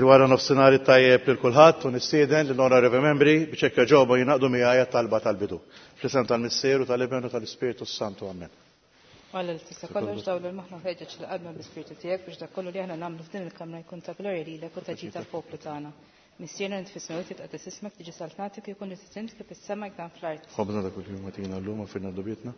Il-wara nofsinhar it-tajjeb lil kulħadd u nistieden lill-Onorevoli Membri biex hekk jogħġobhom jingħaqdu miegħi għat-talba tal-bidu. Fl-isem tal-Missier u tal-Iben u tal-Ispirtu s-Santu. Amen. Alla li tista' kollox dawl il-moħħna u ħeġġeġ lil qalbna bl-Ispirtu tiegħek biex dak kollu li aħna nagħmlu f'din il-kamra jkun ta' glorja lilek u ta' ġid għall-poplu tagħna. Missierna li int fis-smewwiet jitqaddes ismek, tiġi saltnatek u jkun li trid int kif fis-sema hekk dan fl-art. Ħobżna ta' kuljum agħtina llum u aghfirlna dnubietna,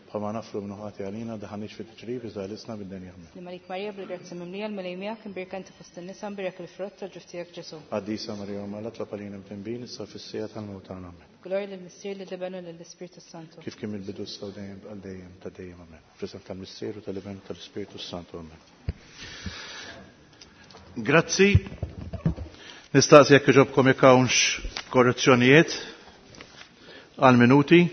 bħalma naghfru minnu ħati għalina, daħħalniex fi tiġrib, iżda ħlisna mid-deni. Amen. Sliem għalik Marija, bil-grazzja mimlija, l-Mulej miegħek, imbierka inti fost in-nisa, imbierek il-frott tal-ġuf tiegħek Ġesù. Qaddisa Marija Omm Alla, tlob għalina mtinbin, issa u fis-siegħa tal-mewt tagħna. Amen. Glorja lill-Missier, lill-Iben u lill-Ispirtu s-Santu. Kif kien mill-bidu issa u dejjem għal dejjem ta' dejjem. Amen. Fl-isem tal-Missier u tal-Iben u tal-Ispirtu s-Santu. Amen. Grazzi. Nistaqsi jekk iġobkom jekk hawnx korrezzjonijiet għal minuti.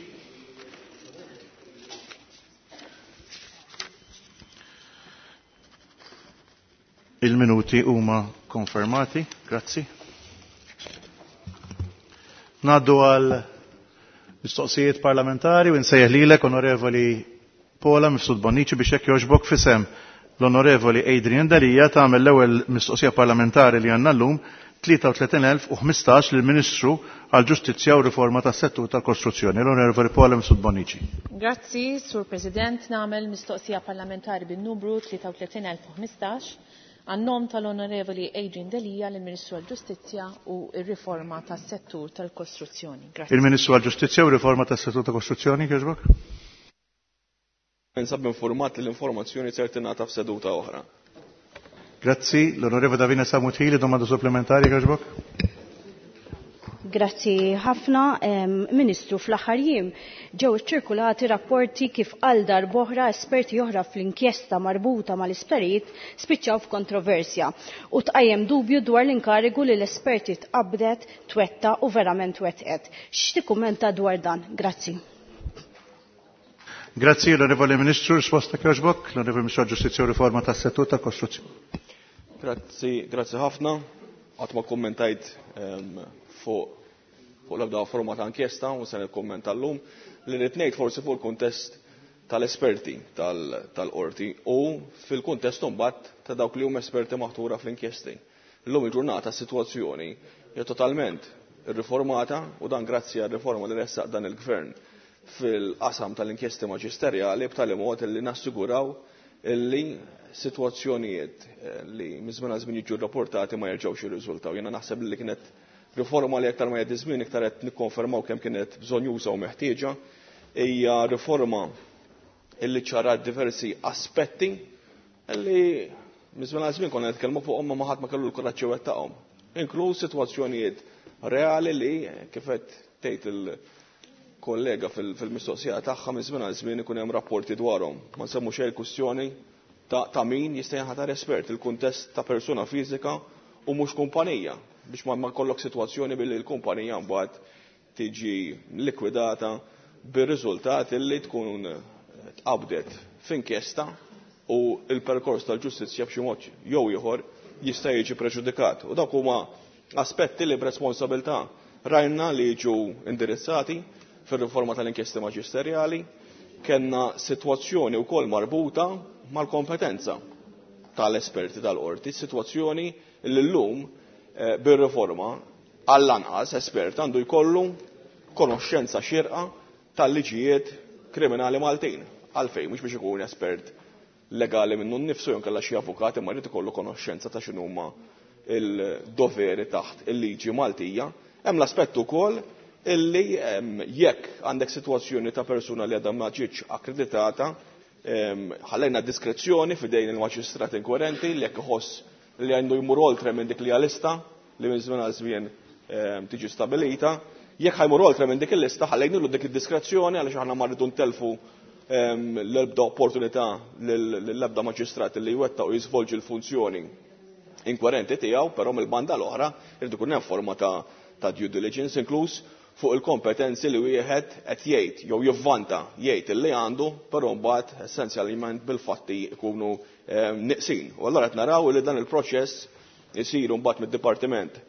Il-minuti huma konfermati. Grazzi. Ngħaddu għal mistoqsijiet parlamentari u nsejjaħ lilek Onorevoli Paula Mifsud Bonnici biex jekk jogħġbok f'isem l-Onorevoli Adrian Delia tagħmel l-ewwel mistoqsija parlamentari li għandna llum 33,015 lill-Ministru għall-Ġustizzja u Riforma tas-Settur tal-Kostruzzjoni, l-Onorevoli Paula Mifsud Bonnici. Grazzi, Sur President. Nagħmel mistoqsija parlamentari bin-numru 33,015 għan-nom tal-Onorevoli Adrian Delia lill-Ministru għall-Ġustizzja u r-Riforma tas-Settur tal-Kostruzzjoni. Grazzi. Il-Ministru għall-Ġustizzja u Riforma tas-Settur tal-Kostruzzjoni, jogħġbok? Ninsab informat li l-informazzjoni ser tingħata f'seduta oħra. Grazzi. L-Onorevole Davina Sammut Hili, domanda supplementari, jogħġbok? Grazzi ħafna, Ministru, fl-aħħar jiem ġew iċċirkulati rapporti kif għal darb'oħra esperti oħra fl-inkjesta marbuta mal-isptarijiet spiċċaw f'kontroversja u tqajjem dubju dwar l-inkarigu li l-esperti tqabbdet twettaq u verament wettqet. X'tikkummenta dwar dan? Grazzi. Grazzi, l-Onorevoli Ministru, risposta jogħġbok, l-Onorevoli Ministru għall-Ġustizzja u Riforma tas-Settur tal-Kostruzzjoni. Grazzi, grazzi ħafna. Qatt ma kkummentajt fuq fuq l-ebda forma ta' inkjesta u se nikkummenta llum. Li rrid ngħid forsi fuq il-kuntest tal-esperti tal-qorti u fil-kuntest imbagħad ta' dawk li huma esperti maħtura fl-inkjesti. Illum il-ġurnata s-sitwazzjoni hija totalment irriformata u dan grazzi għar-riforma li ressaq dan il-Gvern fil-qasam tal-inkjesti maġisterjali b'tali mod li nassiguraw illi sitwazzjonijiet li minn żmien għal żmien jiġu rrapportati ma jerġgħux jirriżultaw. Jiena naħseb li kienet riforma li aktar ma jgħaddi żmien iktar qed nikkonfermaw kemm kienet bżonjuża u meħtieġa. Hija riforma illi ċarat diversi aspetti illi minn żmien għal żmien konna nitkellmu fuqhom ma ħadd ma kellu l-kuraġġ iwettaqhom. Inkluż sitwazzjonijiet reali li kif qed tgħid il-kollega fil-mistoqsija tagħha minn żmien għal żmien ikun hemm rapporti dwarhom. Ma nsemmu xejn il-kwistjoni ta' min jista' jinħatar espert, il-kuntest ta' persuna fiżika u mhux kumpanija, biex ma jkollok sitwazzjoni billi l-kumpanija mbagħad tiġi likwidata bir-riżultat li tkun tqabdet f'inkjesta u l-perkors tal-ġustizzja b'xi mod jew ieħor jista' jiġi preġudikat. U dawk huma aspetti li b'responsabilità rajna li jiġu indirizzati fir-riforma tal-inkjesti maġisterjali. Kellna sitwazzjoni wkoll marbuta mal-kompetenza tal-esperti tal-qorti, sitwazzjoni li llum bir-riforma għall-anqas espert għandu jkollu konoxxenza xierqa tal-liġijiet kriminali Maltin. Għalfejn, mhux biex ikun espert legali minnu nnifsu jew inkella xi avukat, imma jrid ikollu konoxxenza ta' x'inhuma il-doveri taħt il-liġi Maltija. Hemm l-aspett ukoll illi jekk għandek sitwazzjoni ta' persuna li għadha ma ġietx akkreditata, ħallejna diskrezzjoni f'idejn il-maġistrat inkwirenti li jekk iħoss li għandu jmur oltre minn dik li hija lista li minn żmien għal żmien tiġi stabilita, jekk ħajmur oltre minn dik il-lista ħallejnilu dik id-diskrezzjoni għaliex aħna ma rridu ntellfu l-ebda opportunità lill-ebda maġistrat li jwettaq u jiżvolġi l-funzjoni inkwerenti tiegħu, però mill-banda l-oħra irid ikun hemm forma ta' due diligence inkluż fuq il-kompetenzi li wieħed qed jgħid jew jivvanta jgħid illi għandu, però mbagħad essenzjalment bil-fatti jkunu neqsin. U allura qed naraw li dan il-proċess isir mbagħad mid-Dipartiment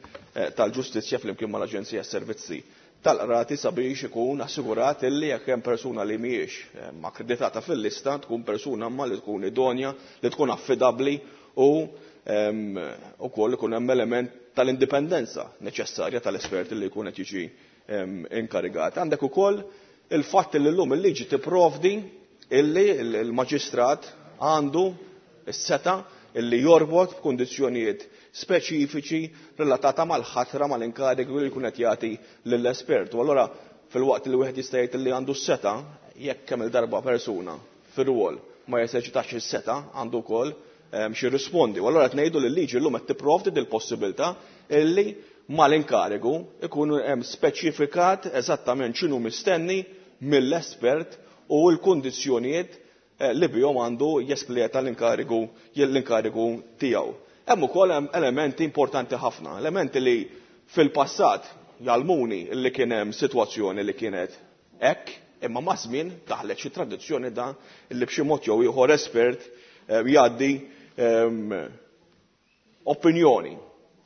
tal-Ġustizzja flimkien mal-Aġenzija Servizzi tal-Qrati sabiex ikun assigurat illi jekk hemm persuna li mhijiex akkreditata fil-lista tkun persuna imma li tkun idonja, li tkun affidabbli u Ukoll ikun hemm element tal-indipendenza neċessarja tal-esperti li jkun qed jiġi inkarigat. Għandek ukoll il-fatt li llum il-liġi tipprovdi illi l-maġistrat għandu s-seta illi jorbot b'kundizzjonijiet speċifiċi relatata mal-ħatra, mal-inkarigu li jkun qed jagħti lill-espert. U allura filwaqt li wieħed jista' jgħid li għandu s-seta, jekk kemm il-darba persuna fir-rwol ma jeżerċitax is-seta, għandu wkoll xi rispondi. U allura qed ngħidu li l-liġi llum qed tipprovdi dil-possibilità illi mal-inkarigu ikun hemm speċifikat eżattament x'inhu mistenni mill-espert u l-kundizzjonijiet li bihom għandu jespleta l-inkarigu l-inkarigu tiegħu. Hemm ukoll elementi importanti ħafna, elementi li fil-passat jgħallmuni li kien hemm sitwazzjoni li kienet hekk, imma ma' żmien daħlet xi tradizzjoni da li b'xi mod jew ieħor espert jgħaddi opinjoni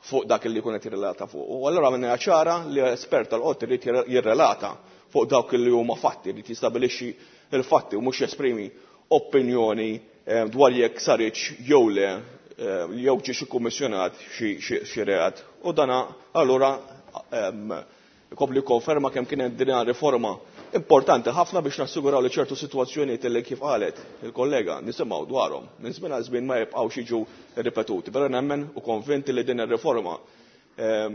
fuq dak li jkun qed jirrelata fuq. U allura minna ċara li espert tal-qorti jrid jirrelata fuq dawk li huma fatti, jrid jistabilixxi il-fatti u mhux jesprimi opinjoni dwar jekk saritx jew le jew ġiex ikkummissjonat xi reat. U dana allura ikompli konferma kemm kienet din riforma importanti ħafna biex nassiguraw li ċertu sitwazzjonijiet li kif qalet il-kollega nisimgħu dwarhom minn żmien għal żmien ma jibqgħux jiġu ripetuti. Però nemmen u konvinti li din ir-riforma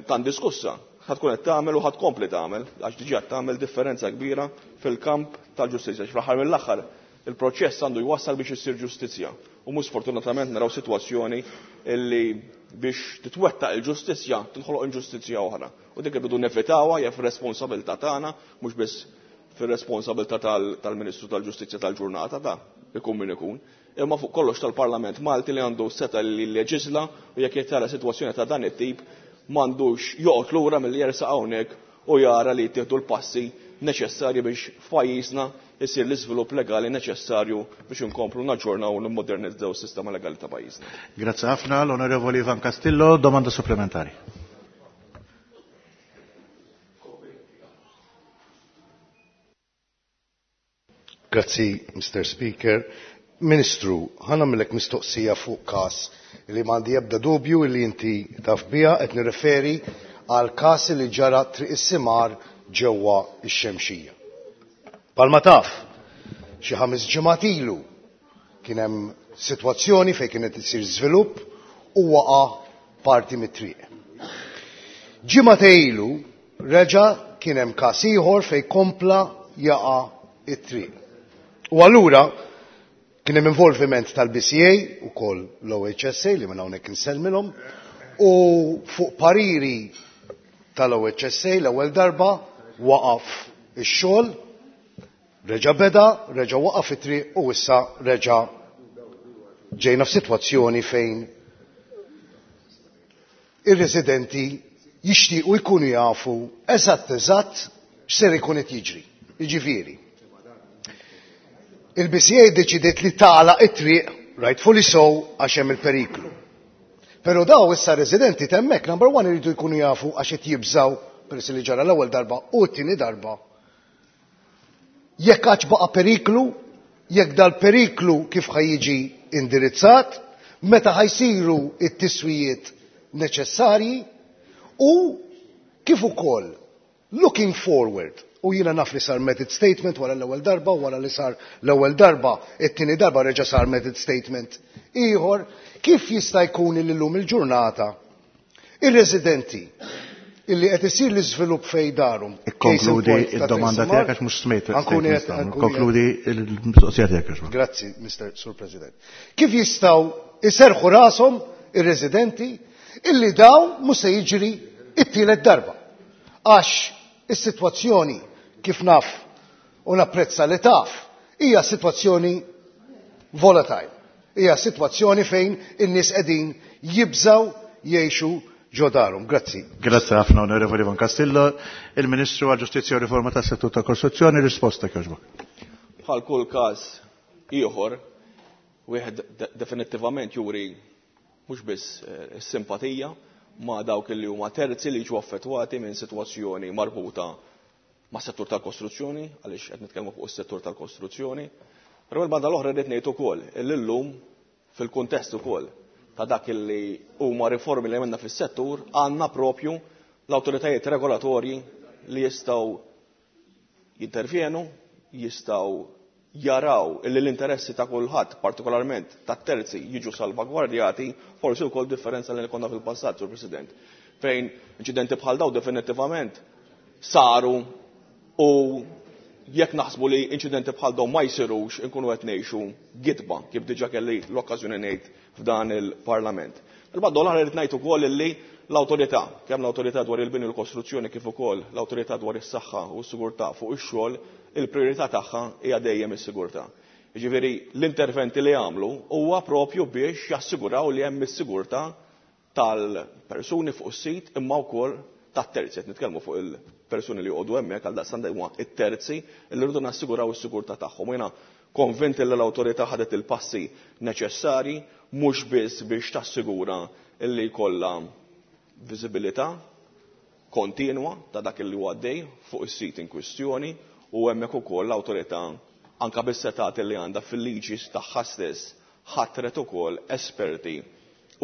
tan diskussa ħa tkun qed tagħmel u ħa tkompli tagħmel, għax diġà tagħmel differenza kbira fil-kamp tal-ġustizzja. Fl-aħħar mill-aħħar il-proċess għandu jwassal biex issir ġustizzja. U mhux sfortunatament naraw sitwazzjoni illi biex titwettaq il-ġustizzja tinħoloq inġustizzja oħra. U dik irridu nevitawha hija fir-responsabilità tagħna, mhux biss fir-responsabilità tal-Ministru tal-Ġustizzja tal-ġurnata ta' ikun min ikun, imma fuq kollox tal-Parlament Malti li għandu seta li leġisla u jekk jtara sitwazzjoni ta' dan it-tip m'għandux joqgħod lura milli jersaq hawnhekk u jara li jittieħdu l-passi neċessarji biex f'pajjiżna jsir l-iżvilupp legali neċessarju biex inkomplu naġġornaw u nimmodernizzaw is-sistema legali ta' pajjiżna. Grazzi ħafna. L-Onorevoli Ivan Castillo, domanda supplementari. Grazzi, Mr. Speaker. Ministru, ħa nagħmillek mistoqsija fuq kas li m'għandi ebda dubju li inti taf biha. Qed nirreferi għal kas li ġara Triq is-Simar ġewwa x-Xemxija. Palma taf, xi 5 ġimgħat ilu kien hemm sitwazzjoni fejn kienet isir żvilupp u waqa' parti mit-triq. Ġimgħa ilu reġa' kien hemm każ ieħor fejn kompla jaqa' it-triq. U allura kien hemm involviment tal-BCA ukoll l-OHSA li minn hawnhekk insellmilhom, u fuq pariri tal-OHSA l-ewwel darba waqaf ix-xogħol, reġa' beda, reġa' waqaf it-triq u issa reġa' ġejna f'sitwazzjoni fejn ir-residenti jixtiequ jkunu jafu eżatt eżatt x'ser ikun qed jiġri. Jiġifieri, il-BCA deċidiet li tagħlaq it-triq, rightfully so, għax hemm il-periklu. Però daw issa residenti t'hemmhekk, number one, iridu jkunu jafu għax qed jibżaw peress li ġara l-ewwel darba u t-tieni darba. Jekk għadx baqa' periklu, jekk dal-periklu kif ħa jiġi indirizzat, meta ħa jsiru it-tiswijiet neċessarji u kif ukoll looking forward. U jiena naf li sar method statement wara l-ewwel darba, u wara li sar l-ewwel darba, it-tieni darba reġa' sar method statement ieħor, kif jista' jkun li llum il-ġurnata ir-residenti illi qed isir l-iżvilupp fej darhom. Ikkonkludi id-domanda tiegħek għax mhux smejt. Konkludi l-mistoqsija tiegħek. Grazzi, Mr. Sur President. Kif jistgħu iserħu rashom ir-residenti illi daw mhux se jiġri it-tielet darba? Għax is-sitwazzjoni kif naf u napprezza li taf hija sitwazzjoni volatile. Hija sitwazzjoni fejn in-nies qegħdin jibżaw jgħixu ġo darhom. Grazzi. Grazzi ħafna, Onorevoli Ivan Castillo. Il-Ministru għal Ġustizzja u Riforma tas-Settur ta' Kostruzzjoni, risposta kjoġbok. Bħal kull każ ieħor, wieħed definittivament juri mhux biss is-simpatija ma' dawk li huma terzi li jiġu affettwati minn sitwazzjoni marbuta ma' settur tal-kostruzzjoni, għaliex qed nitkellmu fuq is-settur tal-kostruzzjoni. Però l-banda l-oħra rrid ngħid ukoll li llum fil-kuntest ukoll ta' dak li huma riformi li għamilna fis-settur għandna propju l-awtoritajiet regolatorji li jistgħu jintervjenu, jistgħu jaraw illi l-interessi ta' kulħadd, partikolarment tat-terzi, jiġu salvagwardjati, forsi wkoll differenza li konna fil-passat, Sur President, fejn inċidenti bħal daw definittivament saru u jekk naħsbu li inċidenti bħal daw ma jsirux inkunu qed ngħixu gidba kif diġà kelli l-okkażjoni ngħid f'dan il-Parlament. Il-banda l-oħra rrid ngħid ukoll illi l-awtorità, kemm l-awtorità dwar il-bini u l-kostruzzjoni kif ukoll l-awtorità dwar is-saħħa u s-sigurtà fuq ix-xogħol, il-prijorità tagħha hija dejjem is-sigurtà. Jiġifieri l-interventi li għamlu huwa propju biex jassiguraw li hemm is-sigurtà tal-persuni fuq is-sit imma wkoll tat-terzi. Qed nitkellmu fuq il-persuni li joqogħdu hemmhekk għal daqstant huma t-terzi li rridu nassiguraw is-sigurtà tagħhom. U jiena konvint li l-awtorità ħadet il-passi neċessarji mhux biss biex tassigura li jkollha viżibilità kontinwa ta' dak li huwa għaddej fuq is-sit in kwistjoni u hemmhekk ukoll l-awtorità anke bis-setgħat li għandha fil-liġi tagħha stess ħatret ukoll esperti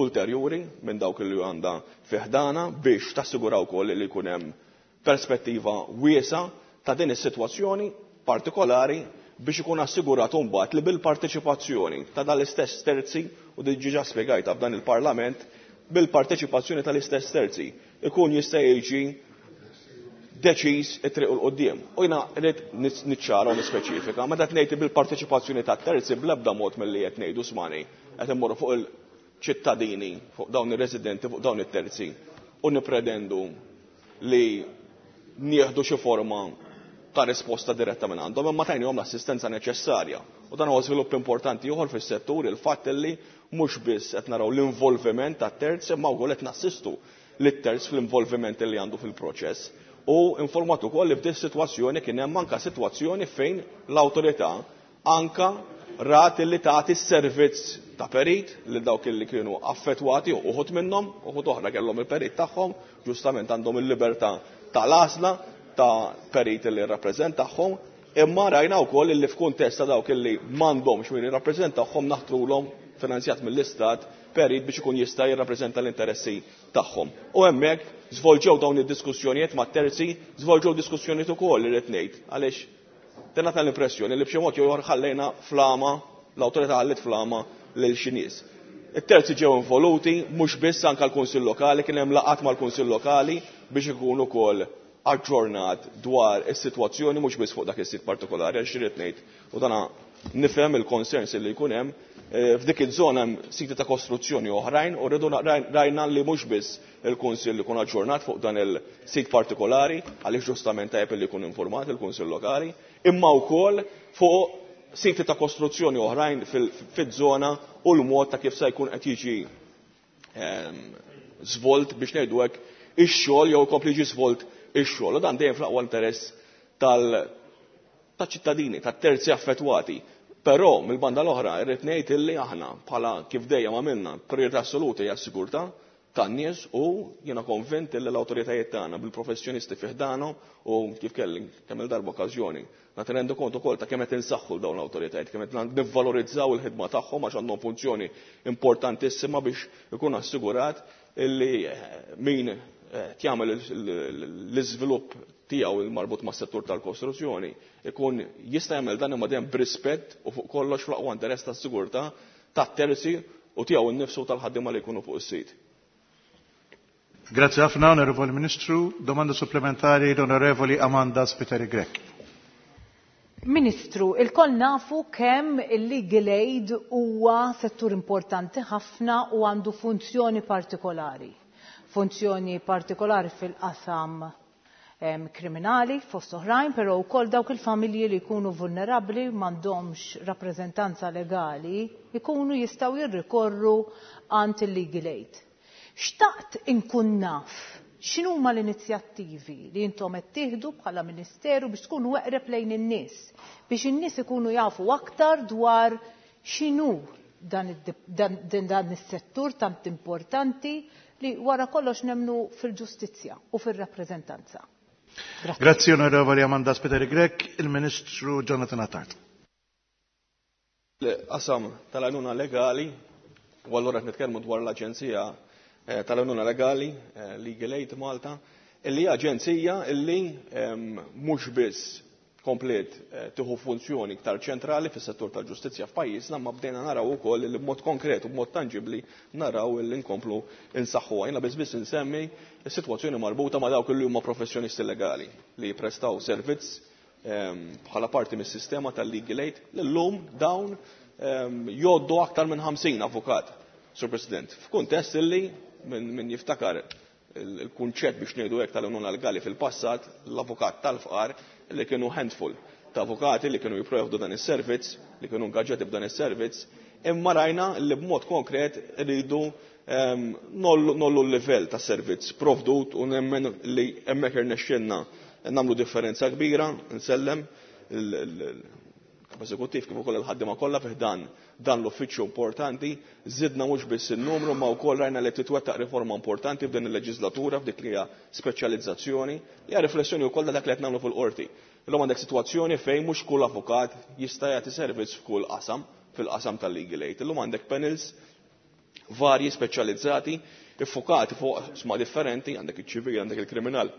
ulterjuri minn dawk li għandha fi ħdana biex tassigura wkoll li jkun hemm perspettiva wiesgħa ta' din is-sitwazzjoni partikolari biex ikun assigurat imbagħad li bil-parteċipazzjoni ta' dan l-istess terzi, u diġà spjegajtha f'dan il-Parlament, bil-parteċipazzjoni tal-istess terzi ikun jista' jiġi deċiż it-triq 'l quddiem. U jiena rrid niċċara u nispeċifika, meta qed ngħid bil-parteċipazzjoni tat-terzi bl-ebda mod milli qed ngħidu smani qed immorru fuq il-ċittadini, fuq dawn ir-residenti, fuq dawn it-terzi u nippretendu li nieħdu xi forma ta' risposta diretta minn għandhom, imma tajnihom l-assistenza neċessarja. U dan huwa żvilupp importanti ieħor fis-settur, il-fatt li mhux biss qed naraw l-involviment tat-terz imma wkoll qed nassistu lit-terz fl-involviment li għandu fil-proċess. U informat ukoll li f'din sitwazzjoni kien hemm anke sitwazzjoni fejn l-awtorità anka rat li tagħti s-servizz ta' perit lil dawk li kienu affettwati, uħud minnhom, uħud oħra kellhom il-perit tagħhom, ġustament għandhom il-libertà tal-għażla ta' perit li jirrappreżentahom, imma rajna wkoll li f'kuntest ta' dawk li m'għandhomx min jirrappreżentahom naħtrulhom finanzjat mill-Istat perit biex ikun jista' jirrappreżenta l-interessi tagħhom. U hemmhekk żvolġew dawn id-diskussjonijiet ma' terzi, żvolġew diskussjonijiet ukoll irrid ngħid, għaliex tingħata l-impressjoni li b'xi mod jew ieħor ħallejna flama, l-awtorità ħalliet flama lil xi nies. It-terzi ġew involuti, mhux biss anke l-Kunsill Lokali, kien hemm laqgħat mal-Kunsill Lokali biex ikun ukoll aġġornat dwar is-sitwazzjoni mhux biss fuq dak is-sit partikolari, għaliex irrid ngħid, u dana nifhem il-concerns li jkun hemm, f'dik iż-żona hemm siti ta' kostruzzjoni oħrajn u rridu rajna li mhux biss il-Kunsill ikun aġġornat fuq dan il-sit partikolari, għaliex ġustament tajjeb li jkun informat il-Kunsill Lokali, imma wkoll fuq siti ta' kostruzzjoni oħrajn fiż-żona u l-mod ta' kif se jkun qed jiġi żvolt biex ngħidu hekk ix-xogħol jew ikompli jiġi żvolt ix-xogħol. U dan dejjem fl-aqwa interess tal-ċittadini, tat-terzi affettwati. Però mill-banda l-oħra irrid ngħid illi aħna bħala kif dejjem għamilna priorità assoluta hija s-sigurtà tan-nies u jiena konvint illi l-awtoritajiet tagħna bil-professjonisti fi ħdanhom u kif kelli kemm il-darba okkażjoni nagħti rendu kont ukoll ta' kemm qed insaħħu dawn l-awtoritajiet, kemm qed nivvalorizzaw il-ħidma tagħhom għax għandhom funzjoni importantissima biex ikun assigurat illi min jagħmel l-iżvilupp tiegħu marbut mas-settur tal-kostruzzjoni ikun jista' jagħmel dan imma dejjem b'rispett u fuq kollox fl-aqwa interess tas-sigurtà tat-terzi u tiegħu nnifsu tal-ħaddiema li jkunu fuq is-sit. Grazie ħafna, Onorevoli Ministru. Domanda supplementari l-Onorevoli Amanda Spiteri Grech. Ministru, ilkoll nafu kemm il-legal aid huwa settur importanti ħafna u għandu funzjoni partikolari. Funzjoni partikolari fil-qasam kriminali fost oħrajn, però wkoll dawk il-familji li jkunu vulnerabbli m'għandhomx rappreżentanza legali jkunu jistgħu jirrikorru għand il-legal aid. Xtaqt inkun naf x'inhuma l-inizjattivi li intom qed tieħdu bħala Ministeru biex tkunu eqreb lejn in-nies, biex in-nies ikunu jafu aktar dwar x'inhu dan is-settur tant importanti li wara kollox nemnu fil-ġustizzja u fir-rappreżentanza. Grazzi Onorevoli Amanda Spiteri Grech, il-Ministru Jonathan Attard. L-qasam tal-għajnuna legali U allura qed nitkellmu dwar l-Aġenzija tal-Għajnuna Legali, Legal Aid Malta, illi hija aġenzija illi mhux biss kompliet tieħu funzjoni iktar ċentrali fis-settur tal-ġustizzja f'pajjiżna, ma bdejna naraw ukoll li b'mod konkret u b'mod tanġibbli naraw li nkomplu insaħħuha. Jiena biss biss insemmi s-sitwazzjoni marbuta ma' dawk li huma professjonisti legali li jipprestaw servizz bħala parti mis-sistema tal-Legal Aid li llum dawn jgħoddu aktar minn 50 avukat, Sur President, f'kuntest illi min jiftakar il-kunċett biex ngħidu hekk tal-għajnuna legali fil-passat, l-avukat tal-fqar li kienu handful ta' avukati li kienu jipprovdu dan is-servizz, li kienu ingaġġati b'dan is-servizz, imma rajna li b'mod konkret rridu nollu l-livell ta' servizz provdut u nemmen li hemmhekk irnexxielna nagħmlu differenza kbira, nsellem il-kap eżekuttiv kif ukoll il-ħaddiema kollha fih dan l-uffiċċju importanti, żidna mhux biss in-numru ma wkoll rajna li titwettaq riforma importanti f'din il-leġislatura f'dik li hija speċjalizzazzjoni, li hija riflessjoni wkoll ta' dak li qed nagħmlu fil-qorti. Illum għandek sitwazzjoni fejn mhux kull avukat jista' jagħti servizz f'kull qasam, fil-qasam tal-legal aid. Illum għandek panels varji speċjalizzati, iffukati fuq sma differenti, għandek iċ-ċivil, għandek il-kriminal,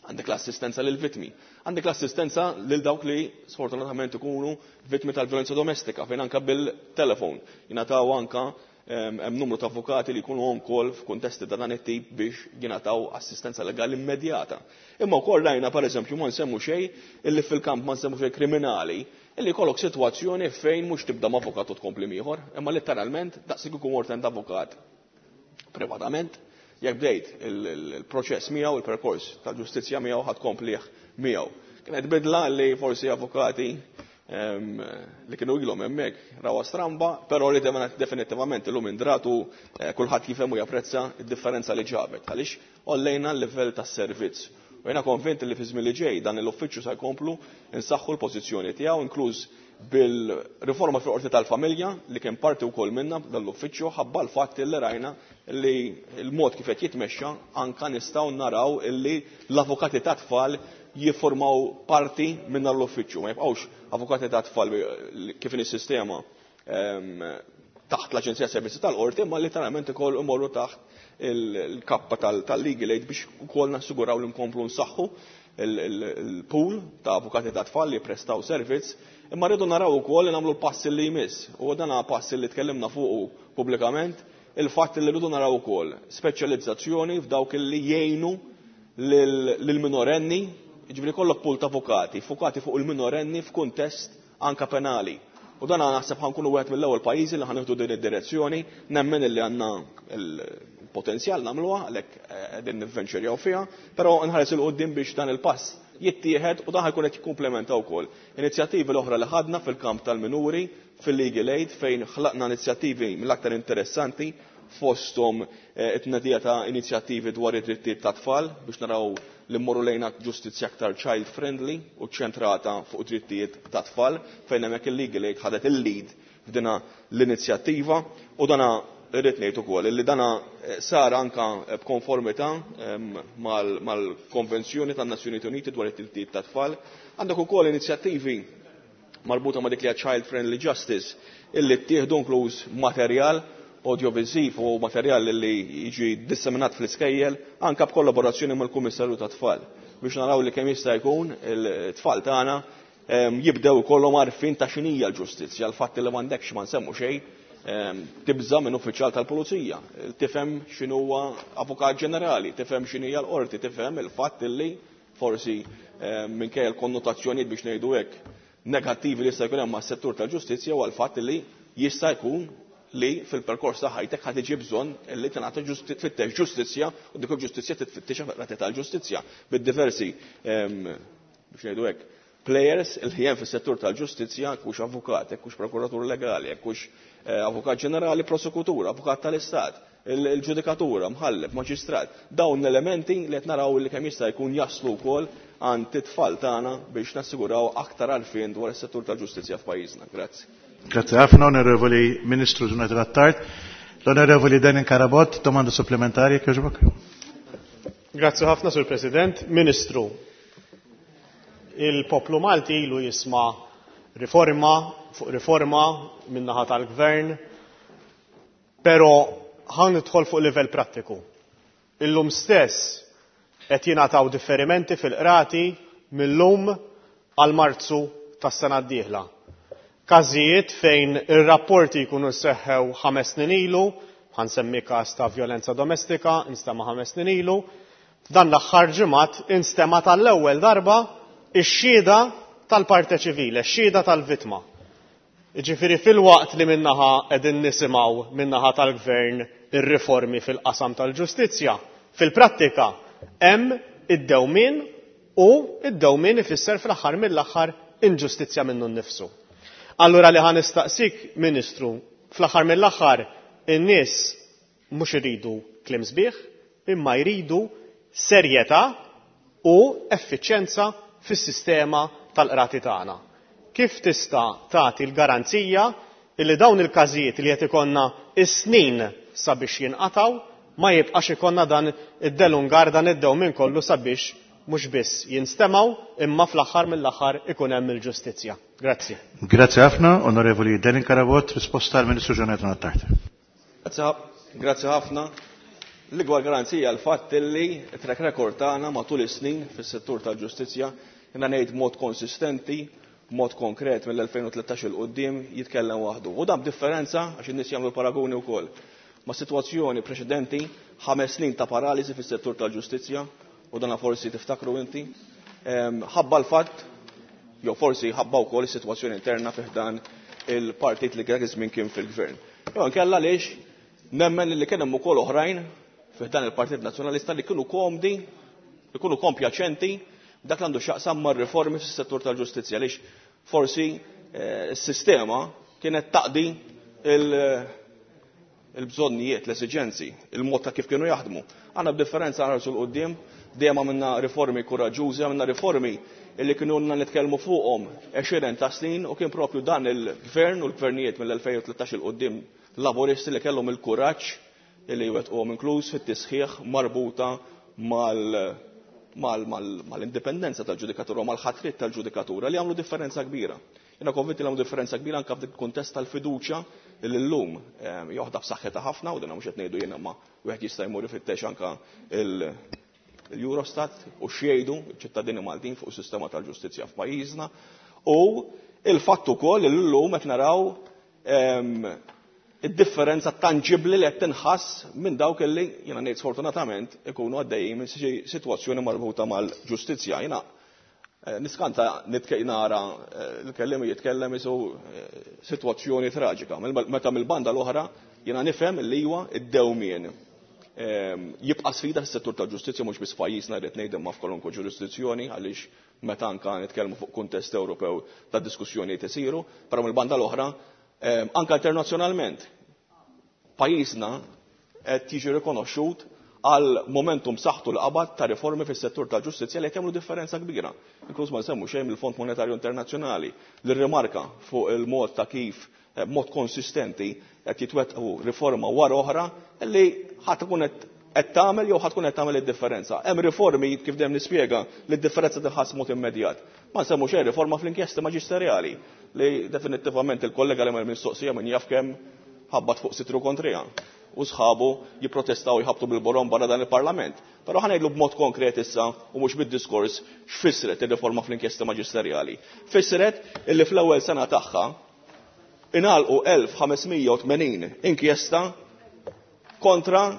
għandek l-assistenza lil vittmi, għandek l-assistenza lil dawk li sfortunatament ikunu vittmi tal-violenza domestika, fejn anka bil-telefon jingħataw anka hemm numru ta' avukati li jkunu on call f'kuntesti ta' dan it-tip biex jingħataw assistenza legali immedjata. Imma wkoll rajna pereżempju ma nsemmu xejn illi fil-kamp ma nsemmu xejn kriminali, illi jkollok sitwazzjoni fejn mhux tibda ma' avukat u tkompli ieħor, imma letteralment daqsik ikun mort għand avukat privatament, jekk bdejt il-proċess miegħu, il-perkors tal-ġustizzja miegħu ħadd komplih miegħu. Kienet bidla li forsi avukati li kienu ilhom hemmhekk rawha stramba, però li definitivament illum indratu kulħadd jifhem u japprezza d-differenza li ġabet għaliex għollejna l-livell tas-servizz. U jiena konvint li fi żmien li ġej dan l-uffiċċju se jkomplu nsaħħu l-pożizzjoni tiegħu, inkluż bil-riforma fil-qorti tal-familja li kien parti wkoll minna dan l-uffiċċju ħabba l-fatt li rajna li l-mod kif qed jitmexxa anka nistgħu naraw illi l-avukati ta' tfal jiffurmaw parti minn dan l-uffiċċju. Ma jibqgħux avukati ta' tfal kif in is-sistema taħt l-Aġenzija Servizzi tal-Qorti, imma literalment ukoll imorru taħt il-kappa tal-legal aid biex ukoll nassiguraw li nkomplu nsaħħu il-pool ta' avukati ta' tfal li prestaw servizz, imma rridu naraw ukoll li nagħmlu l-passi li jmiss. U dan passi li tkellimna fuqu pubblikament, il-fatt li rridu naraw ukoll speċjalizzazzjoni f'dawk li jgħinu lil-minorenni, jiġifieri kollok pool ta' avukati, fukati fuq il-minorenni f'kuntest anka penali. U dan naħseb ħankunu wieħed mill-ewwel pajjiżi li ħanieħdu din id-direzzjoni, nemmen illi għandna il-potenzjal nagħmluha, għalhekk qegħdin nivvenċerjaw fiha, però nħares il quddiem biex dan il-pass jittieħed u dan ħajkun qed jikkumplementa wkoll inizjattivi l-oħra li ħadna fil-kamp tal-minuri, fil-legal aid, fejn ħlaqna inizjattivi mill-aktar interessanti fosthom it-tnedija ta' inizjattivi dwar id-drittijiet ta' tfal biex naraw li mmorru lejn ġustizzja aktar child friendly u ċentrata fuq drittijiet ta' tfal, fejn hemmhekk il-legal aid ħadet il-lead f'dina l-inizjattiva. U dana irrid ngħid ukoll li dana sar anka b'konformità mal-Konvenzjoni tan-Nazzjonijiet Uniti dwar id-drittijiet ta' tfal. Għandek ukoll inizjattivi marbuta ma' dik li hija child friendly justice illi ttieħdu inkluż materjal audiovisiv u materjal li jiġi disseminat fl-iskejjel anka b'kollaborazzjoni mal-Kummissarju ta' Tfal biex naraw li kemm jista' jkun il-tfal tagħna jibdew ikollhom għarfien ta' x'inhija l-ġustizzja, l-fatt li m'għandekx ma nsemmu xejn tibża' minn uffiċjal tal-pulizija, tifhem x'inhuwa avukat ġenerali, tifhem x'inhija l-qorti, tifhem il-fatt li forsi minkejja l-konnotazzjonijiet biex ngħidu hekk negattivi li jista' jkun hemm mas-settur tal-ġustizzja huwa l-fatt li jista' jkun li fil-perkors ta' ħajtek ħad iġi bżonn li tingħata tfittex ġustizzja u dik il-ġustizzja titfittixha fil-qrati tal-ġustizzja bid-diversi biex ngħidu hekk players li hemm fis-settur tal-ġustizzja, hekk hux avukat, hekk hux prokuratur legali, hekk hux avukat ġenerali, prosekutur, avukat tal-Istat, il-ġudikatura, mħallef, maġistrat. Dawn l-elementi li qed naraw li kemm jista' jkun jaslu wkoll għand it-tfal tagħna biex nassiguraw aktar għarfien dwar is-settur tal-ġustizzja f'pajjiżna. Grazzi. Grazie ħafna, Onorevoli Ministru Ġunajt Attard. L-Onorevoli Denin Karabot, domanda supplementari, kjoġbok. Grazie ħafna, Sur President. Ministru, il-poplu Malti ilu jisma' riforma fuq riforma min-naħa tal-gvern. Però ħa nidħol fuq livell prattiku. Illum stess qed jingħataw differimenti fil-qrati mil-lum għal Marzu tas-sena d-dieħla. Każijiet fejn ir-rapporti jkunu seħħew 5 snin ilu, ħa nsemmi każ ta' vjolenza domestika, instema' 5 snin ilu, f'dan l-aħħar ġimgħat instema' tal-ewwel darba ix-xhieda tal-parte ċivile, x-xhieda tal-vittma. Ġifieri filwaqt li min-naħa qegħdin nisimgħu min-naħa tal-gvern ir-riformi fil-qasam tal-ġustizzja, fil-prattika hemm id-dewmien u id-dewmien ifisser fl-aħħar mill-aħħar inġustizzja minnu nnifsu. Allura li ħa nistaqsik, Ministru, fl-aħħar mill-aħħar in-nies mhux iridu kliem sbieħ, imma jridu serjetà u effiċjenza fis-sistema tal-qrati tagħna. Kif tista' tagħti l-garanzija illi dawn il-każijiet li qed ikollna is-snin sabiex jinqataw ma jibqax ikollna dan id-delungar, dan id-dewmien kollu sabiex mhux biss jinstemgħu imma fl-aħħar mill-aħħar ikun hemm il-ġustizzja? Grazzi. Grazzi ħafna, Onorevoli Delin Carabott, risposta għal Ministru Jonathan Attard. Grazzi ħafna. L-ikbar garanzija l-fatt illi track record tagħna matul is-snin fis-settur tal-ġustizzja, jiena ngħid mod konsistenti, mod konkret mill-2013 'il quddiem jitkellem waħdu. U dan b'differenza, għax in-nies jagħmlu paragoni wkoll, ma' sitwazzjoni preċedenti, 5 snin ta' paralisi fis-settur tal-ġustizzja, u dana forsi tiftakru inti, ħabba l-fatt, jew forsi ħabba wkoll is-sitwazzjoni interna fi ħdan il-partit li kien iż-żmien kien fil-gvern. Jew nkella għaliex nemmen li kien hemm ukoll oħrajn fi ħdan il-Partit Nazzjonalista li kienu komdi, li kienu kompjaċenti dak li għandu x'jaqsam mar-riformi fis-settur tal-ġustizzja, għaliex forsi s-sistema kienet taqdi il-bżonnijiet, l-esiġenzi, il-mod ta' kif kienu jaħdmu. Għandna b'differenza nħarsu 'l quddiem, dejjem għamilna riformi kuraġġużi, għamilna riformi illi kienu ilna nitkellmu fuqhom 20 ta' snin u kien propju dan il-gvern u l-gvernijiet mill-2013 'il quddiem laboristi li kellhom il-kuraġġ illi jwettquhom, inkluż fit-tisħiħ marbuta mal-indipendenza tal-ġudikatura u mal-ħatrit tal-ġudikatura li għamlu differenza kbira. Jiena konvinti li għamlu differenza kbira anke f'dik kuntest tal-fiduċja li llum joħda b'saħħitha ħafna, u dan mhux qed ngħidu jiena, ma wieħed jista' jmur ifittex anke il-Eurostat u x'jgħidu ċittadini Maltin fuq is-sistema tal-ġustizzja f'pajjiżna, u il-fatt ukoll li llum qed naraw id-differenza tangibli li qed tinħass minn dawk li, jiena ngħid sfortunatament, ikunu għaddejjin minn xi sitwazzjoni marbuta mal-ġustizzja. Jiena niskanta nara l-kelliem jitkellem isu sitwazzjoni traġika. Meta mill-banda l-oħra jiena nifhem li huwa id-dewmien jibqa' sfida fis-settur tal-ġustizzja, mhux biss pajjiżna, rrid ngħid, imma f'kwalunkwe ġurisdizzjoni, għaliex meta anka nitkellmu fuq kuntest Ewropew ta' diskussjonijiet isiru, però mill-banda l-oħra anka internazzjonalment pajjiżna qed jiġi rikonoxxut għal momentum saħtu l-qabad ta' riformi fis-settur tal-ġustizzja li qed jagħmlu differenza kbira. Inkluż ma nsemmu xejn mill-Fond Monetarju Internazzjonali li rrimarka fuq il-mod ta' kif mod konsistenti qed jitwettqu riforma wara oħra li ħadd ikun qed tagħmel jew ħadd tkun qed tagħmel id-differenza. Hemm riformi, kif dejjem nispjega, li d-differenza tinħass mod immedjat. Ma nsemmu xejn riforma fl-inkjesti maġisterjali li definitivament il-kollega li mistoqsija min jaf kemm ħabbat fuq sidru kontriha u sħabu jipprotestaw, jħabtu bil-borom barra dan il-Parlament. Però ħa ngħidlu b'mod konkret issa u mhux bid-diskors x'fissret ir-riforma fl-inkjesta maġisterjali. Fissret illi fl-ewwel sena tagħha ingħalqu 1580 inkjesta kontra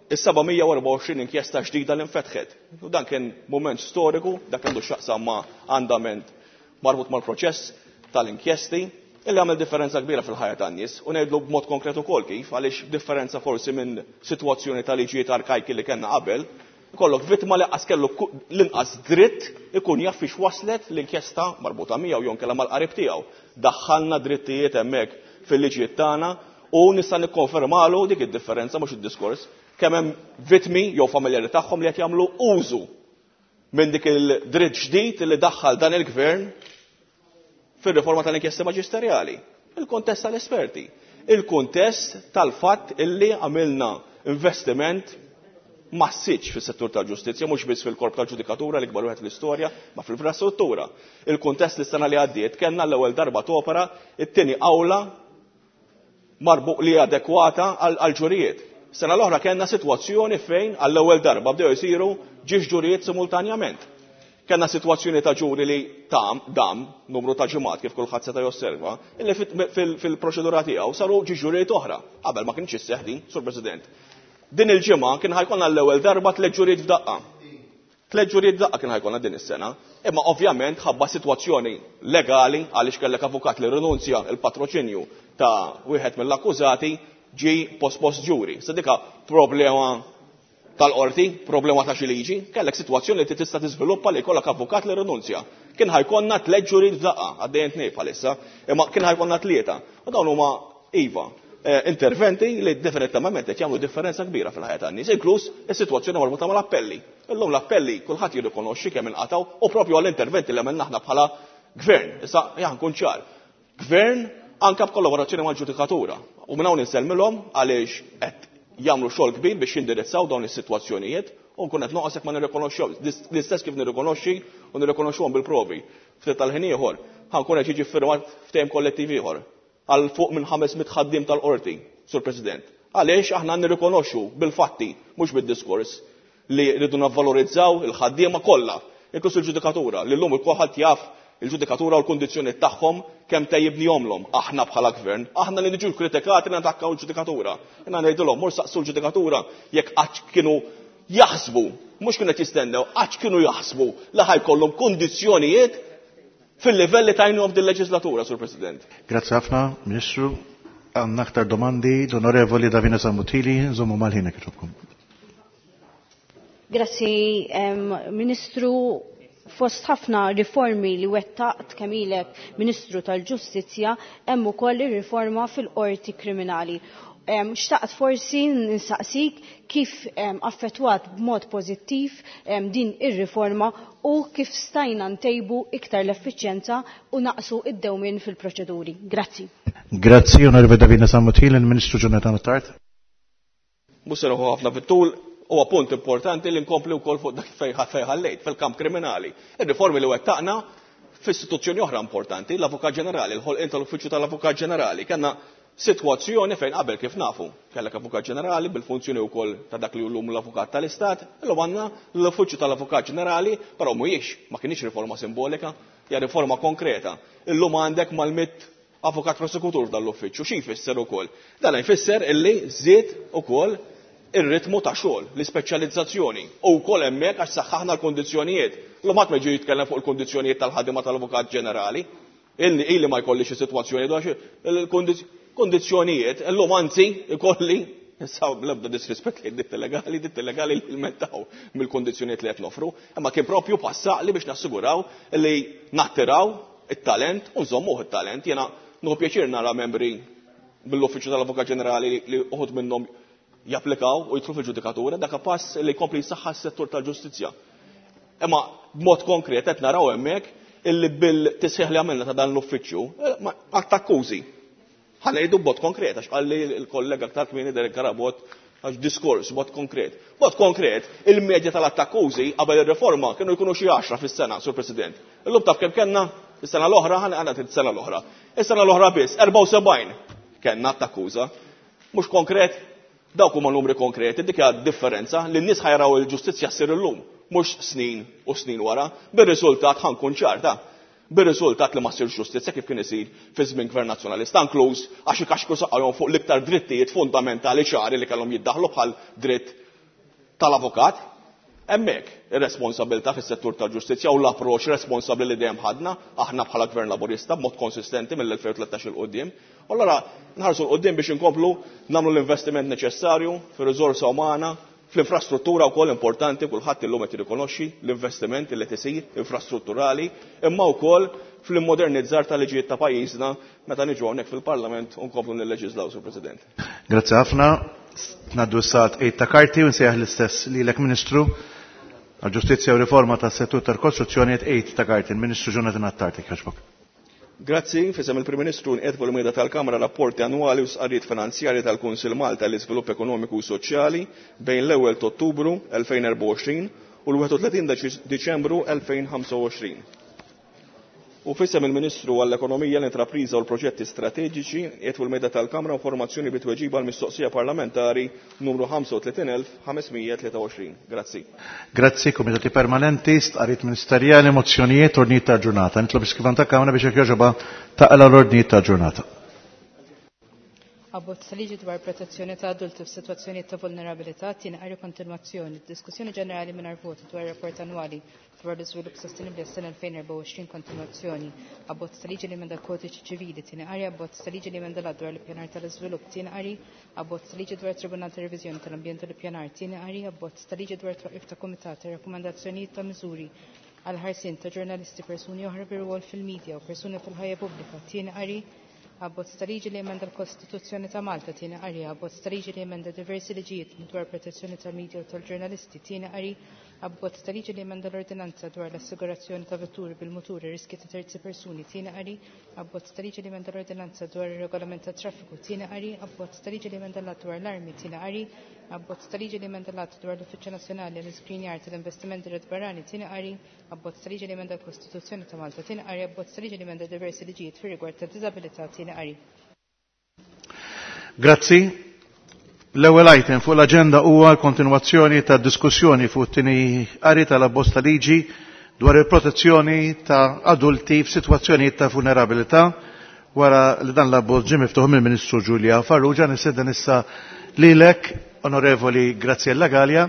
is-724 inkjesta ġdida li nfetħet. U dan kien moment storiku, dak għandu x'jaqsam ma' andament marbut mal-proċess tal-inkjesti, illi għamel differenza kbira fil-ħajja tan-nies, u ngħidlu b'mod konkret ukoll kif, għaliex differenza forsi minn sitwazzjoni ta' liġijiet arkajki li kellna qabel, ikollok vittma li qas kellu l-inqas dritt ikun jaf fiex waslet l-inkjesta marbuta miegħu jew inkella mal-qarib tiegħu. Daħħalna drittijiet hemmhekk fil-liġijiet tagħna u nista' nikkonfermalu dik id-differenza, mhux id-diskors, kemm hemm vittmi jew familjari tagħhom li qed jagħmlu użu minn dik il-dritt ġdid li daħħal dan il-gvern fir-riforma tal-inkjesta maġisterjali. Il-kontest tal-esperti. Il-kontest tal-fatt illi għamilna investiment massiċ fis-settur tal-ġustizzja, mhux biss fil-korp tal-ġudikatura, l-ikbar wieħed fl-istorja, ma fl-infrastruttura. Il-kuntest li s-sena li għaddiet kellna l-ewwel darba topera it-tieni awla. marbu li adekwata għal ġurijiet. Sena l-oħra kellna sitwazzjoni fejn għall-ewwel darba bdew isiru ġiex ġurijiet simultanjament. Kellna sitwazzjoni ta' ġuri li tam dam numru ta' ġimgħat kif kulħadd seta' josserva, illi fil-proċedura tiegħu saru ġiex ġurijiet oħra. Qabel ma kienx isseħħ din, Sur President. Din il-ġimgħa kien ħa jkollna l-ewwel darba tliet ġurijiet f'daqqa. Tliet ġurijiet f'daqqa kien ħa jkollna din is-sena, imma ovvjament ħabba sitwazzjoni legali għaliex kellek avukat li rinunzja il-patroċinju ta' wieħed mill-akkużati ġi pospost ġuri. Sa dika problema tal-qorti, problema ta' xi liġi, kellek sitwazzjoni li tista' tiżviluppa li jkollok avukat li rinunzja. Kien ħa jkollna tliet ġurijiet f'daqqa, għaddejjin tnejn bħalissa, imma kien ħa jkollna tlieta. U dawn huma iva, interventi li definitivament qed jagħmlu differenza kbira fil-ħajja tan-nies, inkluż is-sitwazzjoni marbuta mal-appelli. Illum l-appelli kulħadd jirrikonoxxi kemm inqatgħu u propju għall-interventi li għamilna aħna bħala gvern. Issa ejja nkun ċar. Gvern anke b'kollaborazzjoni mal-ġudikatura. U minn hawn insellmilhom għaliex qed jagħmlu xogħol kbir biex jindirizzaw dawn is-sitwazzjonijiet u nkun qed noqgħod ma nirrikonoxxew. L-istess kif nirrikonoxxi u nirrikonoxxuhom bil-provi. Ftit tal-ħin ieħor ħa nkun qed jiġi ffirmat ftehim kollettiv ieħor għal fuq minn 500 ħaddiem tal-qorti, Sur President. Għaliex aħna nirrikonoxxu bil-fatti, mhux bid-diskors, li rridu navvalorizzaw il-ħaddiema kollha, inkluż il-ġudikatura, li llum kulħadd jaf il-ġudikatura u l-kundizzjoni tagħhom kemm tejjibnihomlhom aħna bħala gvern, aħna li niġu kritikati li nattakkaw il-ġudikatura. Jiena ngħidilhom mur saqsu l-ġudikatura jekk qatt kienu jaħsbu, mhux kienu qed jistennew, qatt kienu jaħsbu li ħa jkollhom kundizzjonijiet fil-livell li tajnihom din leġislatura, Sur President. Grazzi ħafna, Ministru. Għandna aktar domandi, l-Onorevoli Davina Zammit Hili, żommu mal-ħin jogħġobkom. Grazzi, Ministru. Fost ħafna riformi li wettaqt kemm ilek Ministru tal-Ġustizzja, hemm ukoll ir-riforma fil-qorti kriminali. Xtaqt forsi nsaqsik kif affettwat b'mod pożittiv din ir-riforma u kif stajna ntejbu iktar l-effiċjenza u naqsu id-dewmien fil-proċeduri. Grazzi. Grazzi, Onorevoli Davina Zammit Hili, il-Ministru Jonathan Attard. Mhux se ħafna fit-tul, huwa punt importanti li nkompli wkoll fuq dak fejn ħallejt fil-kamp kriminali. Ir-riformi li wettaqna f'istituzzjoni oħra importanti, l-Avukat Ġenerali, il-ħolqien tal-Uffiċċju tal-Avukat Ġenerali. Kellna sitwazzjoni fejn qabel kif nafu, kellek Avukat Ġenerali bil-funzjoni wkoll ta' dak li llum l-Avukat tal-Istat, illum għandna l-Uffiċċju tal-Avukat Ġenerali, però mhuwiex ma kienx riforma simbolika, hija riforma konkreta. Illum għandek mal-mitt avukat prosekutur dal-uffiċċju, xi jfisser ukoll? Dan jfisser illi żied ukoll ir-ritmu ta' xogħol, l-ispeċjalizzazzjoni u wkoll hemmhekk għax saħħaħna l-kundizzjonijiet. Illum ħadd ma jiġi jitkellem fuq il-kundizzjonijiet tal-ħaddiema tal-Avukat Ġenerali. Illi ma jkolli xi sitwazzjoni dwar il-kundizzjonijiet, illum anzi ikolli issa bl-ebda disrispett li ditti legali, ditti legali li jilmentaw mill-kundizzjonijiet li qed nofru, imma kien propju passaqli biex nassiguraw li nattiraw it-talent u nżommuh it-talent. Jiena nieħu pjaċir nara membri mill-Uffiċċju tal-Avukat Ġenerali li uħud minnhom japplikaw u jidħlu fil-ġudikatura, dak pass li jkompli jsaħħa s-settur tal-ġustizzja. Imma b'mod konkret qed naraw hemmhekk illi bil-tisħiħ li għamilna ta' dan l-uffiċċju, ma attakkużi. Ħa ngħidu b'mod konkret, għax qalli l-kollega aktar kmieni Derek Carabott għax diskors b'mod konkret. B'mod konkret, il-medja tal-attakkużi qabel ir-riforma kienu jkunu xi 10 fis-sena, Sur President. Illum taf kemm kellna is-sena l-oħra, ħa ngħid is-sena l-oħra. Is-sena l-oħra biss 74 kellna attakkuża. Mhux konkret, dawk huma numri konkreti, dik hija differenza li n-nies ħa jaraw il-ġustizzja ssir illum, mhux snin u snin wara, bir-riżultat ħa nkun ċarta. Bir-riżultat li ma ssirx ġustizzja kif kien isir fi żmien Gvern Nazzjonalista, inkluż għax ikaxkru saqajhom fuq l-iktar drittijiet fundamentali ċari li kellhom jiddaħlu bħal dritt tal-avukat. Hemmhekk ir-responsabilità fis-settur tal-ġustizzja u l-approċċ responsabbli li dejjem ħadna aħna bħala Gvern Laburista b'mod konsistenti mill-2013 il quddiem. U allura nħarsu 'l quddiem biex inkomplu nagħmlu l-investiment neċessarju fir-riżorsa umana, fl-infrastruttura wkoll importanti, kulħadd illum qed jirrikonoxxi l-investiment li qed isir infrastrutturali, imma wkoll fl-immodernizzar tal-liġijiet ta' pajjiżna meta niġu hawnhekk fil-Parlament u nkomplu nilleġislaw, Sur President. Grazzi ħafna. Ngħaddu issa tqegħid ta' karti u nsejjaħ l-istess lilek Ministru għal-Ġustizzja u Riforma tas-Settur tal-Kostruzzjoni tqegħid ta' karti, il-Ministru Jonathan Attard, jogħġbok. Grazzi, f'isem il-Prim Ministru nqiegħed fuq il-mejda tal-Kamra rapporti annwali u stqarrijiet finanzjarji tal-Kunsill Malta l-Iżvilupp Ekonomiku u Soċjali bejn l-ewwel ta' Ottubru 2024 u l-31 Diċembru 2025. U f'isem il-Ministru għall-Ekonomija, l-Intrapriża u l-Proġetti Strateġiċi qiegħed fuq il-mejda tal-Kamra informazzjoni bi tweġiba għall-mistoqsija parlamentari numru 35523. Grazzi. Grazzi, Komitati Permanenti, stqarrijiet ministerjali, mozzjonijiet, ordnijiet ta' ġurnata. Nitlob iskrivan ta' Kamra biex jekk jogħġobha taqla l-ordnijiet ta' ġurnata. Abbozz ta' liġi dwar protezzjoni ta' adulti f'sitwazzjonijiet ta' vulnerabilità, tieni qari kontinwazzjoni, diskussjoni ġenerali mingħajr voti dwar rapport annwali dwar l-iżvilupp sostenibbli għas-sena 2024 kontinwazzjoni, abbozz ta' liġi li emenda l-kodiċi ċivili, tieni qari, abbozz ta' liġi li emenda l-att dwar l-ippjanar tal-iżvilupp, tieni qari, abbozz ta' liġi dwar Tribunal ta' Reviżjoni tal-Ambjent u l-Ippjanar, tieni qari, abbozz ta' liġi dwar twaqqif ta' kumitat ta' rakkomandazzjonijiet ta' miżuri għal ħarsien ta' ġurnalisti, persuni oħra bi rwol fil-medja u persuni fil-ħajja pubblika, tieni qari, abbozz ta' liġi li emenda l-Kostituzzjoni ta' Malta, tieni qari, abbozz ta' liġi li emenda diversi liġijiet dwar protezzjoni tal-medja u tal-ġurnalisti, tieni qari, abbozz ta' liġi li emenda l-Ordinanza dwar l-assigurazzjoni ta' vetturi bil-muturi riski ta' terzi persuni, tieni qari, abbozz ta' liġi li emenda l-Ordinanza dwar ir-regolament tat-traffiku, tieni qari, abbozz ta' liġi li emenda l-att dwar l-armi, tieni qari, abbozz ta' liġi li emenda l-att dwar l-Uffiċċju Nazzjonali għall-Iskrinjar tal-Investimenti Red Barrani, tieni qari, abbozz ta' liġi li emenda l-Kostituzzjoni ta' Malta, tieni qari, abbozz ta' liġi li emenda diversi liġijiet fir-rigward ta' diżabilità, tieni qari. Grazzi. L-ewwel item fuq l-aġenda huwa l-kontinwazzjoni ta' diskussjoni fuq it-tieni qari tal-abbozz ta' liġi dwar il-protezzjoni ta' adulti f'sitwazzjonijiet ta' vulnerabilità wara li dan l-abbozz ġie miftuħ mill-Ministru Giulia Farrugia. Nistieden issa lilek, Onorevoli Graziella Gallia,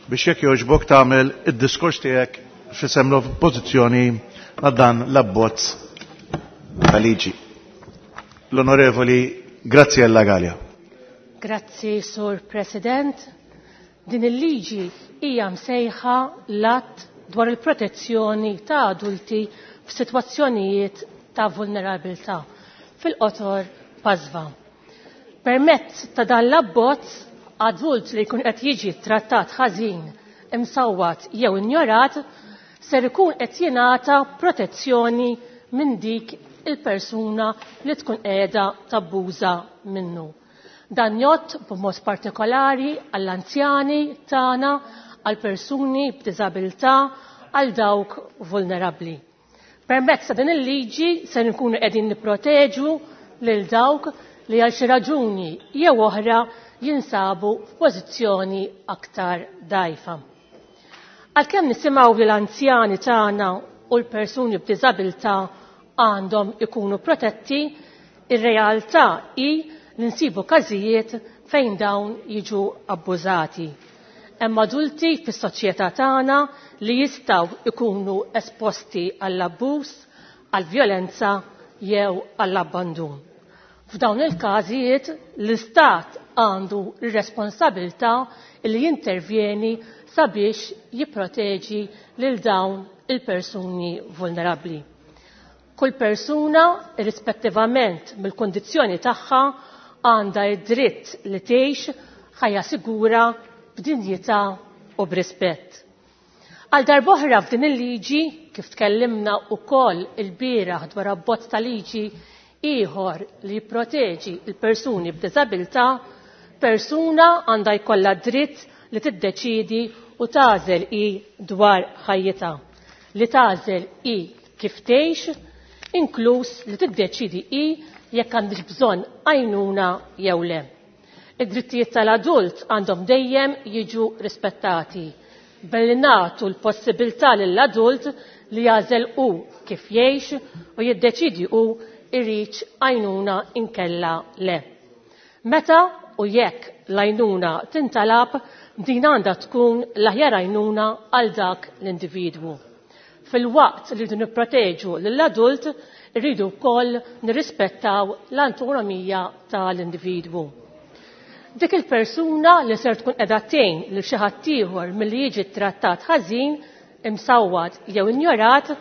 biex jekk jogħġbok tagħmel id-diskors tiegħek f'isem l-oppożizzjoni għal dan l-abbozz ta' liġi. L-Onorevoli Graziella Gallia. Grazzi, Sur President. Din il-liġi hija msejħa l-att dwar il-protezzjoni ta' adulti f'sitwazzjonijiet ta' vulnerabilità, fil-qotor PASVA. Permezz ta' dan l-abbozz, adult li jkun qed jiġi trattat ħażin, imsawwat jew injorat, ser ikun qed jingħata protezzjoni minn dik il-persuna li tkun qiegħda tabbuża minnu. Dan jgħodd b'mod partikolari għall-anzjani tagħna, għal persuni b'diżabilità, għal dawk vulnerabbli. Permezz ta' din il-liġi se nkunu qegħdin nipproteġu lil dawk li għal xi raġuni jew oħra jinsabu f'pożizzjoni aktar dgħajfa. Għalkemm nisimgħu li l-anzjani tagħna u l-persuni b'diżabilità għandhom ikunu protetti, ir-realtà hi li nsibu każijiet fejn dawn jiġu abbużati. Hemm adulti fis-soċjetà tagħna li jistgħu ikunu esposti għall-abbuż, għall-vjolenza jew għall-abbandun. F'dawn il-każijiet l-Istat għandu r-responsabilità li jintervjeni sabiex jipproteġi lil dawn il-persuni vulnerabbli. Kull persuna, irrispettivament mill-kundizzjoni tagħha, għandha id-dritt li tgħix ħajja sigura b'dinjità u b'rispett. Għal darb'oħra f'din il-liġi, kif tkellimna wkoll il-bieraħ dwar abbozz ta' liġi ieħor li jipproteġi l-persuni b'diżabilità, persuna għandha jkollha dritt li tiddeċiedi u tagħżel hi dwar ħajjitha, li tagħżel hi kif tgħix, inkluż li tiddeċiedi hi jekk għandix bżonn għajnuna jew le. Id-drittijiet tal-adult għandhom dejjem jiġu rispettati, billi nagħtu l-possibilità lill-adult li jagħżel hu kif jgħix u jiddeċiedi hu iridx għajnuna inkella le. Meta u jekk l-għajnuna tintalab, din għandha tkun l-aħjar għajnuna għal dak l-individwu. Fil-waqt li rridu nipproteġu lill-adult, irridu wkoll nirrispettaw l-autonomija tal-individwu. Dik il-persuna li ser tkun qiegħda tgħin lil xi ħadd ieħor milli jiġi trattat ħażin, imsawwat jew injorat,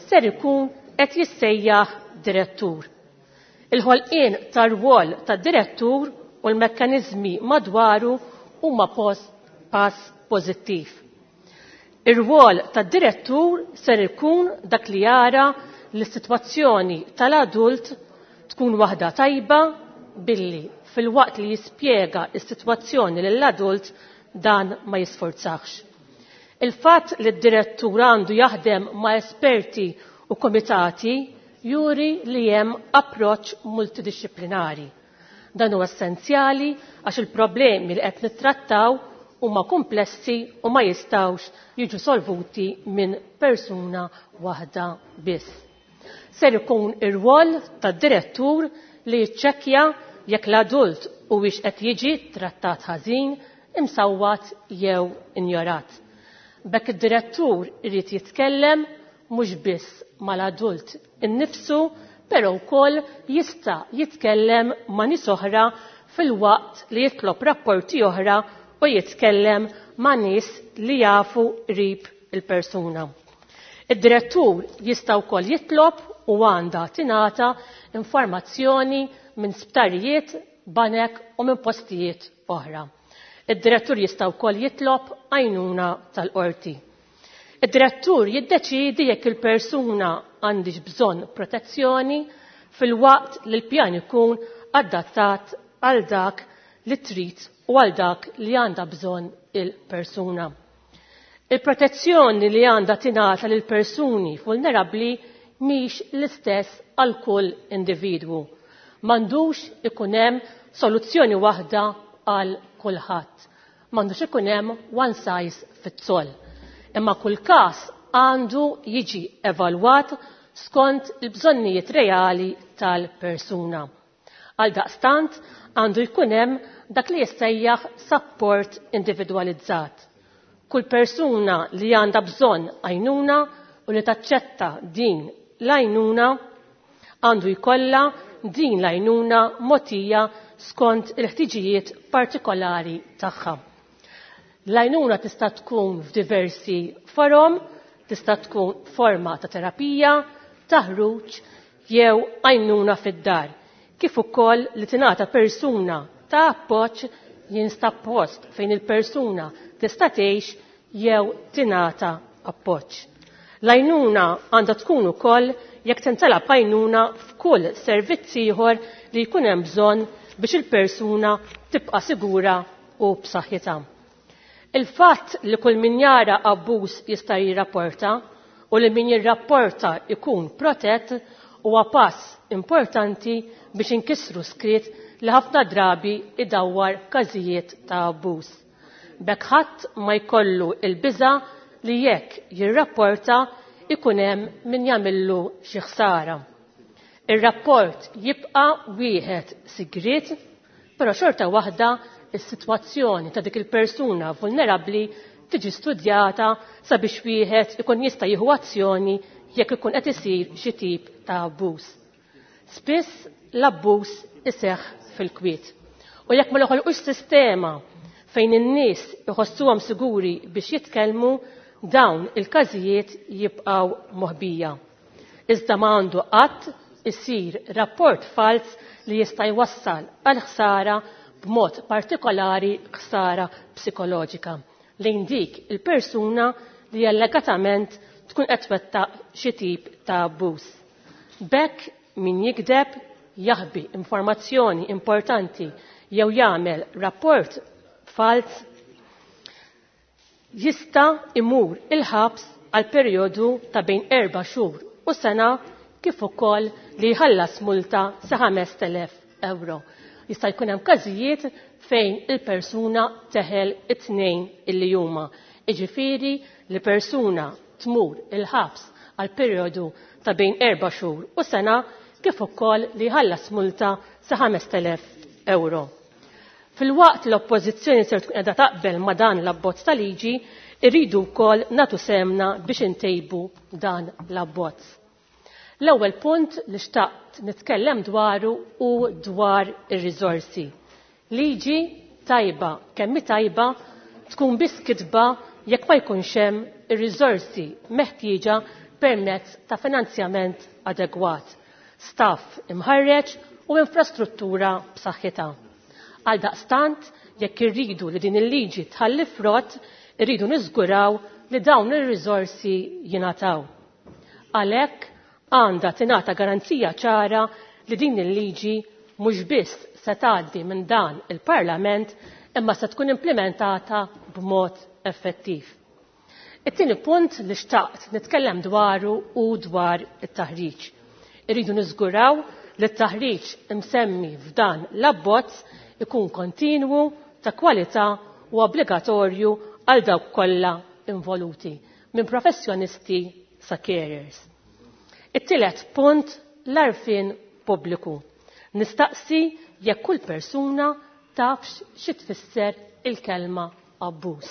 ser ikun qed jissejjaħ direttur. Il-ħolqien tar-rwol tad-direttur u l-mekkaniżmi madwaru huma pass pożittiv. Ir-rwol tad-direttur ser ikun dak li jara li s-sitwazzjoni tal-adult tkun waħda tajba billi fil-waqt li jispjega s-sitwazzjoni lill-adult dan ma jisforzax. Il-fatt li d-direttur għandu jaħdem ma' esperti u komitati juri li hemm approċċ multidixxiplinari. Dan huwa essenzjali għax il-problemi li qed nittrattaw huma komplessi u ma jistgħux jiġu solvuti minn persuna waħda biss. Ser ikun ir-rwol tad-direttur li jiċċekkja jekk l-adult huwiex qed jiġi trattat ħażin, imsawwat jew injorat. B'hekk id-direttur irid jitkellem mhux biss mal-adult innifsu, però wkoll jista' jitkellem ma' nies oħra filwaqt li jitlob rapporti oħra u jitkellem ma' nies li jafu qrib il-persuna. Id-direttur jista' wkoll jitlob u għandha tingħata informazzjoni minn sptarijiet, banek u minn postijiet oħra. Id-direttur jista' wkoll jitlob għajnuna tal-qorti. Id-direttur jiddeċiedi jekk il-persuna għandix bżonn protezzjoni filwaqt li l-pjan ikun adattat għal dak li trid u għal dak li għandha bżonn il-persuna. Il-protezzjoni li għandha tingħata lil persuni vulnerabbli mhix l-istess għal kull individwu. M'għandux ikun hemm soluzzjoni waħda għal kulħadd. M'għandux ikun hemm one size fits all. Imma kull każ għandu jiġi evalwat skont il-bżonnijiet reali tal-persuna. Għaldaqstant għandu jkun hemm dak li jissejjaħ support individwalizzat. Kull persuna li għandha bżonn għajnuna u li taċċetta din l-għajnuna għandu jkollha din l-għajnuna mogħtija skont il-ħtiġijiet partikolari tagħha. L-għajnuna tista' tkun f'diversi forom, tista' tkun forma ta' terapija, taħruġ jew għajnuna fid-dar, kif ukoll li tingħata persuna ta' appoġġ jinstab post fejn il-persuna tista' tgħix jew tingħata appoġġ. L-għajnuna għandha tkun ukoll jekk tintalab għajnuna f'kull servizz ieħor li jkun hemm bżonn biex il-persuna tibqa' sigura u b'saħħitha. Il-fatt li kull min jara abbuż jista' jirrapporta u li min jirrapporta jkun protett huwa pass importanti biex inkissru skrit li ħafna drabi idawwar każijiet ta' abbuż. B'hekk ħadd ma jkollu l-biża' li jekk jirrapporta ikun hemm min jagħmillu xi ħsara. Ir-rapport jibqa' wieħed sigriet, però xorta waħda is-sitwazzjoni ta' dik il-persuna vulnerabbli tiġi studjata sabiex wieħed ikun jista' jieħu azzjoni jekk ikun qed isir xi tip ta' abbuż. Spiss l-abbuż iseħħ fil-kwiet. U jekk ma noħolqux sistema fejn in-nies iħossuhom siguri biex jitkellmu, dawn il-każijiet jibqgħu moħbija. Iżda ma għandu qatt isir rapport falz li jista' jwassal għal ħsara b'mod partikolari ħsara psikoloġika lejn dik il-persuna li allegatament tkun qed twettaq xi tip ta' abbuż. B'hekk min jigdeb, jaħbi informazzjoni importanti jew jagħmel rapport falz jista' imur il-ħabs għal perjodu ta' bejn 4 xhur u sena kif ukoll li jħallas multa sa 5,000 euro. Jista' jkun hemm każijiet fejn il-persuna teħel it-tnejn illi huma. Jiġifieri li persuna tmur il-ħabs għal perjodu ta' bejn 4 xhur u sena kif ukoll li jħallas multa sa 5,000 euro. Filwaqt l-Oppożizzjoni ser tkun qiegħda taqbel ma' dan l-abbozz ta' liġi, irridu wkoll nagħtu sehemna biex intejbu dan l-abbozz. L-ewwel punt li xtaqt nitkellem dwaru hu dwar ir-riżorsi. Liġi tajba kemm hi tajba tkun biss kitba jekk ma jkunx hemm ir-riżorsi meħtieġa permezz ta' finanzjament adegwat, staff imħarreġ u infrastruttura b'saħħitha. Għaldaqstant, jekk irridu li din il-liġi tħalli frott, irridu niżguraw li dawn ir-riżorsi jingħataw. Għalhekk għandha tingħata garanzija ċara li din il-liġi mhux biss se tgħaddi minn dan il-Parlament imma se tkun implimentata b'mod effettiv. It-tieni punt li xtaqt nitkellem dwaru hu dwar it-taħriġ. Irridu niżguraw li t-taħriġ imsemmi f'dan l-abbozz ikun kontinwu, ta' kwalità u obbligatorju għal dawk kollha involuti, minn professjonisti sa carers. It-tielet punt, l-għarfien pubbliku. Nistaqsi jekk kull persuna tafx xi tfisser il-kelma abbuż.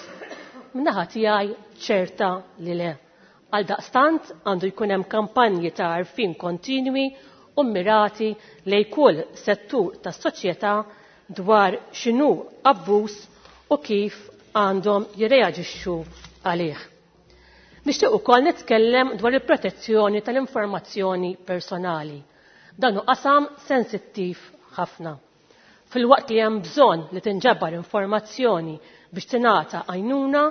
Min-naħa tiegħi ċerta li le. Għaldaqstant għandu jkun hemm kampanji ta' għarfien kontinwi u mmirati lejn kull settur tas-soċjetà dwar x'inhu abbuż u kif għandhom jirreaġixxu għalih. Nixtieq ukoll nitkellem dwar il-protezzjoni tal-informazzjoni personali. Dan hu qasam sensittiv ħafna. Filwaqt li hemm bżonn li tinġabar informazzjoni biex tingħata għajnuna,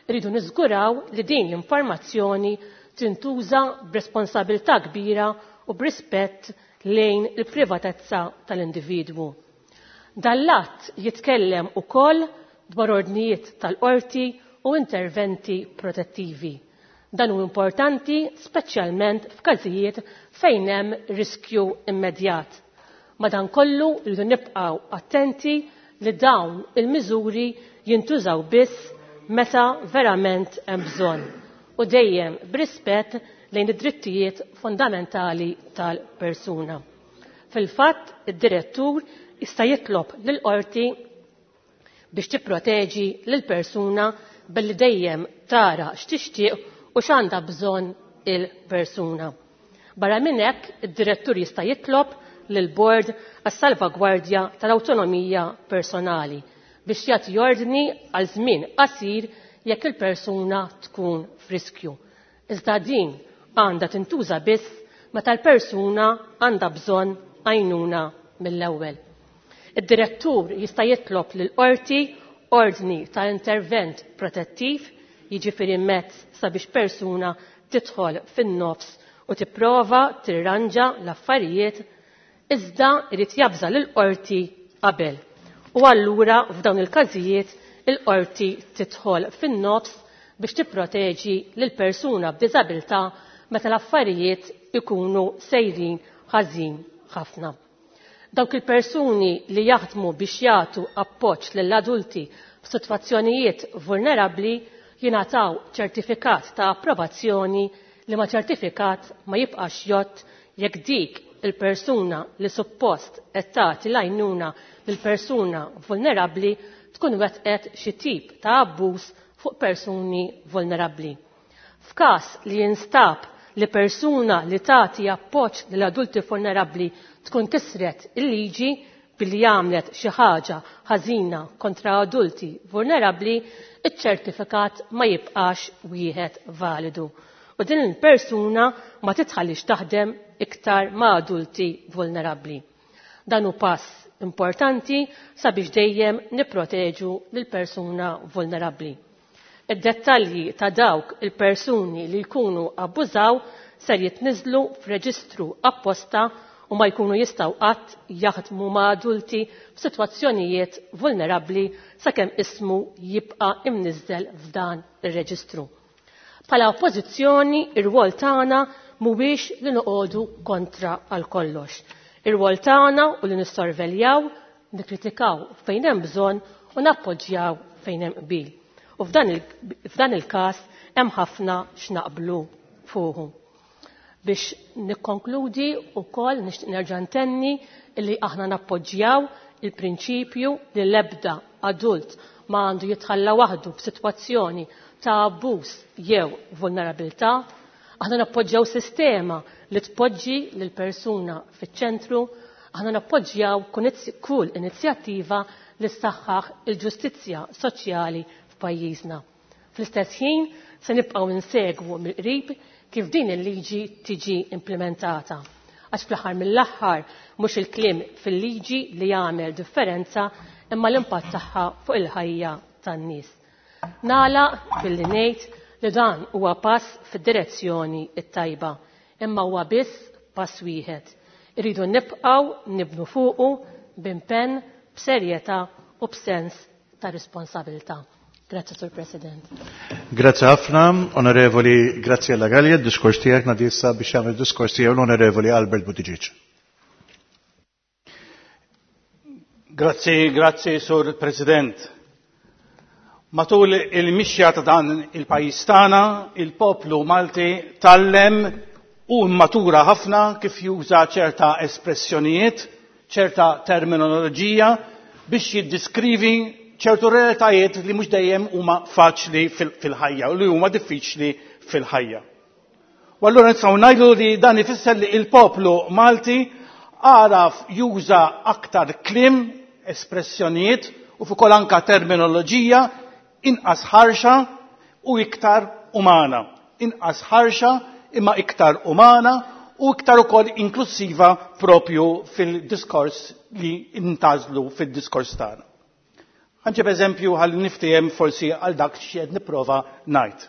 irridu niżguraw li din l-informazzjoni tintuża b'responsabilità kbira u b'rispett lejn il-privatezza tal-individwu. Dan l-att jitkellem ukoll dwar ordnijiet tal-qorti u interventi protettivi. Dan hu importanti speċjalment f'każijiet fejn hemm riskju immedjat. Madankollu rridu nibqgħu attenti li dawn il-miżuri jintużaw biss meta verament hemm bżonn u dejjem b'rispett lejn id-drittijiet fundamentali tal-persuna. Fil-fatt, id-direttur jista' jitlob lill-qorti biex tipproteġi lill-persuna billi dejjem tara x'tixtieq u x'għandha bżonn il-persuna. Barra minn hekk, id-direttur jista' jitlob lill-Bord għas-Salvagwardja tal-Awtonomija Personali biex jagħti ordni għal żmien qasir jekk il-persuna tkun f'riskju. Iżda din għandha tintuża biss meta l-persuna għandha bżonn għajnuna mill-ewwel. Id-direttur jista' jitlob lill-qorti ordni ta' intervent protettiv, jiġifieri mezz sabiex persuna tidħol fin-nofs u tipprova tirranġa l-affarijiet, iżda jrid jabża lill-qorti qabel. U allura f'dawn il-każijiet il-qorti tidħol fin-nofs biex tipproteġi lill-persuna b'diżabilità meta l-affarijiet ikunu sejrin ħażin ħafna. Dawk il-persuni li jaħdmu biex jagħtu appoġġ lill-adulti f'sitwazzjonijiet vulnerabbli jingħataw ċertifikat ta' approvazzjoni li ma' ċertifikat ma jibqax jgħodd jekk dik il-persuna li suppost qed tagħti l-għajnuna lil persuna vulnerabbli tkun wettqet xi tip ta' abbuż fuq persuni vulnerabbli. F'każ li jinstab li persuna li tagħti appoġġ lil adulti vulnerabbli tkun kisret il-liġi billi għamlet xi ħaġa ħażina kontra adulti vulnerabbli, iċ-ċertifikat ma jibqax wieħed validu u din il-persuna ma titħallix taħdem iktar ma' adulti vulnerabbli. Dan hu pass importanti sabiex dejjem nipproteġu lil persuna vulnerabbli. Id-dettalji ta' dawk il-persuni li jkunu abbużaw ser jitniżlu f'reġistru apposta u ma jkunu jistgħu qatt jaħdmu ma' adulti f'sitwazzjonijiet vulnerabbli sakemm ismu jibqa' imniżżel f'dan ir-reġistru. Bħala oppożizzjoni, ir-rwol tagħna mhuwiex li noqogħdu kontra għal kollox. Ir-rwol tagħna u li nissorveljaw, nikkritikaw fejn hemm bżonn u nappoġġjaw fejn hemm qbil. U f'dan il-każ hemm ħafna x'naqblu fuqu. Biex nikkonkludi wkoll nixtieq nerġa' ntenni li aħna nappoġġjaw il-prinċipju li l-ebda adult ma għandu jitħalla waħdu f'sitwazzjoni ta' abbuż jew vulnerabilità. Aħna nappoġġjaw sistema li tpoġġi lil persuna fiċ-ċentru. Aħna nappoġġjaw kull inizjattiva li ssaħħaħ il-ġustizzja soċjali f'pajjiżna. Fl-istess ħin se nibqgħu nsegwu mill-qrib kif din il-liġi tiġi implementata. Għax fl-aħħar mill-aħħar mhux il-kliem fil-liġi li jagħmel differenza imma l-impatt tagħha fuq il-ħajja tan-nies. Nagħlaq billi ngħid li dan huwa pass fid-direzzjoni t-tajba, imma huwa biss pass wieħed. Irridu nibqgħu nibnu fuqu b'impenn, b'serjetà u b'sens ta' responsabilità. Grazzi, Sur President. Grazzi ħafna, Onorevoli Graziella Gallia, diskors tiegħek nadissa biex jagħmel diskors tiegħu l-Onorevoli Albert Buttigieg. Grazzi, grazzi, Sur President. Matul il-mixja ta' dan il-pajjiż tagħna, il-poplu Malti tallem u matura ħafna kif juża ċerta espressjonijiet, ċerta terminoloġija biex jiddiskrivi ċertu realtajiet li mhux dejjem huma faċli fil-ħajja u li huma diffiċli fil-ħajja. U allura nistgħu ngħidu li dan ifisser li l-poplu Malti għaraf juża aktar kliem, espressjonijiet u fuq anka terminoloġija inqas ħarxa u iktar umana. Inqas ħarxa imma iktar umana u iktar ukoll inklusiva propju fil-diskors li intażlu fil-diskors tagħna. Ħanġib eżempju ħalli niftiehem forsi għal dak x'qed nipprova ngħid.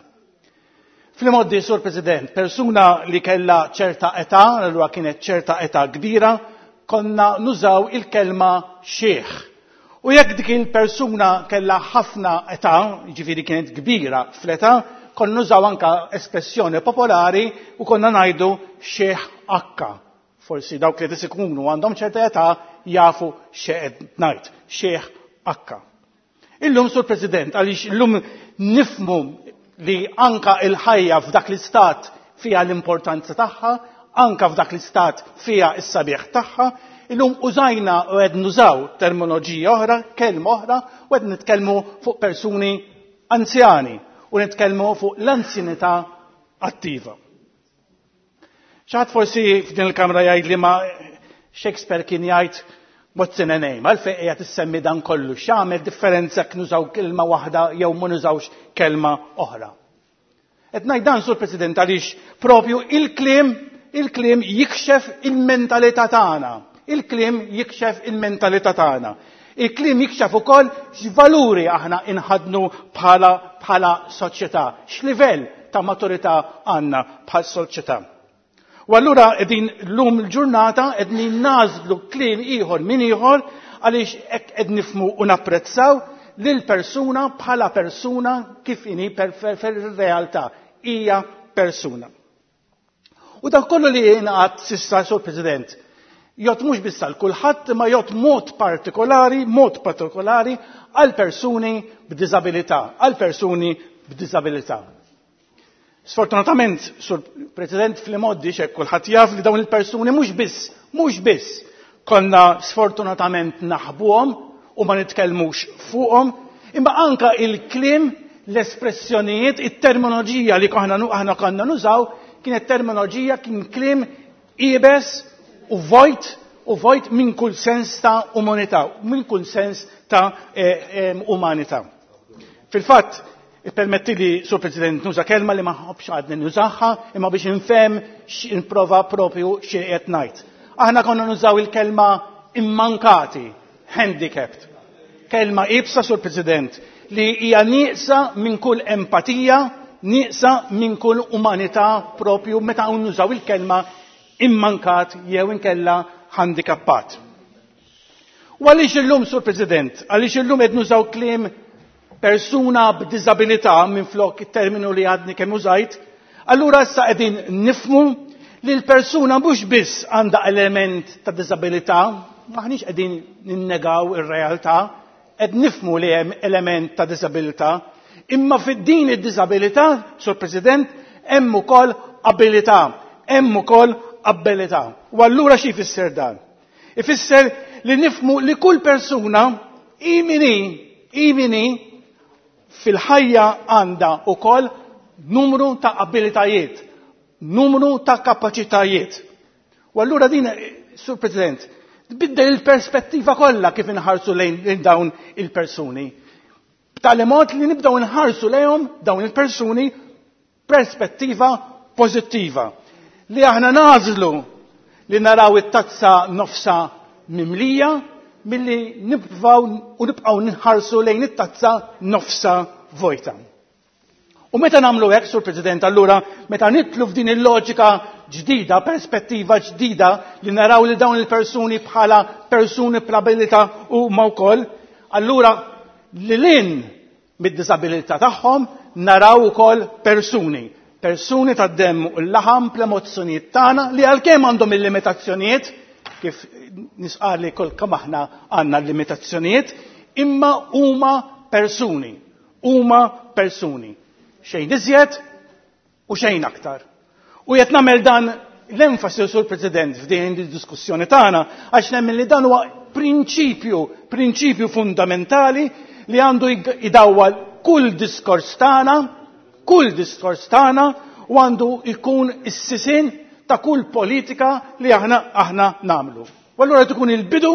Fl-imoddi, Sur President, persuna li kella ċerta età, allura kienet ċerta età kbira, konna nużaw il-kelma xieħ. U jekk dik il-persuna kella ħafna età, ġifieri kienet kbira fl-età, konna nużaw anka espressjoni popolari u konna ngħidu xieħ akka. Forsi dawk li tisikunu għandhom ċerta età jafu xeqed ngħid, xieħ akka. Illum, Sur President, għaliex illum nifmu li anka il-ħajja f'dak l-istat fija l-importanza tagħha, anka f'dak l-istat fija s-sabiħ tagħha, illum użajna u qed nużaw terminoloġija oħra, kelma oħra, u qed nitkellmu fuq persuni anzjani u nitkellmu fuq l-anzjanità attiva. Xaħat forsi f'din il-kamra jgħid li ma Shakespeare kien jgħid what's in a name, għalfejn qiegħed issemmi dan kollu, x'għamel differenza jekk nużaw kelma waħda jew ma nużawx kelma oħra. Qed ngħid dan, Sur President, għaliex propju il-kliem il-kliem jikxef il-mentalità tagħna. Il-kliem jikxef il-mentalità tagħna. Il-kliem jikxef ukoll x'valuri aħna inħadnu bħala bħala soċjetà, x'livell ta' maturità għandna bħal soċjetà. U allura qegħdin llum il-ġurnata qegħdin nażlu kliem ieħor minn ieħor għaliex hekk qed nifhmu u napprezzaw lil persuna bħala persuna kif inhi fir-realtà hija persuna. U dak kollu li jingħad s'issa, Sur President, jgħod mhux biss għal kulħadd imma jgħod mod partikolari, mod partikolari għal persuni b'diżabilità, għal persuni b'diżabilità. Sfortunatament, Sur President, fl-imoddi xek kulħadd jaf li dawn il-persuni mhux biss, mhux biss konna sfortunatament naħbuhom u ma nitkellmux fuqhom, imma anka il-kliem, l-espressjonijiet, it-terminoloġija li aħna konna nużaw kienet terminoloġija kien kliem iebes u vojt u vojt minn kull sens ta' umanità, minn kull sens ta' umanità. Fil-fatt, Ippermetti li, Sur President, nuża kelma li ma ħobx għadni nużaha, imma biex nfhem nprova propju xi qed ngħid. Aħna konna nużaw il-kelma immankati, handicapped. Kelma ibsa, Sur President, li hija nieqsa minn kull empatija, nieqsa minn kull umanità propju meta nużaw il-kelma immankat jew inkella handicappat. U għaliex illum, Sur President, għaliex illum qed nużaw kliem persuna b'diżabilità minflok it-terminu li għadni kemm użajt, allura issa qegħdin nifmu li l-persuna mhux biss għandha element ta' diżabilità, maħniex qegħdin ninnegaw ir-realtà, qed nifmu li hemm element ta' diżabilità, imma fid-din id-diżabilità, Sur President, hemm ukoll abilità, hemm ukoll abilità. U allura xi jfisser dan? Ifisser li nifmu li kull persuna hi min hi, hi min hi, fil-ħajja għandha ukoll numru ta' abilitajiet, numru ta' kapaċitajiet. U allura din, Sur President, tbiddel il-perspettiva kollha kif inħarsu lejn dawn il-persuni. B'tali mod li nibdew inħarsu lejhom dawn il-persuni perspettiva pożittiva. Li aħna nażlu li naraw it-tazza nofsa mimlija milli nibqgħu u nibqgħu nħarsu lejn it-tazza nofsa vojta. U meta nagħmlu hekk, Sur President, allura meta nitlu f'din il-loġika ġdida, perspettiva ġdida li naraw li dawn il-persuni bħala persuni b'abilità huma wkoll, allura lil hinn mid-diżabilità tagħhom, naraw ukoll persuni. Persuni tad-demm u l-laħam bl-emozzjonijiet tagħna li għalkemm għandhom il-limitazzjonijiet, kif nisqar li kull kemm aħna għandna l-limitazzjonijiet, imma huma persuni. Huma persuni. Xejn iżjed u xejn aktar. U qed nagħmel dan l-enfasi, Sur President, f'din id-diskussjoni tagħna għax nemmen li dan huwa prinċipju, prinċipju fundamentali li għandu idawwal kull diskors tagħna, kull diskors tagħna u għandu jkun is-sisien ta' kull politika li aħna aħna nagħmlu. U allura tkun il-bidu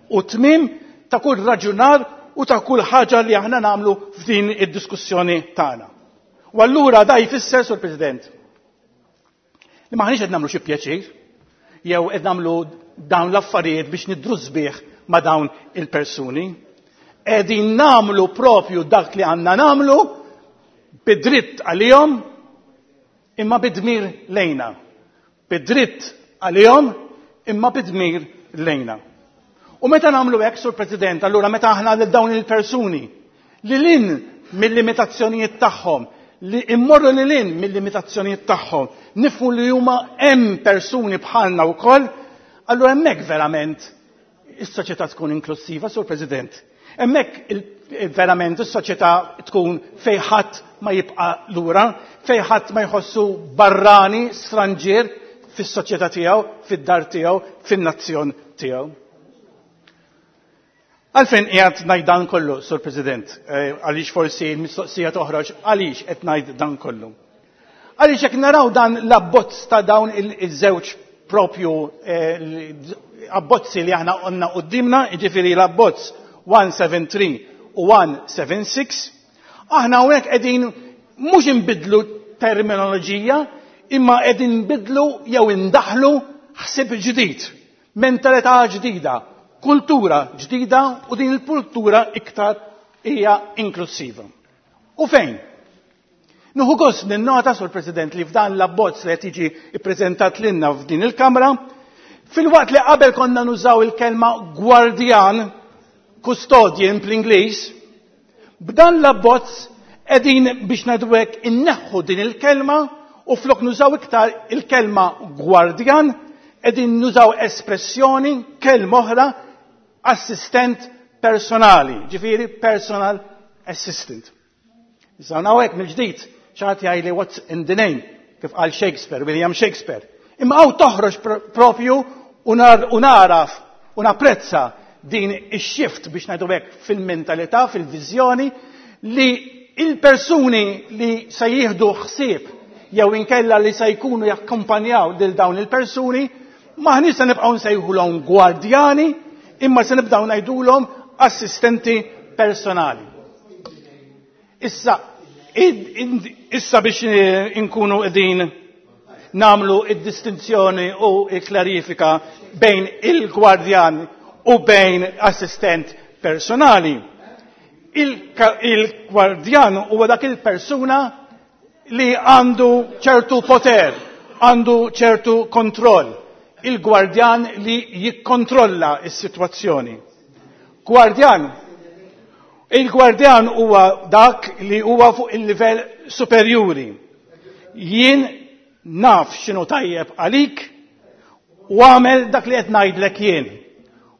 u tmiem ta' kull raġunar u ta' kull ħaġa li aħna nagħmlu f'din id-diskussjoni tagħna. U allura da jfisser, Sur President, li maħniex qed nagħmlu xi pjaċir, jew qed nagħmlu dawn l-affarijiet biex nidhru sbieħ ma' dawn il-persuni. Qegħdin nagħmlu propju dak li għandna nagħmlu bidritt għalihom imma bidmir lejna. Bidritt għalihom imma bidmir lejna. U meta nagħmlu hekk, Sur President, allura meta aħna lil dawn il-persuni li lil hinn mill-limitazzjonijiet tagħhom, li immorru lil hinn mill-limitazzjonijiet tagħhom, nifhmu li huma hemm persuni bħalna wkoll, allura hemmhekk verament is-soċjetà tkun inklusiva, Sur President. Hemmhekk verament is-soċjetà tkun fejn ħadd ma jibqa' lura, fejn ħadd ma jħossu barrani, stranġier fis-soċjetà tiegħu, fid-dar tiegħu, fin-nazzjon tiegħu. Għalfejn qiegħed ngħid dan kollu, Sur President, għaliex forsi l-mistoqsija toħroġ għaliex qed ngħid dan kollu. Għaliex jekk naraw dan l-abbozz ta' dawn iż-żewġ propju abbozzi li aħna għandna quddiemna, jiġifieri l-abbozz 173 u 176, aħna hawnhekk qegħdin mhux inbidlu terminoloġija, imma qegħdin nbidlu jew indaħlu ħsieb ġdid, mentalità ġdida, kultura ġdida u din il-kultura iktar hija inklusiva. U fejn? Nieħu gost ninnota, Sur President, li f'dan l-abbozz li qed jiġi ppreżentat lilna f'din il-Kamra, filwaqt li qabel konna nużaw il-kelma gwardjan, custodian bl-Ingliż, b'dan l-abbozz qegħdin biex ngħidu hekk inneħħu din il-kelma u flok nużaw iktar il-kelma gwardjan, qegħdin nużaw espressjoni, kelma oħra, assistent personali, ġifieri personal assistant. Issa hawnhekk mill-ġdid xi ħadd jgħidli what's in the name, kif qal Shakespeare, William Shakespeare. Imma hawn toħroġ propju u naraf u napprezza din ix-shift biex ngħidu hekk fil-mentalità, fil-viżjoni li il-persuni li se jieħdu ħsieb jew inkella li se jkunu jakkumpanjaw lil dawn il-persuni maħniex se nibqgħu nsejħulhom gwardjani imma se nibdew ngħidulhom assistenti personali. Issa, issa biex inkunu qegħdin nagħmlu id-distinzjoni u l-klarifika bejn il-gwardjan u bejn assistent personali. Il-gwardjan huwa dak il-persuna li għandu ċertu poter, għandu ċertu kontroll. Il-gwardjan li jikkontrolla s-sitwazzjoni. Gwardjan, il-gwardjan huwa dak li huwa fuq il-livell superjuri. Jien naf x'inhu tajjeb għalik u għamel dak li qed ngħidlek jien.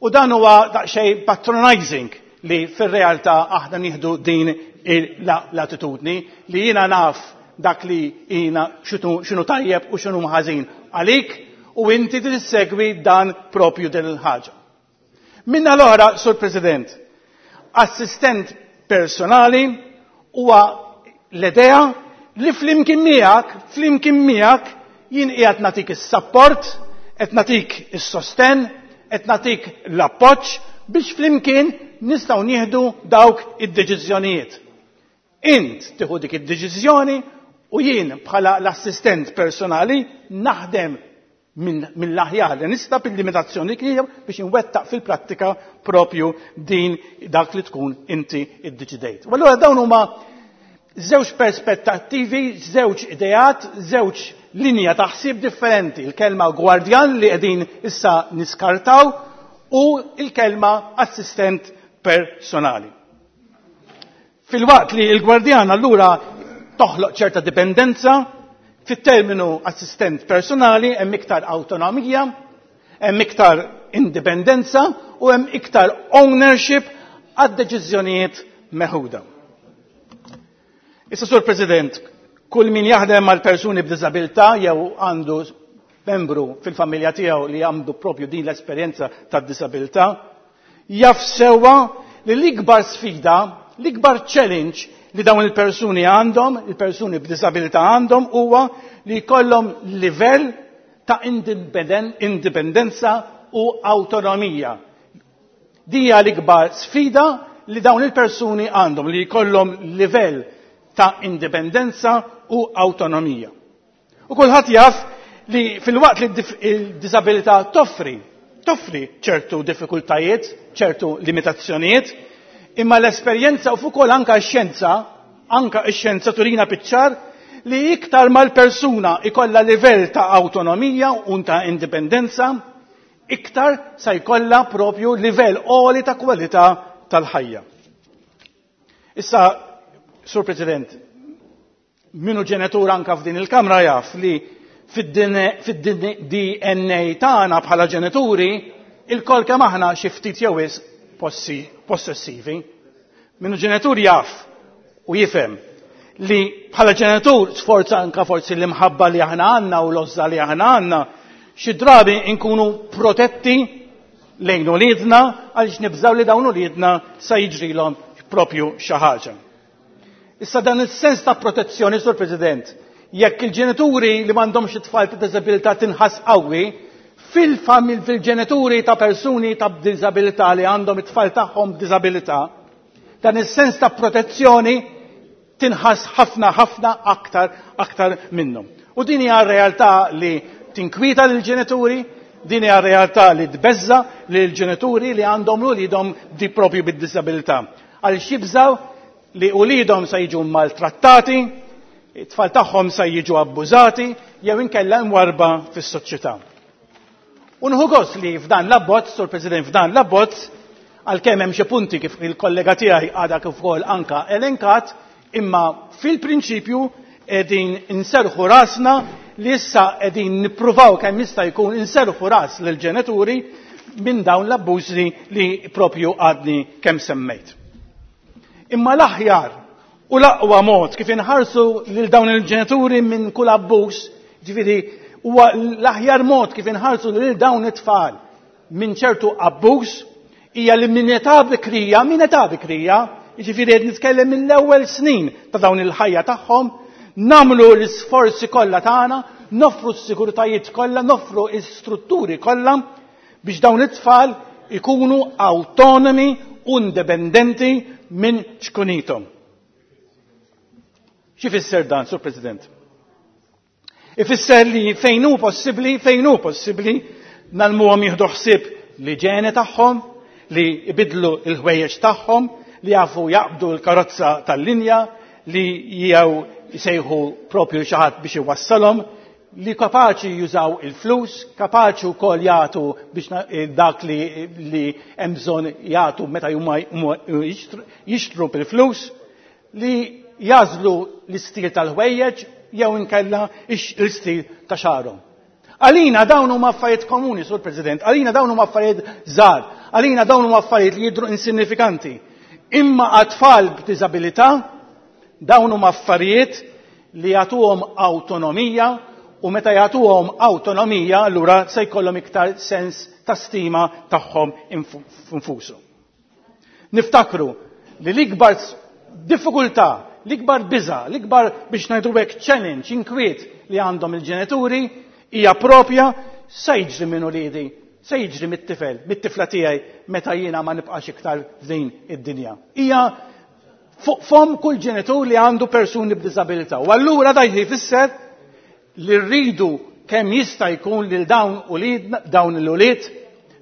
U dan huwa daqsxejn patronizing li fir-realtà aħna nieħdu din l-attitudni li jiena naf dak li jiena x'inhu tajjeb u x'inhu ħażin għalik u inti tissegwi dan propju din il-ħaġa. Minna l-oħra, Sur President, assistent personali huwa l-idea li flimkien miegħek, flimkien miegħek jien qiegħed nagħtik is-support, qed nagħtik is-sosten, qed nagħtik l-appoġġ biex flimkien nistgħu nieħdu dawk id-deċiżjonijiet. Int tieħu dik id-deċiżjoni u jien bħala l-assistent personali naħdem mill-aħjar li nista' bil-limitazzjoni tiegħu biex inwettaq fil-prattika propju din dak li tkun inti iddeċidejt. U allura dawn huma żewġ perspettattivi, żewġ ideat, żewġ linja ta' ħsieb differenti. Il-kelma gwardjan li qegħdin issa niskartaw u il-kelma assistent personali. Filwaqt li l-gwardjan allura toħloq ċerta dipendenza, fit-terminu assistent personali hemm iktar awtonomija, hemm iktar indipendenza u hemm iktar ownership għad-deċiżjonijiet meħuda. Issa, Sur President, kull min jaħdem mal persuni b'diżabilità jew għandu membru fil-familja tiegħu li għandu propju din l-esperjenza tad-disabilità, jaf sewwa li l-ikbar sfida, l-ikbar challenge li dawn il-persuni għandhom, il-persuni b'disabilità għandhom, huwa li jkollhom livell ta' indipendenza u awtonomija. Dija l-ikbar sfida li dawn il-persuni għandhom, li jkollhom livell ta' indipendenza u awtonomija. U kulħadd jaf li filwaqt li il-disabilità toffri ċertu diffikultajiet, ċertu limitazzjonijiet, imma l-esperjenza u fuq anka x-xjenza, anka x-xjenza turina biċ-ċar li iktar mal-persuna ikolla livell ta' awtonomija u ta' indipendenza, iktar sa jkollha propju livell għoli ta' kwalità tal-ħajja. Issa, Sur President, minu ġenitur anka f'din il-kamra jaf li fid-DNA tagħna bħala ġenituri il-kol kemm aħna xi ftit jew wisq possessivi. Minu ġenitur jaf u jifhem li bħala ġenitur sforza anka forsi l-imħabba li aħna għandna u l-għożża li aħna għandna, xi drabi nkunu protetti lejn uliedna għaliex nibżaw li dawn uliedna sa jiġrilhom propju xi ħaġa. Issa dan il-sens ta' protezzjoni, Sur President, jekk il-ġenituri li m'għandhomx it-tfal ta' diżabilità tinħass qawwi, fil-famil fil-ġenituri ta' persuni ta' diżabilità li għandhom it-tfal tagħhom b'diżabilità, dan is-sens ta' protezzjoni tinħass ħafna ħafna aktar minnhom. U din hija realtà li tinkwieta lill-ġenituri, din hija realtà li tbeżza lill-ġenituri li għandhom uliedhom di propju bid-diżabilità. Għaliex jibżaw li uliedhom se jiġu maltrattati, it-tfal tagħhom se jiġu abbużati jew inkella mwarba fis-soċjetà. U nieħu gost li f'dan l-abbozz, Sur President, f'dan l-abbozz, għalkemm hemm xi punti kif il-kollega tiegħi għadha kif ukoll anka elenkat, imma fil-prinċipju qegħdin inserħu rasna li issa qegħdin nippruvaw kemm jista' jkun inserħu ras lill-ġenituri minn dawn l-abbużi li propju għadni kemm semmejt. Imma l-aħjar u l-aqwa mod kif inħarsu lil dawn il-ġenituri minn kull abbuż, ġifieri huwa l-aħjar mod kif inħarsu lil dawn it-tfal minn ċertu abbuż hija li minn età bikrija, minn età bikrija, jiġifieri qed nitkellem mill-ewwel snin ta' dawn il-ħajja tagħhom, nagħmlu l-isforzi kollha tagħna, noffru s-sigurtajiet kollha, noffru l-istrutturi kollha biex dawn it-tfal ikunu autonomi u indipendenti minn ċkunithom. Xi fisser dan, Sur President? Ifisser li fejn hu possibbli, fejn hu possibbli, nagħlmuhom jieħdu ħsieb l-iġene tagħhom, li jbidlu l-ħwejjeġ tagħhom, li jafu jaqbdu l-karozza tal-linja, li jew jsejħu propju xi ħadd biex iwassalhom, li kapaċi jużaw il-flus, kapaċi wkoll jagħtu biex dak li hemm bżonn jagħtu meta huma jixtru bil-flus, li jażlu l-istil tal-ħwejjeġ jew inkella l-istil ta' xagħarhom. Għalina dawn huma affarijiet komuni, Sur President, għalina dawn huma affarijiet żgħar, għalina dawn huma affarijiet li jidhru insignifikanti. Imma għat-tfal b'diżabilità dawn huma affarijiet li jagħtuhom awtonomija u meta jagħtuhom awtonomija allura se jkollhom iktar sens ta' stima tagħhom infushom. Niftakru li l-ikbar diffikultà, l-ikbar biża, l-ikbar biex ngħidu hekk challenge, inkwiet li għandhom il-ġenituri hija propja se jiġri minn uliedi, se jiġri mit-tifel, mit-tifla tiegħi meta jiena ma nibqax iktar f'din id-dinja. Hija fuq fom kull ġenitur li għandu persuni b'diżabilità. U allura dan jfisser li rridu kemm jista' jkun lil dawn ulied, dawn l-ulied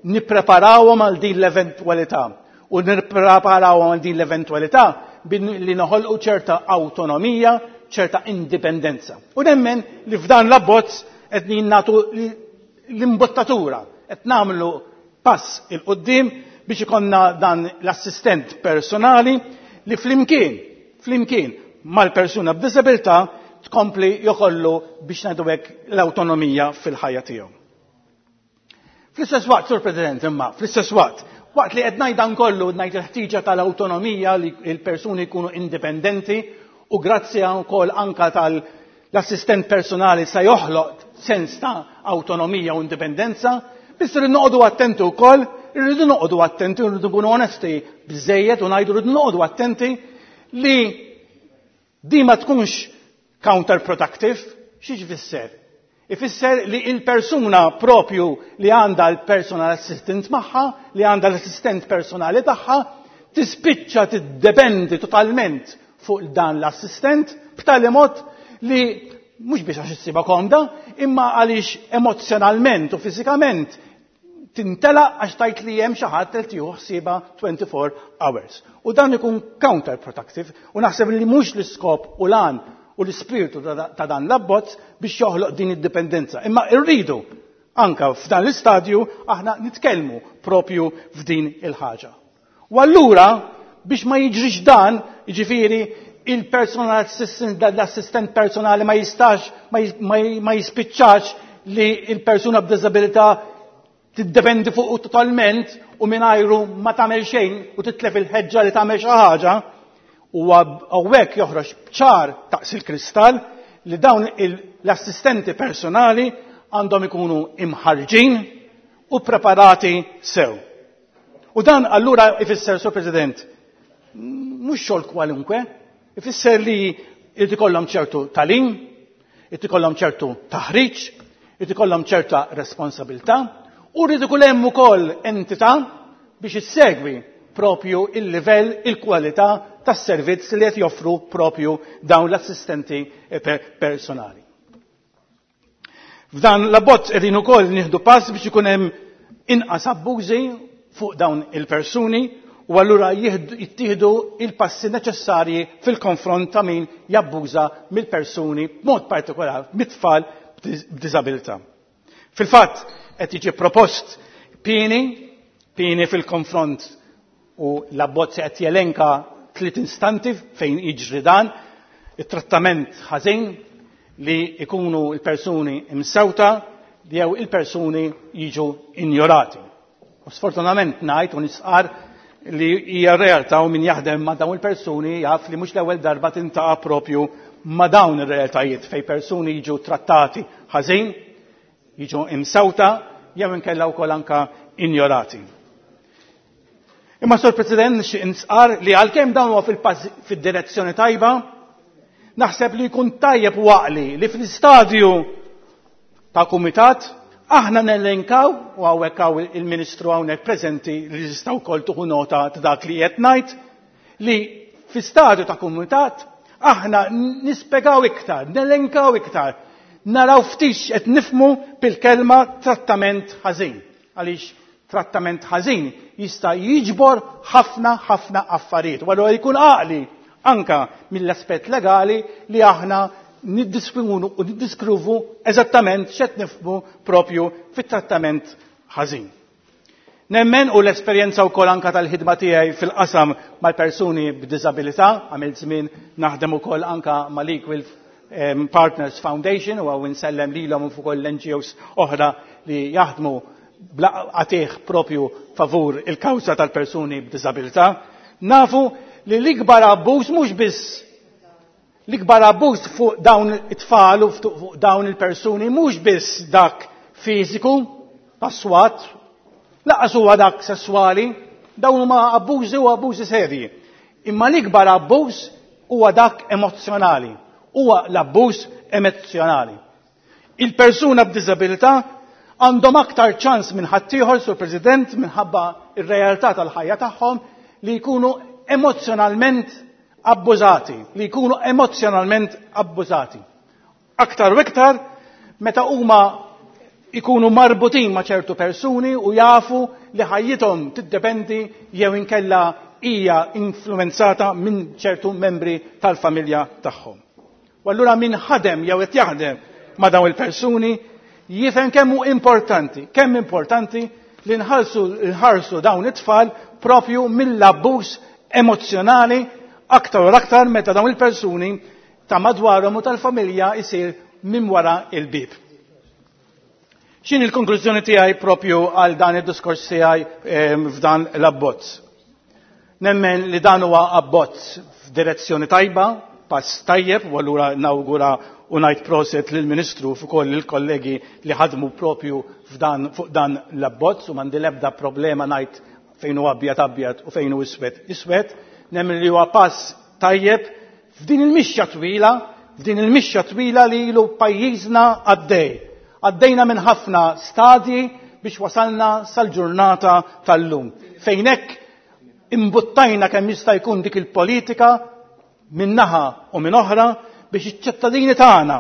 nippreparawhom għal din l-eventwalità. U nippreparawhom għal din l-eventwalità li noħolqu ċerta awtonomija, ċerta indipendenza. U nemmen li f'dan l-abbozz qed nagħtu l-imbottatura, qed nagħmlu pass il quddiem biex ikonna dan l-assistent personali li flimkien flimkien mal-persuna b'diżabilità tkompli jokollu biex ngħidu hekk l-awtonomija fil-ħajja tiegħu. Fl-istess waqt, Sur President, imma, fl-istess waqt, waqt li qed ngħid dan kollu ngħid il-ħtiġa tal-awtonomija li l-persuni jkunu indipendenti u grazzi wkoll anka tal-assistent personali se joħloq sens ta' awtonomija u indipendenza, biss irridu noqogħdu attenti wkoll, irridu noqogħdu attenti, irridu nkunu onesti biżejjed u ngħidu rridu noqogħdu attenti li di ma tkunx counterproductive, xi jfisser? Ifisser li il-persuna propju li għandha l-personal assistant magħha, li għandha l-assistent personali tagħha, tispiċċa tiddependi totalment fuq dan l-assistent b'tali mod li mhux biex għax issibha komda, imma għaliex emozjonalment u fiżikament tintela għax tajt li hemm xi ħadd qed jieħu ħsiebha 24 hours. U dan ikun counterproductive u naħseb li mhux l-iskop u lan u l-ispirtu ta' dan l-abbozz biex joħloq din id-dipendenza. Imma rridu anka f'dan l-istadju aħna nitkellmu propju f'din il-ħaġa. U allura biex ma jiġrix dan, jiġifieri il-personal assistant, l-assistent personali ma jistax, ma jispiċċax li il-persuna b'diżabilità tiddependi fuq totalment u mingħajru ma tagħmel xejn u titlef il-ħeġġa li tagħmel xi ħaġa, u hawnhekk joħroġ ċar taqs il-kristall li dawn l-assistenti personali għandhom ikunu imħarġin u preparati sew. U dan allura ifisser, Sur President, mhux xogħol kwalunkwe, ifisser li jrid ikollhom ċertu talim, jrid ikollhom ċertu taħriġ, jrid ikollhom ċerta responsabilità, u rrid ikun hemm ukoll entità biex issegwi propju il-livell, il-kwalità tas-servizz li qed joffru propju dawn l-assistenti personali. F'dan l-abbozz qegħdin ukoll nieħdu pass biex ikun hemm inqas abbużi fuq dawn il-persuni u allura jittieħdu il-passi neċessarji fil-konfront ta' min jabbuża mill-persuni b'mod partikolari mit-tfal b'diżabilità. Fil-fatt qed jiġi propost pieni fil-konfront u l-abbozz qed jelenka tliet instanti fejn jiġri dan, it-trattament ħażin li ikunu l-persuni imsewta jew il-persuni jiġu injorati. U sfortunatament ngħid u nisqar li hija realtà u min jaħdem ma' dawn il-persuni jaf li mhux l-ewwel darba tintaqa' propju ma' dawn ir-realtajiet fejn persuni jiġu trattati ħażin, jiġu imsewta jew inkella wkoll anka injorati. Imma Sur President nixtieq nisqar li għalkemm dawn huwa fid-direzzjoni tajba, naħseb li jkun tajjeb u għaqli li fl-istadju ta' kumitat aħna nellenkaw, u hawnhekk hawn il-Ministru hawnhekk preżenti li jista' wkoll tieħu nota ta' dak li qed ngħid, li fi stadju ta' kumitat aħna nispjegaw iktar, nelenkaw iktar, naraw ftit qed nifhmu bil-kelma trattament ħażin. Għaliex trattament ħażin jista' jiġbor ħafna ħafna affarijiet. U allura jkun għaqli anka mill-aspett legali li aħna niddiskrivu u niddiskrivu eżattament x'qed nifhmu propju fit-trattament ħażin. Nemmen u l-esperjenza wkoll anka tal-ħidma tiegħi fil-qasam mal-persuni b'diżabilità, għamilt żmien naħdem ukoll anka mal-Equal Partners Foundation u għaw insellem lilhom u fuq l-NGOs oħra li jaħdmu bla qatih propju favur il-kawża tal-persuni b'diżabilità. Nafu li l-ikbar abbuż mhux biss l-ikbar abbuż fuq dawn it-tfal u fuq dawn il-persuni mhux biss dak fiżiku, passwat, laqas huwa dak sesswali, dawn huma abbużi u abbużi serji. Imma l-ikbar abbuż huwa dak emozzjonali, huwa l-abbuż emozzjonali. Il-persuna b'diżabilità għandhom aktar ċans minn ħaddieħor, Sur President, minħabba ir-realtà tal-ħajja tagħhom li jkunu emozzjonalment abbużati, li jkunu emozjonalment abbużati. Aktar u iktar meta huma ikunu marbutin ma' ċertu persuni u jafu li ħajjithom tiddependi jew inkella hija influenzata minn ċertu membri tal-familja tagħhom. U allura min ħadem jew qed jaħdem ma' dawn il-persuni jifhem kemm hu importanti, kemm importanti li nħarsu dawn it-tfal propju mill-abbuż emozzjonali. Aktar u aktar meta dawn il-persuni ta' madwarhom u tal-familja jsir minn wara il-bib. X'inhi l-konklużjoni tiegħi propju għal dan id-diskors tiegħi f'dan l-abbozz? Nemmen li dan huwa abbozz f'direzzjoni tajba, pass tajjeb, u allura nawgura u ngħid proset lill-Ministru fuq ukoll il-kollegi li ħadmu propju f'dan fuq dan l-abbozz u m'għandi l-ebda problema ngħid fejn hu abjad abjad u fejn hu iswed iswed. Nemmen li huwa pass tajjeb f'din il-mixja twila, f'din il-mixja twila li ilu pajjiżna għaddej. Għaddejna minn ħafna stadji biex wasalna sal-ġurnata tal-lum. Fejn hekk imbuttajna kemm jista' jkun dik il-politika minn naħa u minn oħra biex iċ-ċittadini tagħna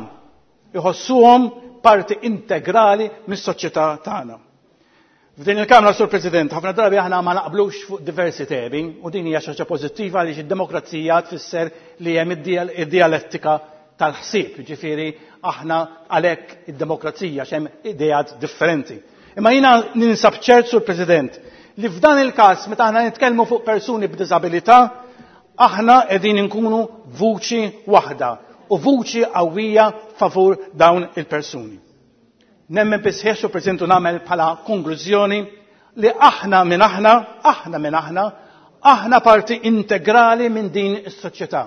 jħossuhom parti integrali mis-soċjetà tagħna. F'din il-Kamra, Sur President, ħafna drabi aħna ma naqblux fuq diversi temi u din hija xi ħaġa pożittiva għaliex id-demokrazija tfisser li hemm id-dialettika tal-ħsieb, jiġifieri aħna għalhekk id-demokrazija x'hemm ideat differenti. Imma jiena ninsab ċert, Sur President, li f'dan il-każ meta aħna nitkellmu fuq persuni b'diżabilità, aħna qegħdin inkunu vuċi waħda u vuċi qawwija favur dawn il-persuni. Nemmen bisħieħ, Sur President, u nagħmel bħala konklużjoni li aħna minn aħna, aħna minn aħna, aħna parti integrali minn din is-soċjetà.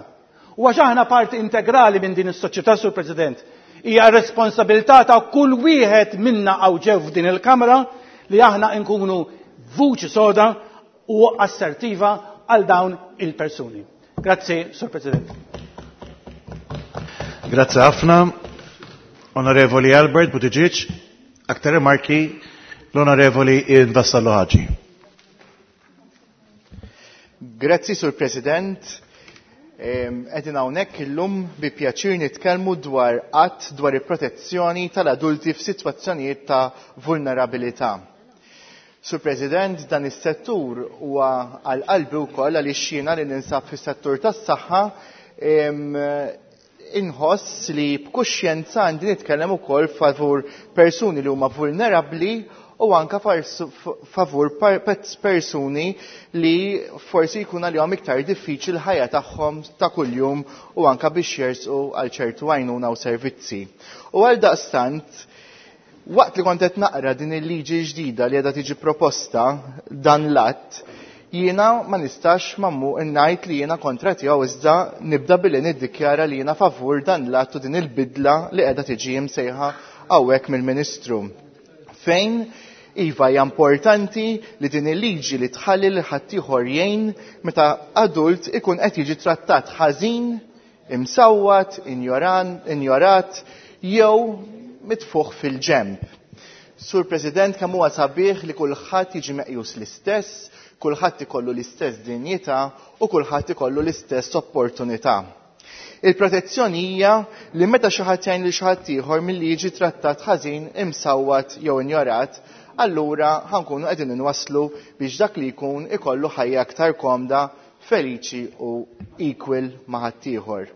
U għax aħna parti integrali minn din is-soċjetà, Sur President, hija responsabilità ta' kull wieħed minna hawn ġew f'din il-Kamra li aħna nkunu vuċi soda u assertiva għal dawn il-persuni. Grazzi, Sur President. Grazzi ħafna. Onorevoli Albert Buttigieg, aktar rimarki l-Onorevoli Ian Vassallo Ħaġi. Grazzi, Sur President. Qegħdin hawnhekk illum bi pjaċir nitkellmu dwar att dwar il-protezzjoni tal-adulti f'sitwazzjonijiet ta' vulnerabilità. Sur President, dan is-settur huwa għal qalbi wkoll għaliex jiena li ninsab fis-settur tas-saħħa inħoss li b'kuxjenza għandi nitkellem ukoll favur persuni li huma vulnerabbli u anka favur persuni li forsi jkun għalihom iktar diffiċli l-ħajja tagħhom ta' kuljum u anka biex jersqu għal ċertu għajnuna u servizzi. U għal daqstant, waqt li kont qed naqra din il-liġi ġdida li qiegħda tiġi proposta dan l-att, jiena ma nistax mammu ngħid li jiena kontra tiegħu iżda nibda billi niddikjara li jiena favur dan l-att u din il-bidla li qiegħda tiġi msejħa hawnhekk mill-Ministru. Fejn iva hija importanti li din il-liġi li tħalli lil ħaddieħor jgħin meta adult ikun qed jiġi trattat ħażin, imsawwat, injorat jew mitfuħ fil-ġemb. Sur President, kemm huwa sabiħ li kulħadd jiġi meqjus l-istess, kulħadd ikollu l-istess dinjità u kulħadd ikollu l-istess opportunità. Il-protezzjoni hija li meta xi ħadd jgħin lil xi ħadd ieħor milli jiġi trattat ħażin, imsawwat jew injorat, allura ħankunu qegħdin inwasslu biex dak li jkun ikollu ħajja aktar komda, feliċi u equal ma' ħaddieħor.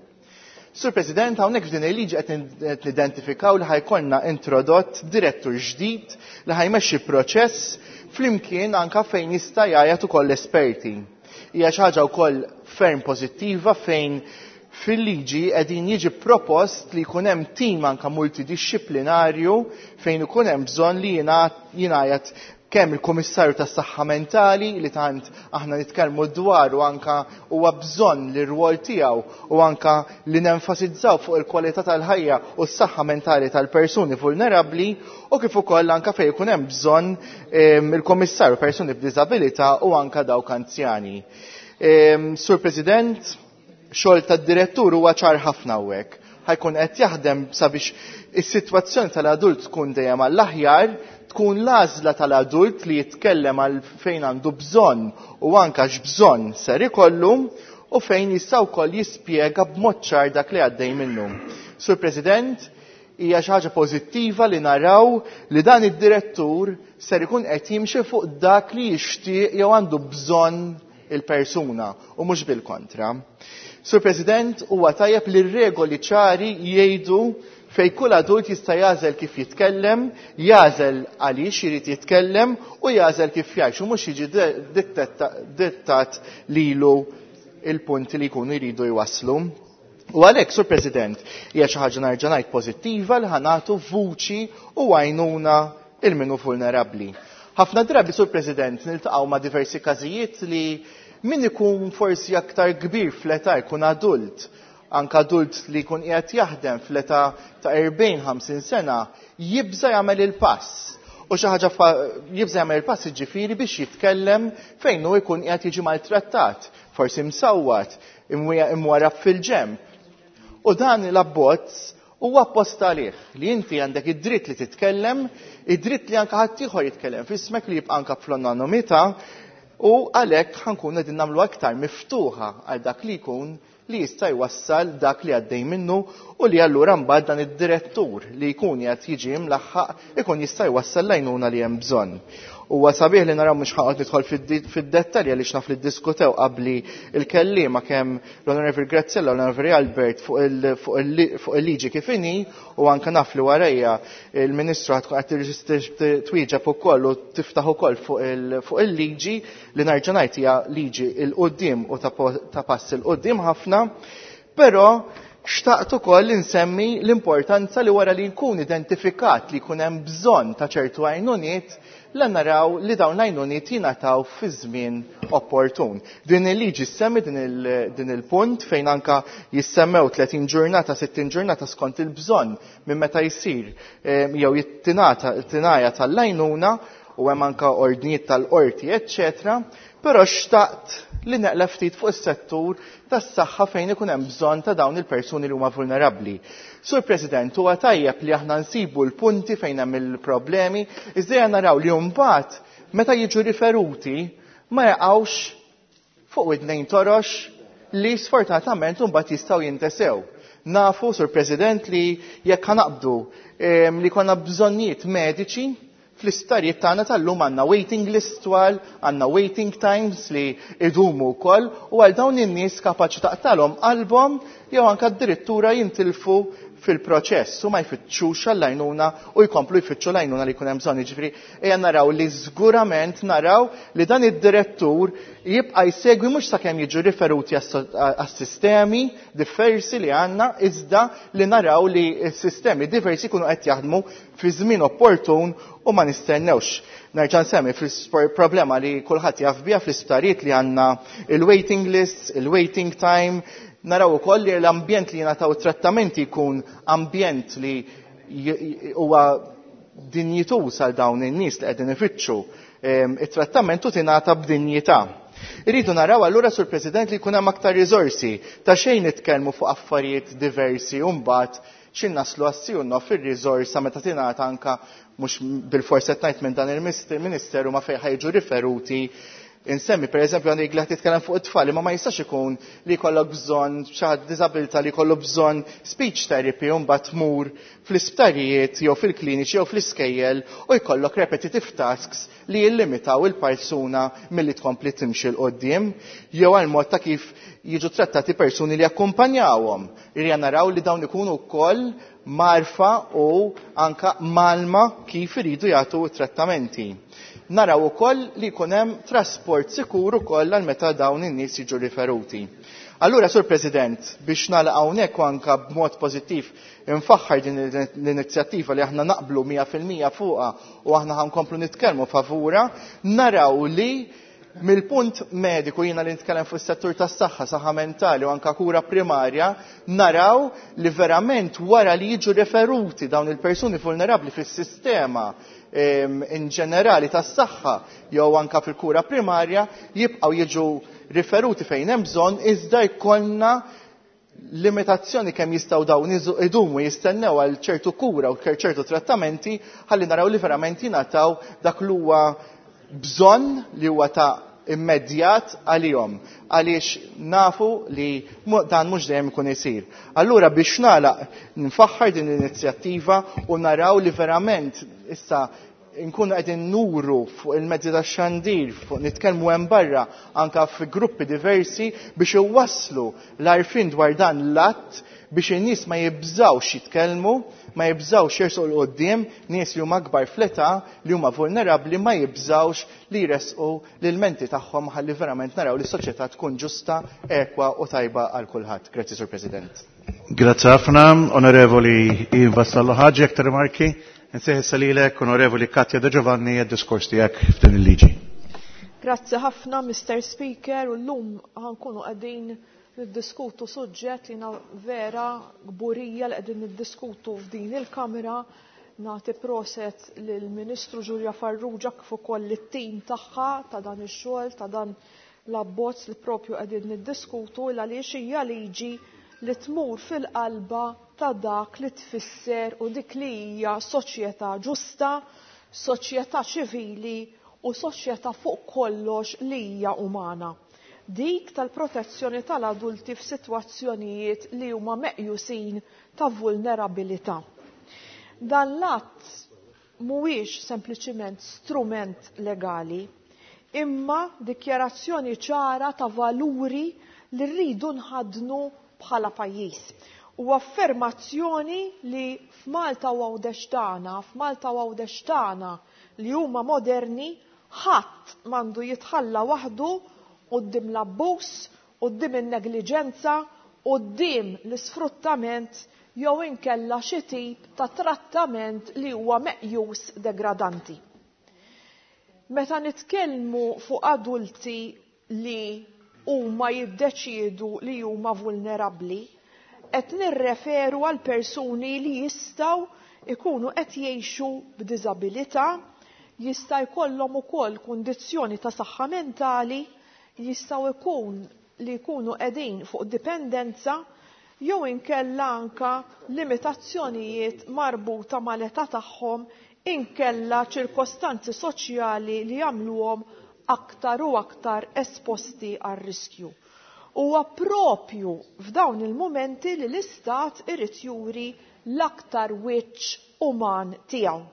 Sur President, hawnhekk f'din il-liġi qed nidentifikaw li ħajkollna introdott direttur ġdid li ħajmexxi proċess flimkien anka fejn jista' jgħajjat ukoll esperti. Hija xi ħaġa wkoll ferm pożittiva fejn fil-liġi qegħdin jiġi propost li jkun hemm tim anka multidixxiplinarju fejn ikun hemm bżonn li jingħajat kemm il-Kummissarju tas-Saħħa Mentali li tant aħna nitkellmu dwar u anka huwa bżonn li r-rwol tiegħu u anka li nenfasizzaw fuq il-kwalità tal-ħajja u s-saħħa mentali tal-persuni vulnerabbli u kif ukoll anka fejn ikun hemm bżonn il-Kummissarju persuni b'diżabilità u anka dawk anzjani. Sur President, xogħol tad-direttur huwa ċar ħafna hawnhekk. Ħajkun qed jaħdem sabiex is-sitwazzjoni tal-adult tkun dejjem għall-aħjar, tkun l-għażla tal-adult li jitkellem għal fejn għandu bżonn u anka x'bżonn ser ikollu u fejn jista' wkoll jispjega b'mod ċar dak li għaddej minnu. Sur President, hija xi ħaġa pożittiva li naraw li dan id-direttur ser ikun qed jimxi fuq dak li jixtieq jew għandu bżonn il-persuna u mhux bil-kontra. Sur President, huwa tajjeb li r-regoli ċari jgħidu fej kull adult jista' jagħżel kif jitkellem, jagħżel għaliex irid jitkellem u jagħżel kif jgħix u mhux jiġi dittat lilu il-punti li jkunu jridu jwasslu. U għalhekk, Sur President, hija xi ħaġa nerġa' ngħid pożittiva li ħanatu vuċi u għajnuna il minnu vulnerabbli. Ħafna drabi, Sur President, niltaqgħu ma' diversi każijiet li min ikun forsi aktar kbir fl-età jkun adult, anka adult li jkun qiegħed jaħdem fl-età ta' 40-50 sena, jibża jagħmel il-pass. U xi ħaġa jibża jagħmel il-pass jiġifieri biex jitkellem fejn hu jkun qiegħed jiġi maltrattat, forsi msawwat, imwarrab fil-ġenb. U dan l-abbozz huwa apposta għalih li inti għandek id-dritt li titkellem, id-dritt li anka ħaddieħor jitkellem f'ismek li jibqa' anka fl-anonimità u għalhekk ħankun qegħdin nagħmlu aktar miftuħa għal dak li jkun li jista' jwassal dak li għaddej minnu u li allura mbagħad dan id-direttur li jkun qed jiġi mlaħħaq ikun jista' jwassal l-għajnuna li hemm bżonn. Huwa sabiħ li naraw mhux ħaqgħod nidħol fid-dettalji għaliex naf li ddiskutew qabli il-kelliema kemm l-Onorevoli Graziella u l-Onorevoli Albert fuq il-liġi kif inhi u anke naf li warajja il-Ministru ħad tkun qed twieġeb ukoll u tiftaħ ukoll fuq il-liġi li nerġa' ngħid hija liġi 'l quddiem u ta' pass 'il quddiem ħafna. Però xtaqt ukoll insemmi l-importanza li wara li jkun identifikat li jkun hemm bżonn ta' ċertu għajnuniet la naraw li dawn l-għajnuniet jingħataw fi żmien opportun. Din il-liġi ssemmi din il-punt fejn anka jissemmew 30 ġurnata, 60 ġurnata skont il-bżonn minn meta jsir jew jittingħata tingħajja tal-għajnuna u hemm anka ordnijiet tal-qorti, eċċetera. Però xtaqt li neqleb ftit fuq is-settur tas-saħħa fejn ikun hemm bżonn ta' dawn il-persuni li huma vulnerabbli. Sur President, huwa tajjeb li aħna nsibu l-punti fejn hemm il-problemi, iżda naraw li mbagħad meta jiġu riferuti ma jaqgħux fuq widnejn torox li sfortunatament mbagħad jistgħu jintesew. Nafu, Sur President, li jekk ħanaqbdu li konna bżonnijiet mediċi fl-isptarijiet tagħna tal-lum għandna waiting list twal, għandna waiting times li idumu wkoll u għal dawn in-nies kapaċi taqtalhom qalbhom jew anke addirittura jintilfu fil-proċess u ma jfittxux għall-għajnuna u jkomplu jfittxu l-għajnuna li jkun hemm bżonn. Jiġifieri ejja naraw li żgurament naraw li dan id-direttur jibqa' jsegwi mhux sakemm jiġu riferuti għas-sistemi diversi li għandna, iżda li naraw li s-sistemi diversi jkunu qed jaħdmu fi żmien opportun u ma nistennewx. Nerġa' nsemmi fil-problema li kulħadd jaf biha fl-isptarijiet li għandna il-waiting lists, il-waiting time, naraw ukoll li l-ambjent li jingħataw trattamenti jkun ambjent li huwa dinjituż għal dawn in-nies li qegħdin ifittxu it-trattament u tingħata b'dinjità. Irridu naraw allura, Sur President, li jkun hemm aktar riżorsi ta' xejn nitkellmu fuq affarijiet diversi u mbagħad x'in naslu għassi u nof ir-riżorsa meta tingħata anka mhux bil-forsi qed ngħid minn dan il-Ministeru ma fejn ħajġu riferuti. Insemmi per eżempju għandek li titkellem fuq it-tfal, imma ma jistax ikun li jkollok bżonn xi ħadd diżabilità li jkollu bżonn speech therapy u mbagħad tmur fl-isptarijiet jew fil-kliniċi jew fl-iskejjel u jkollok repetitive tasks li jillimitaw il-persuna milli tkompli timxi 'l quddiem, jew għal mod ta' kif jiġu trattati persuni li jakkumpanjawhom. Irja naraw li dawn ikunu wkoll marfa u anka malma kif iridu jagħtu trattamenti. Naraw ukoll li jkun hemm trasport sikur ukoll għal meta dawn in-nies jiġu riferuti. Allura, Sur President, biex nagħlaq hawnhekk u anka b'mod pożittiv infaħħar din l-inizjattiva li aħna naqblu 100% fuqha u aħna ħankomplu nitkellmu favura, naraw li mill-punt mediku jiena li nitkellem fuq is-settur tas-saħħa, saħħa mentali u anka kura primarja, naraw li verament wara li jiġu referuti dawn il-persuni vulnerabbli fis-sistema in ġenerali tas-saħħa jew anka fil-kura primarja jibqgħu jiġu riferuti fejn hemm bżonn, iżda jkollna limitazzjoni kemm jistgħu dawn idumu jistennew għal ċertu kura u ċertu trattamenti ħalli naraw li verament jingħataw dak li huwa bżonn li huwa ta' immedjat għalihom, għaliex nafu li dan mhux dejjem ikun isir. Allura biex nagħlaq nfaħħar din l-inizjattiva u naraw li verament issa nkunu qegħdin nuru fuq il-mezzi tax-xandir, fuq nitkellmu hemm barra anka fi gruppi diversi biex iwasslu l-għarfien dwar dan l-att biex in-nies ma jibżgħux jitkellmu, ma jibżgħux jersqu 'l quddiem, nies li huma akbar fl-età, li huma vulnerabbli ma jibżgħux li jressqu l-ilmenti tagħhom ħalli verament naraw li s-soċjetà tkun ġusta, ekwa u tajba għal kulħadd. Grazzi, Sur President. Grazzi ħafna, Onorevoli Ivan Vassallo Ħaġi, aktar rimarki. Nsejħ issa lilek, Onorevoli Katja De Giovanni, għad-diskors tiegħek f'din il-liġi. Grazzi ħafna, Mr. Speaker, u llum ħankunu qegħdin niddiskutu suġġett li na vera kburija li qegħdin niddiskutu f'din il-Kamra. Nagħti proset lill-Ministru Julia Farrugia kif ukoll lit-tim tagħha ta' dan ix-xogħol, ta' dan l-abbozz li propju qegħdin niddiskutu, il għaliex hija liġi li tmur fil-qalba ta' dak li tfisser u dik li hija soċjetà ġusta, soċjetà ċivili u soċjetà fuq kollox li hija umana. Dik tal-protezzjoni tal-adulti f'sitwazzjonijiet li huma meqjusin ta' vulnerabilità. Dan l-att mhuwiex sempliċiment strument legali, imma dikjarazzjoni ċara ta' valuri li rridu nħaddnu bħala pajjiż. U affermazzjoni li f'Malta u Għawdex tagħna, f'Malta u Għawdex tagħna li huma moderni, ħadd m'għandu jitħalla waħdu quddiem l-abbuż, quddiem in-negliġenza, quddiem l-isfruttament jew inkella xi tip ta' trattament li huwa meqjus degradanti. Meta nitkellmu fuq adulti li huma jiddeċiedu li huma vulnerabbli, qed nirreferu għal persuni li jistgħu ikunu qed jgħixu b'diżabilità, jista' jkollhom ukoll kundizzjoni ta' saħħa mentali, jistgħu jkun li jkunu qegħdin fuq dipendenza jew inkella anka limitazzjonijiet marbuta mal-età tagħhom inkella ċirkostanzi soċjali li jagħmluhom aktar u aktar esposti għar-riskju. Huwa propju f'dawn il-mumenti li l-Istat irid juri l-aktar wiċċ uman tiegħu.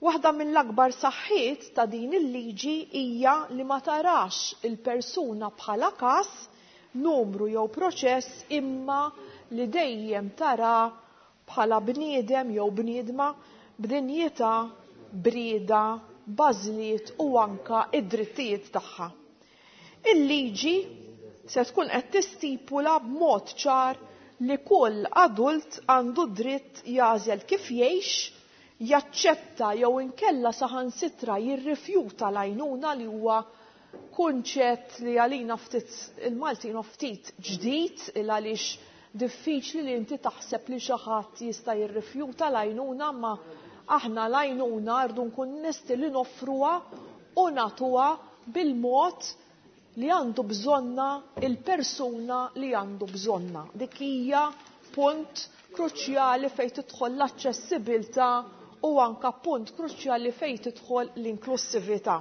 Waħda mill-akbar saħħiet ta' din il-liġi hija li ma tarax il-persuna bħala każ, numru jew proċess, imma li dejjem tara bħala bniedem jew bniedma b'dinjità, b'rieda, b'għażliet u anka id-drittijiet tagħha. Il-liġi se tkun qed tistipula b'mod ċar li kull adult għandu dritt jagħżel kif jgħix, jaċċetta jew inkella saħansitra jirrifjuta l-għajnuna li huwa kunċett li għalina ftit il-Maltin ftit ġdid il għaliex diffiċli li inti taħseb li xi ħadd jista' jirrifjuta l-għajnuna, ma aħna l-għajnuna rridu nkun nesti li noffruha u nagħtuha bil-mod li għandu bżonna il-persuna li għandu bżonna. Dik hija punt kruċjali fejn tidħol l-aċċessibilità u anka punt kruċjali fejn tidħol l-inklusività.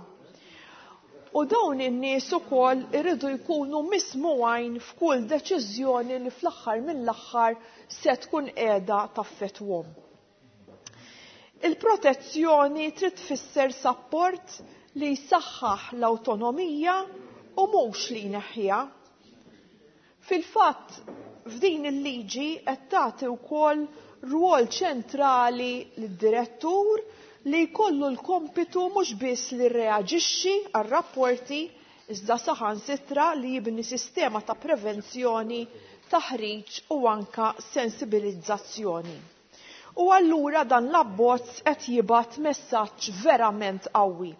U dawn in-nies ukoll iridu jkunu mismugħin f'kull deċiżjoni li fl-aħħar mill-aħħar se tkun qiegħda taffettwhom. Il-protezzjoni trid tfisser sapport li jsaħħaħ l-awtonomija u mhux li jneħħiha. Fil-fatt, f'din il-liġi qed tagħti wkoll rwol ċentrali lid-direttur li jkollu l-kompitu mhux biss li rreaġixxi għar-rapporti iżda saħansitra li jibni sistema ta' prevenzjoni, taħriġ u anka sensibilizzazzjoni. U allura dan l-abbozz qed jibgħat messaġġ verament qawwi.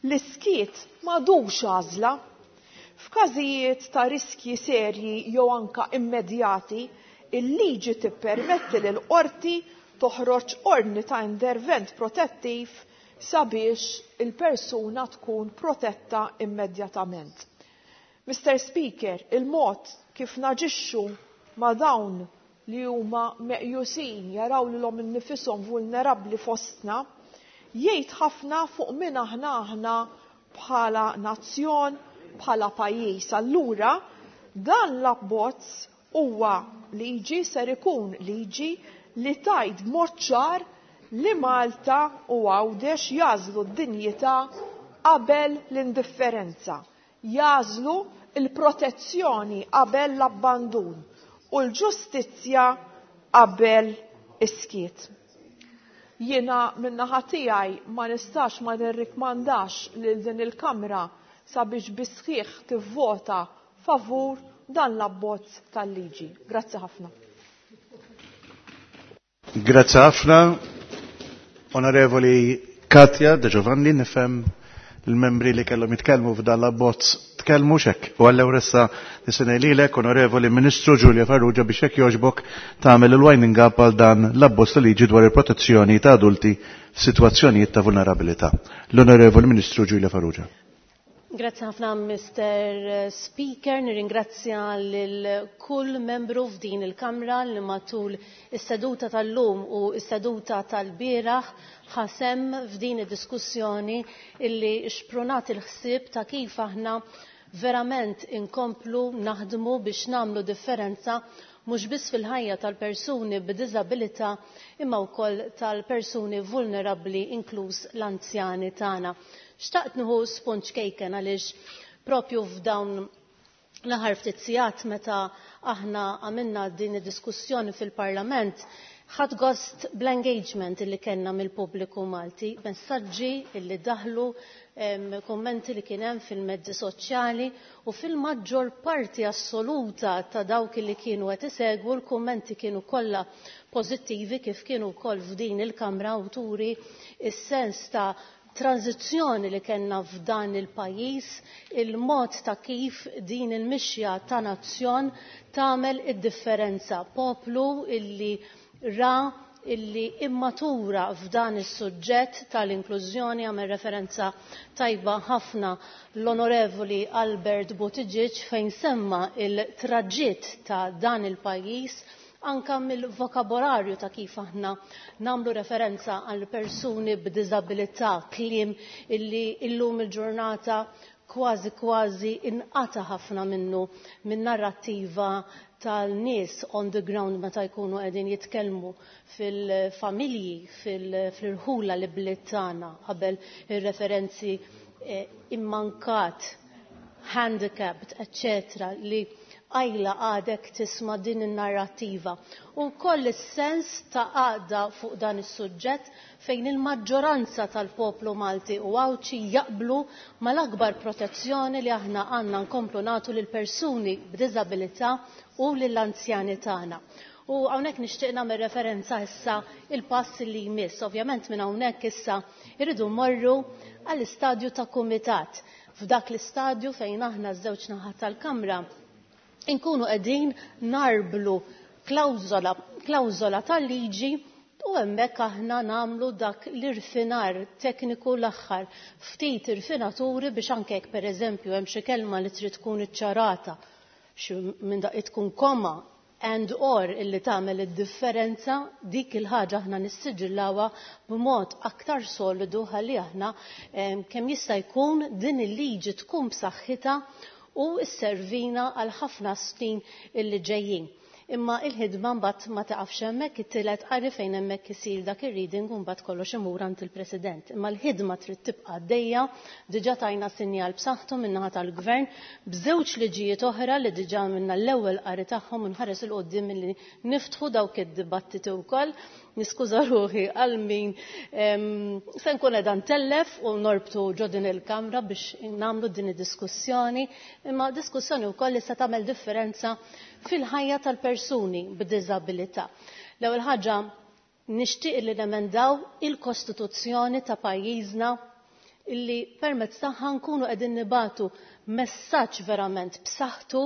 L-iskiet m'għadux għażla. F'każijiet ta' riskji serji jew anka immedjati, il-liġi tippermetti lil qorti toħroġ ordni ta' intervent protettiv sabiex il-persuna tkun protetta immedjatament. Mr. Speaker, il-mod kif naġixxu ma' dawn li huma meqjusin jaraw lilhom innifishom vulnerabbli fostna, jgħid ħafna fuq min aħna aħna bħala nazzjon, bħala pajjiż. Allura, dan l-abbozz huwa liġi, ser ikun liġi li tajt b'mod ċar li Malta u Għawdex jagħżlu d-dinjità qabel l-indifferenza, jagħżlu l-protezzjoni qabel l-abbandun u l-ġustizzja qabel is-skiet. Jiena min-naħa tiegħi ma nistax ma nirrikmandax lil din il-Kamra sabiex bis-sħiħ tivvota favur dan l-abbozz tal-liġi. Grazzi ħafna. Grazzi ħafna. Onorevoli Katja De Giovanni, nifhem l-membri li kellhom jitkellmu f'dan l-abbozz tkellmu xek. U għall issa nisinaj lilek, Onorevoli Ministru Giulia Farrugia, biex hekk jogħġbok tagħmel il-winding up għal dan l-abbozz ta' liġi dwar il-protezzjoni ta' adulti f'sitwazzjonijiet ta' vulnerabilità. L-Onorevoli Ministru Giulia Farrugia. Grazzi ħafna Mr. Speaker, nirringrazzja lil kull membru f'din il-Kamra li matul is-seduta tal-lum u s-seduta tal-bieraħ ħasem f'din id-diskussjoni illi xprunat il-ħsieb ta' kif aħna verament inkomplu naħdmu biex nagħmlu differenza mhux biss fil-ħajja tal-persuni b'diżabilità imma wkoll tal-persuni vulnerabbli inkluż l-anzjani tagħna. Xtaqt nieħu spunt ċkejken għaliex propju f'dawn l-aħħar ftit sigħat meta aħna għamilna din id-diskussjoni fil-Parlament, ħadt gost bl-engagement illi kellna mill-pubbliku Malti, messaġġi illi daħlu, kummenti li kien hemm fil-mezzi soċjali u fil-maġġor parti assoluta ta' dawk li kienu qed isegwu l-kummenti kienu kollha pożittivi kif kienu wkoll f'din il-Kamra u turi s-sens ta' tranzizzjoni li kellna f'dan il-pajjiż, il-mod ta' kif din il-mixja ta' nazzjon tagħmel id-differenza. Poplu illi ra illi immatura f'dan is-suġġett tal-inklużjoni, għamel referenza tajba ħafna l-Onorevoli Albert Buttigieg fejn semma il-traġitt ta' dan il-pajjiż anka mill-vokabolarju ta' kif aħna nagħmlu referenza għal persuni b'diżabilità, kliem illi illum il-ġurnata kważi kważi inqata ħafna minnu minn narrattiva tal-nies on the ground meta jkunu qegħdin jitkellmu fil-familji, fil-irħula li bliet tagħna qabel ir-referenzi immankat, handicapped, eccetera, li għajla għadek tisma' din in-narrattiva. U wkoll is-sens ta' għaqda fuq dan is-suġġett fejn il-maġġoranza tal-poplu Malti u Għawdxi jaqblu mal-akbar protezzjoni li aħna għandna nkomplu nagħtu lil persuni b'diżabilità u lill-anzjani tagħna. U hawnhekk nixtieq nagħmel referenza issa il-pass li jmiss. Ovvjament minn hawnhekk issa irridu mmorru għall-istadju ta' kumitat. F'dak l-istadju fejn aħna ż-żewġ naħat tal-Kamra inkunu qegħdin narblu klawżola tal-liġi u hemmhekk aħna nagħmlu dak l-irfinar tekniku l-aħħar ftit irfinaturi biex anke jekk pereżempju hemm xi kelma li trid tkun iċċarata, xi minn daqqa tkun koma and or illi tagħmel id-differenza, dik il-ħaġa aħna nissiġillawha b'mod aktar solidu ħalli aħna kemm jista' jkun din il-liġi tkun b'saħħitha u sservina għal ħafna snin illi ġejjin. Imma il-ħidma mbagħad ma taqafx hemmhekk, it-tielet qari fejn hemmhekk isir dak ir-reading u mbagħad kollox imur għand il-President. Imma l-ħidma trid tibqa' għaddejja, diġà tajna sinjal b'saħħtu min-naħa tal-Gvern b'żewġ liġijiet oħra li diġà għamilna l-ewwel qari tagħhom u nħares 'il quddiem milli niftħu dawk id-dibattiti wkoll. Niskuża ruħi għal min se nkun qiegħda ntellef u norbtu ġo din il-Kamra biex nagħmlu din id-diskussjoni, imma diskussjoni wkoll li se tagħmel differenza fil-ħajja tal-persuni b'diżabilità. L-ewwel ħaġa nixtieq li nemendaw il-Kostituzzjoni ta' pajjiżna illi permezz tagħha nkunu qegħdin nibatu messaġġ verament b'saħħtu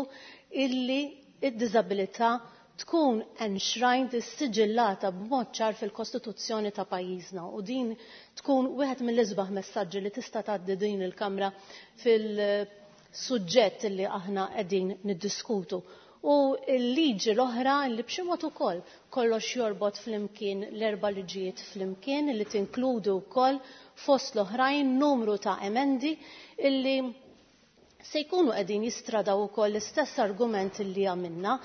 illi id-diżabilità tkun enshrined, issiġillata b'mod ċar fil-Kostituzzjoni ta' pajjiżna u din tkun wieħed mill-isbaħ messaġġi li tista' tgħaddi din il-Kamra fil-suġġett li aħna qegħdin niddiskutu. U l-liġi l-oħra li b'xi mod ukoll kollox jorbot flimkien l-erba' liġijiet flimkien li tinkludu wkoll fost l-oħrajn numru ta' emendi illi se jkunu qegħdin jistradaw ukoll l-istess argument li għamilna,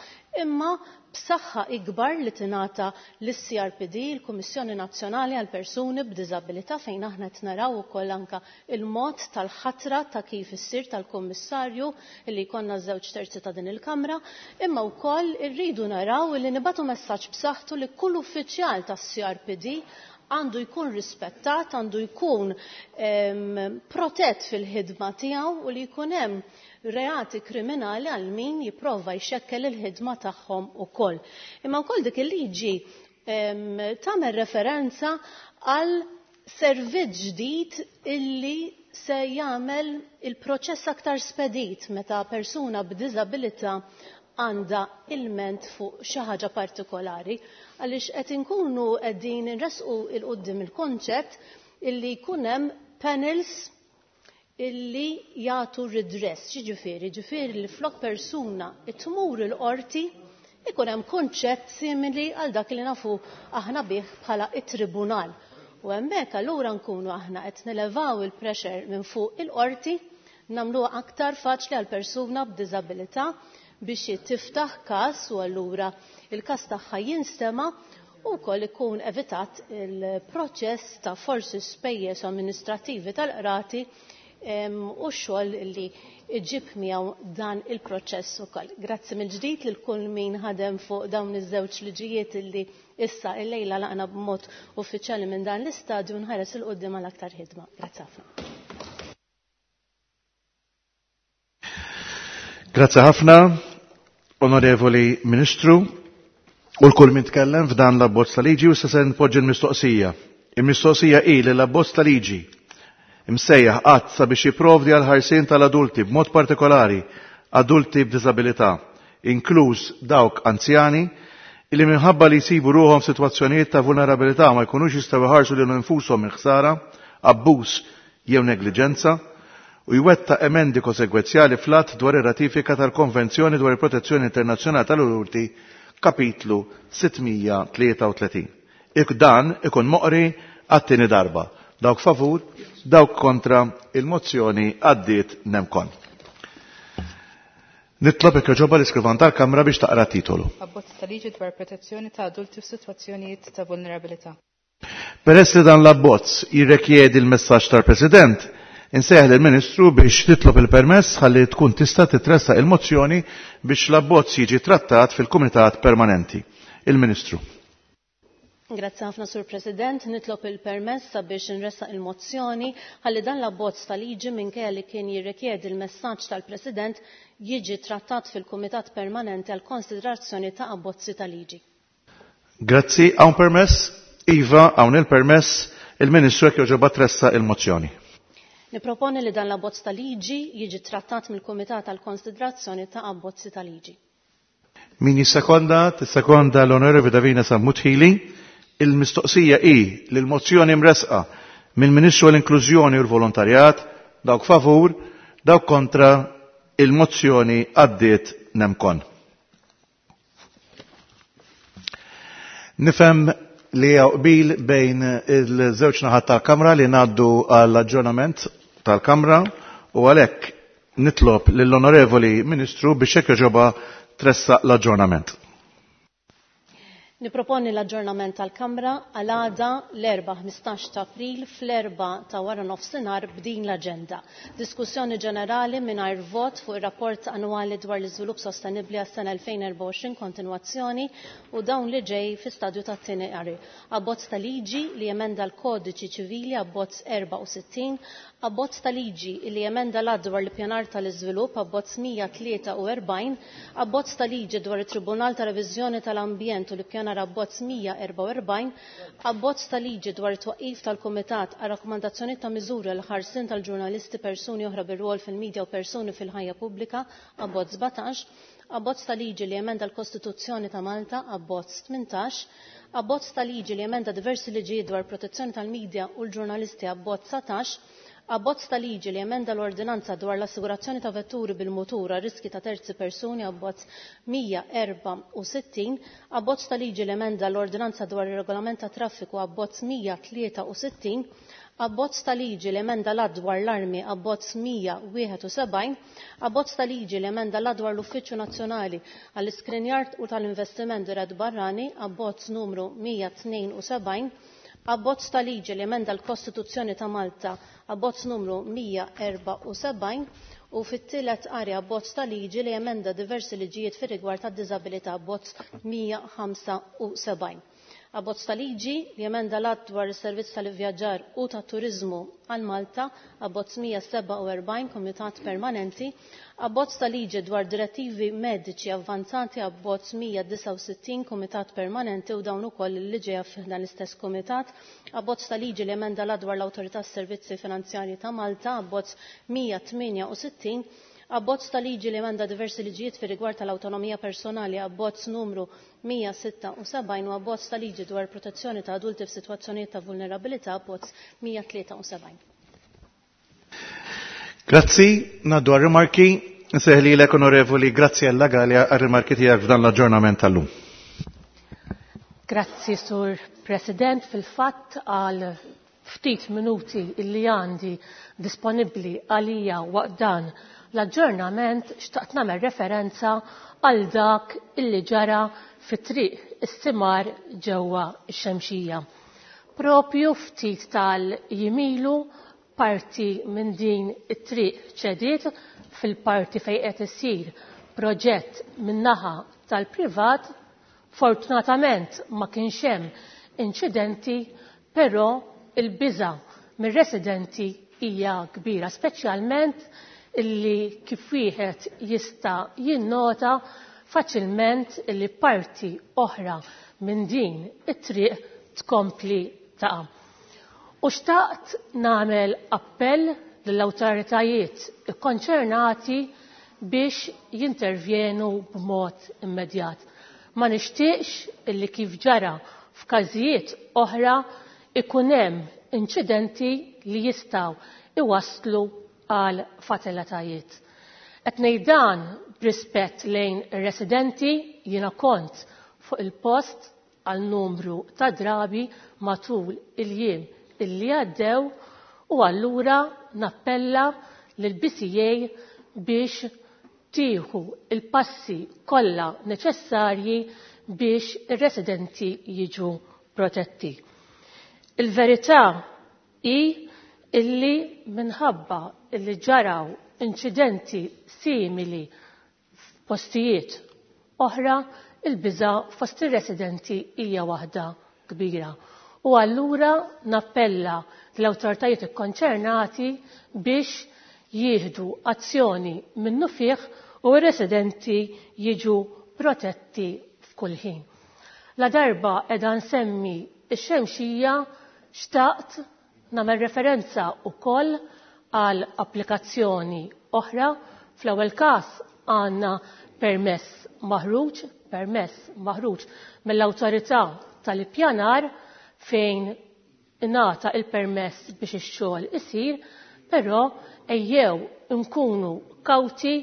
imma b'saħħa ikbar li tingħata lis-CRPD, il-Kummissjoni Nazzjonali għal Persuni b'Diżabilità, fejn aħna qed naraw ukoll anke il-mod tal-ħatra ta' kif issir tal-Kummissarju li jkollna żewġ terzi ta' din il-Kamra, imma wkoll irridu naraw li nibatu messaġġ b'saħħtu li kull uffiċjal tas-CRPD għandu jkun rispettat, għandu jkun protett fil-ħidma tiegħu u li jkun hemm reati kriminali għal min jipprova jxekkel il-ħidma tagħhom ukoll. Imma wkoll dik il-liġi tagħmel referenza għal servizz ġdid illi se jagħmel il-proċess aktar spedit meta persuna b'diżabilità għandha ilment fuq xi ħaġa partikolari, għaliex qed inkunu qegħdin inressqu il quddiem il-konċett illi jkun hemm panels illi jagħtu redress. Ġifieri, ġifieri li flok persuna tmur il-qorti ikun hemm konċett simili għal dak li nafu aħna bih bħala it-tribunal. U hemmhekk allura nkunu aħna qed nilevaw il-pressure minn fuq il-qorti, nagħmluha aktar faċli għal persuna b'diżabilità biex tiftaħ każ u allura il-każ tagħha jinstema' u wkoll ikun evitat il-proċess ta' forsi spejjeż amministrativi tal-qrati u x-xogħol li iġib miegħu dan il-proċess ukoll. Grazzi mill-ġdid lil kull min ħadem fuq dawn iż-żewġ liġijiet illi issa illejla laqna b'mod uffiċjali minn dan l-istadju, nħares il quddiem għal aktar ħidma. Grazzi ħafna. Grazzi ħafna, Onorevoli Ministru, u l-kull min tkellem f'dan l-abbozz ta' liġi, u se npoġġi l-mistoqsija. Il-mistoqsija hi li l-abbozz ta' liġi imsejjaħ qatt sabiex jipprovdi għal ħarsien tal-adulti b'mod partikolari adulti b'diżabilità, inkluż dawk anzjani, illi minħabba li jsibu ruħhom f'sitwazzjonijiet ta' vulnerabilità ma jkunux jistgħu jħarsu lilhom infushom minn ħsara, abbuż jew negliġenza, u jwetta emendi konsegwenzjali fl-att dwar ir-ratifika tal-Konvenzjoni dwar il-Protezzjoni Internazzjonali tal-Adulti, kapitlu 633. Ik dan ikun moqri għat-tieni darba. Dawk favur, dawk kontra, il-mozzjoni għaddiet nemkon. Nitlob jekk jogħġobha l-iskrivan tal-Kamra biex taqra titolu. Abbozz ta' liġi dwar protezzjoni ta' adulti f'sitwazzjonijiet ta' vulnerabilità. Peress li dan l-abbozz jirrekjedi l-messaġġ tal-President, insejjaħ lill-Ministru biex titlob il-permess ħalli tkun tista' titressaq il-mozzjoni biex l-abbozz jiġi trattat fil-Kumitat Permanenti. Il-Ministru. Grazzi ħafna, Sur President. Nitlob il-permess sabiex nressaq il-mozzjoni ħalli dan l-abbozz ta' liġi minkejja li kien jirrikjedi l-messaġġ tal-President jiġi trattat fil-Kumitat Permanenti għal konsiderazzjoni ta' abbozzi ta' liġi. Grazzi. Hawn permess? Iva, hawn il-permess. Il-Ministru jekk jogħġobha tressaq il-mozzjoni. Niproponi li dan l-abbozz ta' liġi jiġi trattat mill-Kumitat għal konsiderazzjoni ta' abbozzi ta' liġi. Min jissekonda? Tissekonda l-Onorevoli Davina Sammut Hili. Il-mistoqsija hi li l-mozzjoni mresqa mill-Ministru għall-Inklużjoni u l-Volontarjat, dawk favur, dawk kontra, il-mozzjoni għaddiet nemkon. Nifhem li hawn qbil bejn il-żewġ naħat tal-Kamra li ngħaddu għall-aġġornament tal-Kamra u għalhekk nitlob lill-Onorevoli Ministru biex hekk jogħġobha tressaq l-aġġornament. Niproponi l-aġġornament tal-Kamra għal għada l-Erbgħa 15 ta' April fl-4 ta' wara nofsinhar b'din l-aġenda. Diskussjoni ġenerali mingħajr vot fuq ir-rapport annwali dwar l-iżvilupp sostenibbli għas-sena 2024 kontinwazzjoni u dawn li ġej fi stadju tat-tieni qari. Abbozz ta' liġi li jemenda l-Kodiċi Ċivili abbozz 64, abbozz ta' liġi li jemenda l-att dwar l-ippjanar tal-iżvilupp abbozz 143, abbozz ta' liġi dwar it-Tribunal ta' Reviżjoni tal-Ambjent u l-ippjanar abbozz 144, abbozz ta' liġi dwar it-twaqqif tal-Kumitat għal rakkomandazzjoni ta' miżuri għal ħarsien tal-ġurnalisti, persuni oħra bir-rwol fil-medja u persuni fil-ħajja pubblika abbozz 17, abbozz ta' liġi li jemenda l-Kostituzzjoni ta' Malta abbozz 18, abbozz ta' liġi li jemenda diversi liġijiet dwar protezzjoni tal-medja u l-ġurnalisti abbozz 19, abbozz ta' liġi li jemenda l-ordinanza dwar l-assigurazzjoni ta' vetturi bil-mutur għal riski ta' terzi persuni abbozz 164, abbozz ta' liġi li jemenda l-ordinanza dwar ir-regolament ta' traffiku abbozz 163, Abbozz ta' liġi li emenda l-Att dwar l-Armi Abbozz 171, Abbozz ta' liġi li emenda l-Att dwar l-Uffiċċju Nazzjonali għall-Iskrinjar u tal-Investiment Dirett Barrani Abbozz numru 172, Abbozz ta' liġi li emenda l-Kostituzzjoni ta' Malta Abbozz numru 174 u fit-tielet qari abbozz ta' liġi li emenda diversi liġijiet fir-rigward tad-diżabilità Abbozz 175. Abbozz ta' liġi li jemenda l-Att dwar is-Servizz tal-Ivvjaġġar u tat-Turiżmu għal Malta, Abbozz 147, Kumitat Permanenti, Abbozz ta' liġi dwar Direttivi Mediċi Avvanzati, Abbozz 169, Kumitat Permanenti u dawn ukoll li ġejja f'dan l-istess kumitat, Abbozz ta' liġi li jemenda l-Att dwar l-Awtorità Servizzi Finanzjarji ta' Malta, Abbozz 168, Abbozz ta' liġi li emenda diversi liġijiet fir-rigward tal-awtonomija personali, abbozz numru 176 u abbozz ta' liġi dwar protezzjoni ta' adulti f'sitwazzjonijiet ta' vulnerabilità, abbozz 173. Grazzi, ngħaddu għar-rimarki. Nsejħ lilek Onorevoli Graziella Galea għar-rimarki tiegħek f'dan l-aġġornament tal-lum. Grazzi, Sur President. Fil-fatt għal ftit minuti illi għandi disponibbli għalija waqt dan l-aġġornament xtaqt nagħmel referenza għal dak illi ġara fi triq is-Simar ġewwa x-Xemxija. Propju ftit tal-jimilu parti minn din it-triq ċediet fil-parti fejn qed isir proġett min-naħa tal-privat. Fortunatament ma kienx hemm inċidenti, però il-biża' mir-residenti hija kbira, speċjalment illi kif wieħed jista' jinnota faċilment illi parti oħra minn din it-triq tkompli taqa'. U xtaqt nagħmel appell lill-awtoritajiet ikkonċernati biex jintervjenu b'mod immedjat. Ma nixtieqx illi kif ġara f'każijiet oħra ikun hemm inċidenti li jistgħu iwasslu għal fatalitajiet. Qed ngħid dan b'rispett lejn ir-residenti, jiena kont fuq il-post għal numru ta' drabi matul il-jiem illi għaddew u allura nappella lill-BCA biex tieħu il-passi kollha neċessarji biex ir-residenti jiġu protetti. Il-verità hi illi minħabba illi ġaraw inċidenti simili f'postijiet oħra, il-biża' fost ir-residenti hija waħda kbira. U allura nappella l-awtoritajiet ikkonċernati biex jieħdu azzjoni minnufih u r-residenti jiġu protetti f'kull ħin. La darba qiegħda nsemmi x-Xemxija xtaqt nagħmel referenza wkoll għal applikazzjoni oħra. Fl-ewwel każ għandna permess maħruġ, permess maħruġ mill-awtorità tal-ippjanar fejn ingħata il-permess biex ix-xogħol isir, però ejjew nkunu kawti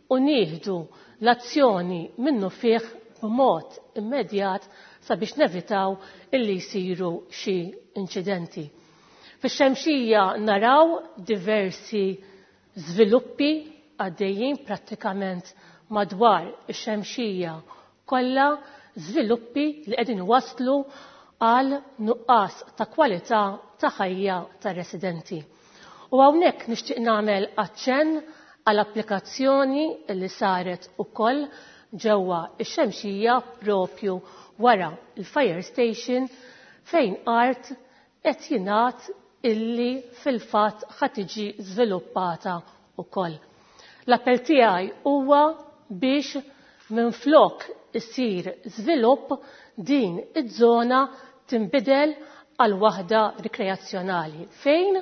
u nieħdu l-azzjoni minnufih b'mod immedjat sabiex nevitaw illi jsiru xi inċidenti. Fix-Xemxija naraw diversi żviluppi għaddejjin prattikament madwar ix-Xemxija kollha, żviluppi li qegħdin waslu għal nuqqas ta' kwalità ta' ħajja tar-residenti. U hawnhekk nixtieq nagħmel aċċenn għal applikazzjoni li saret ukoll ġewwa x-Xemxija propju wara l-fire station fejn art qed jingħad illi fil-fatt ħa tiġi żviluppata wkoll. L-appell tiegħi huwa biex minflok isir żvilupp din iż-żona tinbidel għal waħda rikreazzjonali fejn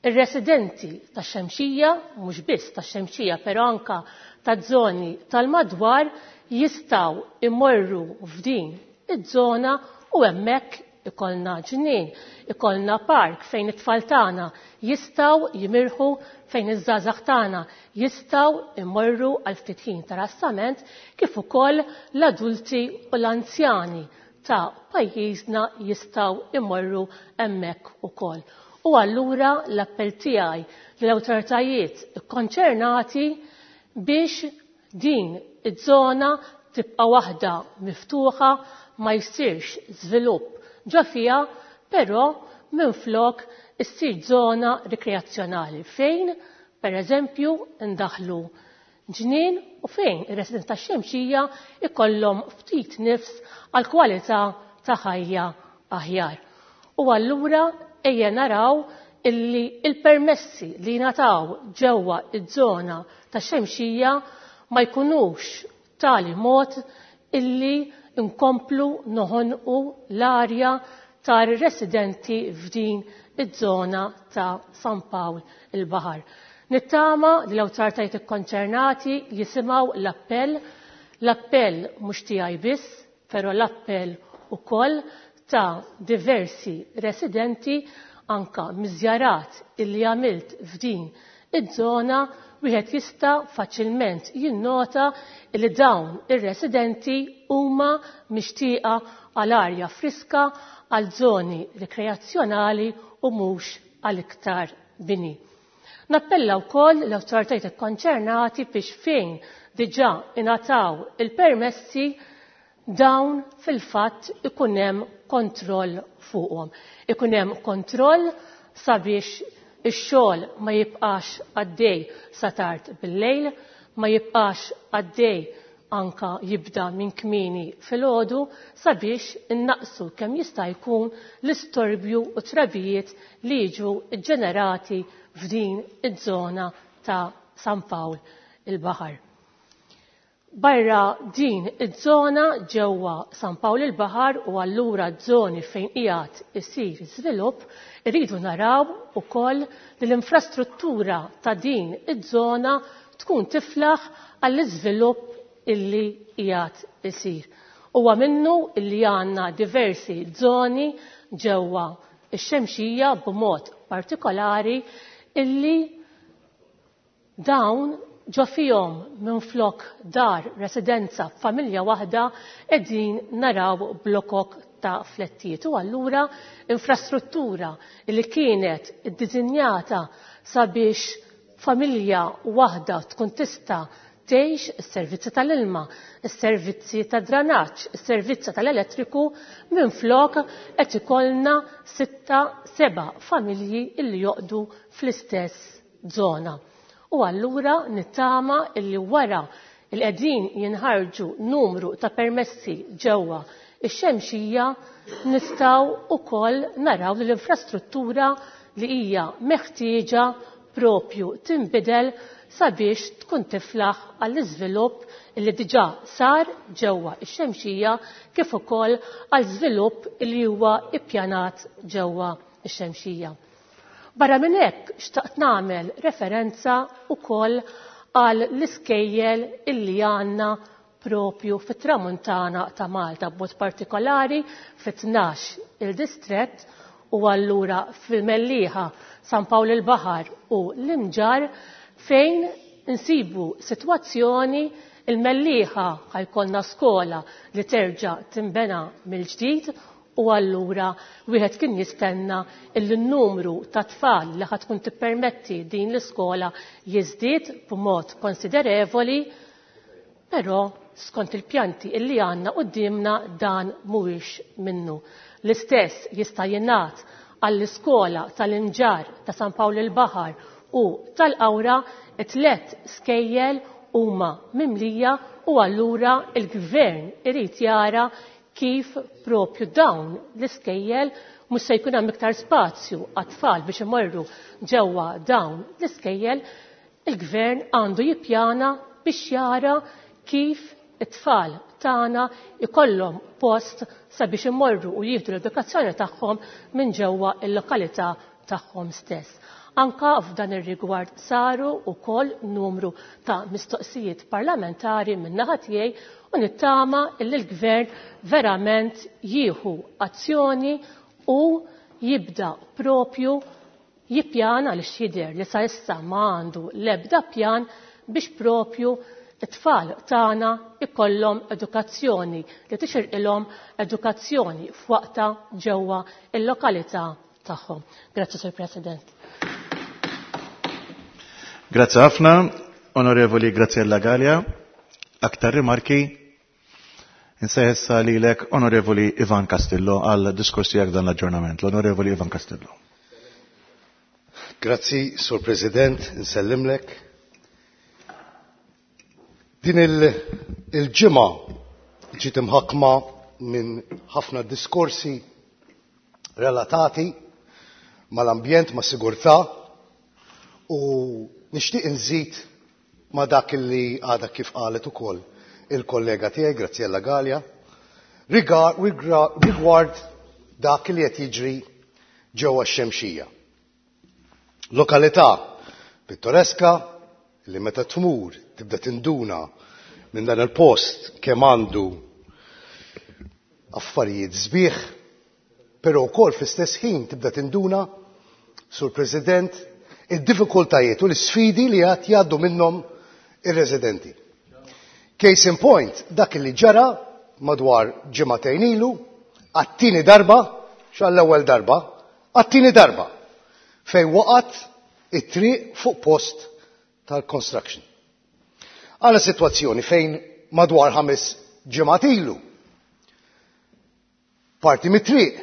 ir-residenti tax-Xemxija, mhux biss tax-Xemxija però anka taż-żoni tal-madwar jistgħu imorru f'din iż-żona u hemmhekk ikollna ġnien, ikollna park fejn it-tfal tagħna jistgħu jimirħu, fejn iż-żgħażagħ tagħna jistgħu imorru għal ftit ħin ta' rassament, kif ukoll l-adulti u l-anzjani ta' pajjiżna jistgħu imorru hemmhekk ukoll. U allura l-appell tiegħi lill-awtoritajiet ikkonċernati biex din iż-żona tibqa' waħda miftuħa, ma jsirx żvilupp ġo fiha, però minflok issir żona rikreazzjonali fejn, per eżempju, ndaħħlu ġnien u fejn ir-residenti tax-Xemxija ikollhom ftit nifs għal kwalità ta' ħajja aħjar. U allura ejja naraw illi il-permessi li jingħataw ġewwa iż-żona tax-Xemxija ma jkunux tali mod illi nkomplu noħonqu l-arja tar-residenti f'din iż-żona ta' San Pawl il-Baħar. Nittama li l-awtoritajiet ikkonċernati jisimgħu l-appell, l-appell mhux tiegħi biss, però l-appell ukoll ta' diversi residenti anka miż-żjarat illi għamilt f'din iż-żona wieħed jista' faċilment jinnota li dawn ir-residenti huma mixtieqa għal arja friska, għal żoni rikreazzjonali u mhux għal iktar bini. Nappella wkoll l-awtoritajiet ikkonċernati biex fejn diġà ingħataw il-permessi dawn fil-fatt ikun hemm kontroll fuqhom. Ikun hemm kontroll sabiex ix-xogħol ma jibqax għaddej sa tard bil-lejl, ma jibqax għaddej anka jibda minn kmieni filgħodu sabiex innaqsu kemm jista' jkun l-istorbju u trabijiet li jiġu ġġenerati f'din iż-żona ta' San Pawl il-Baħar. Barra din iż-żona ġewwa San Pawl il-Baħar u allura żoni fejn qiegħed isir żvilupp, irridu naraw ukoll li l-infrastruttura ta' din iż-żona tkun tiflaħ għall-iżvilupp illi qiegħed isir. Huwa minnu illi għandna diversi żoni ġewwa ix-Xemxija b'mod partikolari illi dawn ġo fihom minflok dar residenza f'familja waħda qegħdin naraw blokok ta' flettijiet. U allura infrastruttura li kienet iddisinjata sabiex familja waħda tkun tista' tgħix is-servizzi tal-ilma, is-servizzi tad-dranaġġ, is-servizzi tal-elettriku, minflok qed ikollna 6, 7 familji illi joqdu fl-istess żona. U allura nittama illi wara il qegħdin jinħarġu numru ta' permessi ġewwa ix-Xemxija nistgħu wkoll naraw li l-infrastruttura li hija meħtieġa propju tinbidel sabiex tkun tiflaħ għall-iżvilupp li diġà sar ġewwa ix-Xemxija kif ukoll għal żvilupp li huwa ippjanat ġewwa ix-Xemxija. Barra minn hekk xtaqt nagħmel referenza wkoll għal l-iskejjel illi għandna propju fit-tramuntana ta' Malta, b'mod partikolari fit-12 il-distrett u allura fil-Mellieħa, San Pawl il-Baħar u l-Imġarr, fejn insibu sitwazzjoni il-Mellieħa ħajkollna skola li terġa' tinbena mill-ġdid u allura wieħed kien jistenna illi n-numru ta' tfal li ħad tkun tippermetti din l-iskola jiżdied b'mod konsiderevoli, però skont il-pjanti illi għandna quddiemna dan mhuwiex minnu. L-istess jista' jingħad għall-iskola tal-Imġarr ta' San Pawl il-Baħar u tal-Qawra, it-tliet skejjel huma mimlija u allura l-Gvern irid jara kif propju dawn l-iskejjel mhux se jkun hemm iktar spazju għat-tfal biex imorru ġewwa dawn l-iskejjel, il-Gvern għandu jippjana biex jara kif it-tfal tagħna ikollhom post sabiex imorru u jieħdu l-edukazzjoni tagħhom minn ġewwa l-lokalità tagħhom stess. Anka f'dan ir-rigward saru wkoll numru ta' mistoqsijiet parlamentari min-naħa tiegħi u nittama illi l-Gvern verament jieħu azzjoni u jibda propju jippjana għaliex jidher li sa issa ma għandu l-ebda pjan biex propju it-tfal tagħna ikollhom edukazzjoni li tixirqilhom, edukazzjoni f'waqtha ġewwa l-lokalità tagħhom. Grazzi Sur President. Grazzi ħafna, Onorevoli Graziella Gallia. Aktar rimarki? Insejħessa lilek Onorevoli Ivan Castillo għal diskors tiegħek dan l-aġġornament. L-Onorevoli Ivan Castillo. Grazzi, Sur President, nsellimlek. Din il-ġimgħa ġiet imħakkma minn ħafna diskorsi relatati mal-ambjent, ma' sigurtà u nixtieq inżid ma' dak li għadha kif qalet ukoll il-kollega tiegħi Graziella Gallia rigward dak li qed jiġri ġewwa x-Xemxija. Lokalità pittoreska li meta tmur tibda tinduna minn dan il-post kemm għandu affarijiet sbieħ, però wkoll fl-istess ħin tibda tinduna, Sur President, id-diffikultajiet u l-isfidi li għad jgħaddu minnhom ir-residenti. Case in point, dak li ġara madwar ġimagħtejn ilu, għat-tieni darba, x'għall-ewwel darba, għat-tieni darba, fejn waqgħet it-triq fuq post tal-construction. Għala sitwazzjoni fejn madwar 5 ġimgħat ilu parti mit-triq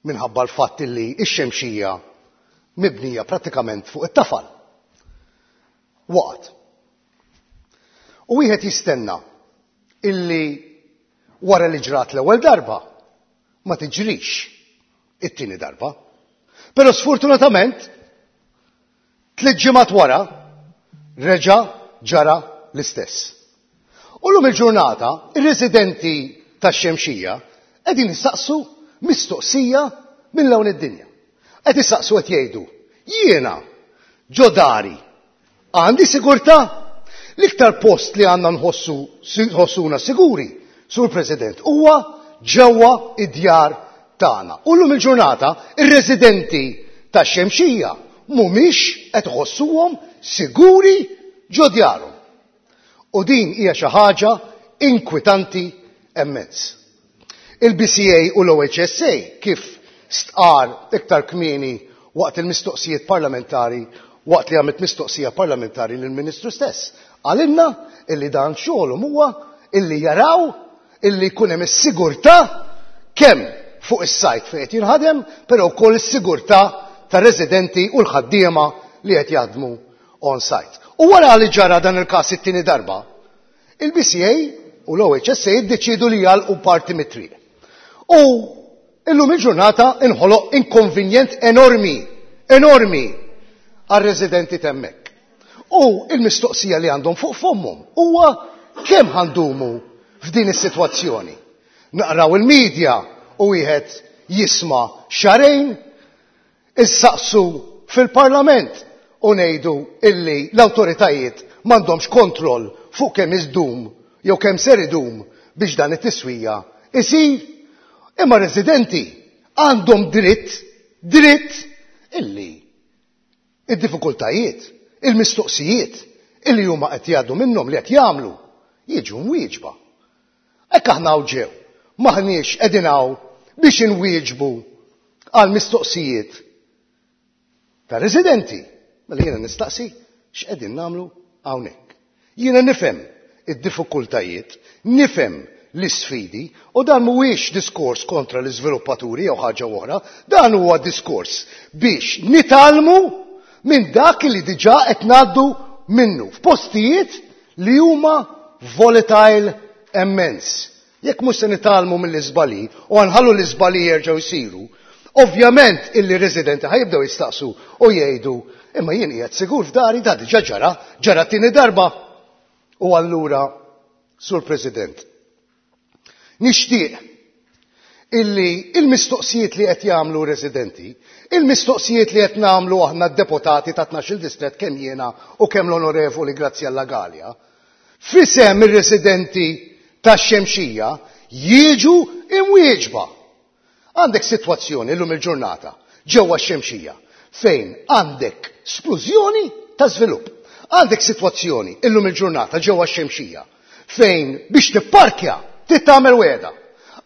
minħabba l-fatt li x-Xemxija mibnija prattikament fuq it-tafal. Waqgħet. U wieħed jistenna illi wara li ġrat l-ewwel darba ma tiġrix it-tieni darba. Però sfortunatament 3 ġimgħat wara reġa' ġara l-istess. U llum il-ġurnata ir-residenti tax-Xemxija qegħdin jistaqsu mistoqsija minn lawn id-dinja. Qed jistaqsu qed jgħidu, jiena ġo dari għandi sigurtà? L-iktar post li għandna nħossuna siguri, Sur President, huwa ġewwa id-djar tagħna. U llum il-ġurnata ir-residenti tax-Xemxija mhumiex qed iħossuhom siguri ġo djarhom. U din hija xi ħaġa inkwitanti immens. Il-BCA u l-OHSA kif stqar iktar kmieni waqt il-mistoqsijiet parlamentari, waqt li għamilt mistoqsija parlamentari lill-Ministru stess, qalilna illi dan xogħolhom huwa illi jaraw illi jkun hemm is-sigurtà kemm fuq is-sajt fejn qed jinħadem, però wkoll is-sigurtà tar-residenti u l-ħaddiema li qed jaħdmu on site. U wara li ġara dan il-każ it-tieni darba, il-BCA u l-OHSA iddeċiedu li jagħlqu parti mit-triq. U illum il-ġurnata inħoloq inkonvenjent enormi, enormi għar-residenti t'hemmhekk. U il-mistoqsija li għandhom fuq fommhom huwa kemm ħandumu f'din is-sitwazzjoni. Naqraw il-medja u wieħed jisma' xahrejn, issaqsu fil-Parlament u ngħidu illi l-awtoritajiet m'għandhomx kontroll fuq kemm iżdum jew kemm ser idum biex dan it-tiswija isir. Imma residenti għandhom dritt illi id-diffikultajiet, il-mistoqsijiet illi huma qed jgħaddu minnhom li qed jagħmlu jiġu mwieġba. Hekk aħna hawn ġew, m'aħniex qegħdin hawn biex inwieġbu għal mistoqsijiet ta' residenti. Mela jiena nistaqsi x'qegħdin nagħmlu hawnhekk. Jiena nifhem id-diffikultajiet, nifhem l-isfidi, u dan mhuwiex diskors kontra l-iżviluppaturi jew ħaġa oħra, dan huwa diskors biex nitgħallmu minn dak li diġà qed ngħaddu minnu f'postijiet li huma volatile immens. Jekk mhux se nitgħallmu mill-iżbalji u nħallu l-iżbalji jerġgħu jsiru, ovvjament illi residenti ħajibdew jistaqsu u jgħidu imma jien qiegħed sigur f'dari da diġà ġara, ġara t-tieni darba. U allura, Sur President, nixtieq illi il-mistoqsijiet li qed jagħmlu residenti, il-mistoqsijiet li qed nagħmlu aħna d-deputati ta' 12 distrett kemm jiena u kemm l-Onorevoli Graziella Gallia, f'isem ir-residenti tax-Xemxija jiġu imwieġba. Għandek sitwazzjoni llum il-ġurnata ġewwa x-Xemxija fejn għandek splużjoni ta' żvilupp. Għandek sitwazzjoni illum il-ġurnata ġewwa x-Xemxija fejn biex tipparkja trid tagħmel wegħda.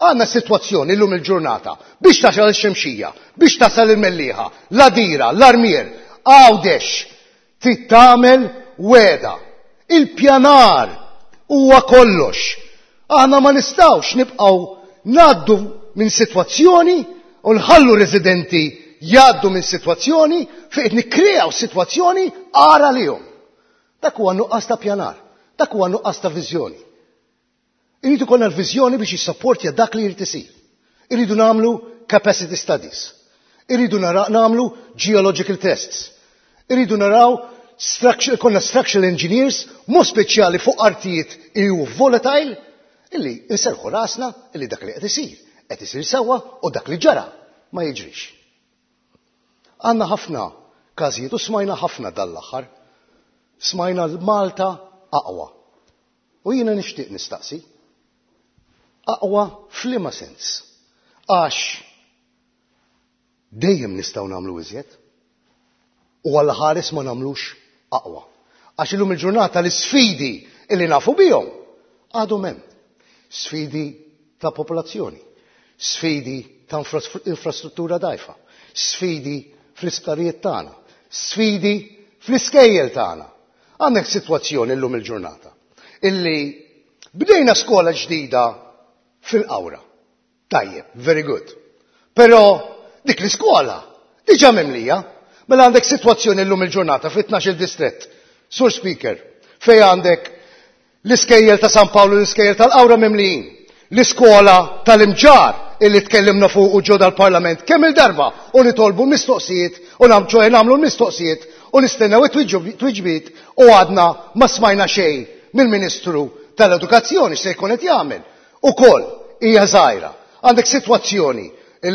Għandna sitwazzjoni llum il-ġurnata biex tasal ix-Xemxija, biex tasal il-Mellieħa, l-Għadira, l-Armier, Għawdex, trid tagħmel wegħda. Il-pjanar huwa kollox. Aħna ma nistgħux nibqgħu ngħaddu minn sitwazzjoni u nħallu residenti jgħaddu minn sitwazzjoni fejn qed nikkreaw sitwazzjoni agħar għalihom. Dak huwa nuqqas ta' pjanar, dak huwa nuqqas ta' viżjoni. Irid ikollna l-viżjoni biex jissapportja dak li jrid isir. Irridu nagħmlu capacity studies. Irridu nagħmlu geological tests. Irridu naraw ikollna structural engineers mod speċjali fuq artijiet li hu volatile illi nserħu rasna illi dak li qed isir qed isir sewwa u dak li ġara ma jiġrix. Għandna ħafna każijiet u smajna ħafna dal-aħħar. Smajna l-Malta aqwa. U jiena nixtieq nistaqsi, aqwa f'liema sens? Għax dejjem nistgħu nagħmlu iżjed u Alla ħares ma nagħmlux aqwa. Għax illum il-ġurnata l-isfidi illi nafu bihom għadhom hemm. Sfidi ta' popolazzjoni, sfidi ta' infrastruttura dgħajfa, sfidi fl-isptarijiet tagħna, sfidi fl-iskejjel tagħna. Għandek sitwazzjoni llum il-ġurnata illi bdejna skola ġdida fil-Qawra. Tajjeb, very good. Però dik l-iskola diġà mimlija. Mela għandek sitwazzjoni llum il-ġurnata fit-12 distrett. Sur Speaker, fej għandek L-iskejjel ta' San Pawl u l-iskejjel tal-Qawra mimlijin. L-iskola tal-Imġarr illi tkellimna fuqu ġo dal-Parlament kemm il-darba u nitolbu mistoqsijiet u ċoe nagħmlu l-mistoqsijiet u nistennew it-tweġibiet u għadna ma smajna xejn mill-Ministru tal-Edukazzjoni x'se jkun qed jagħmel. Ukoll hija żgħira. Għandek sitwazzjoni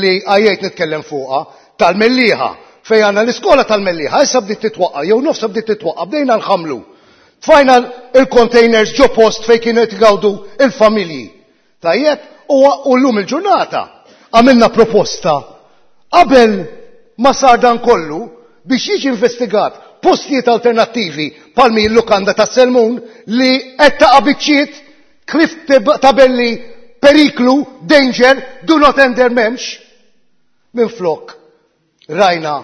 li għajjejt nitkellem fuqha tal-Mellieħa fejn għandna l-iskola tal-Mellieħa issa bdiet titwaqqa' jew nofsha bdiet titwaqqa' bdejna nħammlu. Tfajna l-containers ġo post fejn kienu qed igawdu l-familji. Tajjeb, u llum il-ġurnata għamilna proposta qabel ma sar dan kollu biex jiġi investigat postijiet alternattivi bħal l-lukanda ta' Selmun li qed taqa' biċċiet ħlief tabelli periklu, danger, do not enter m'hemmx. Minflok rajna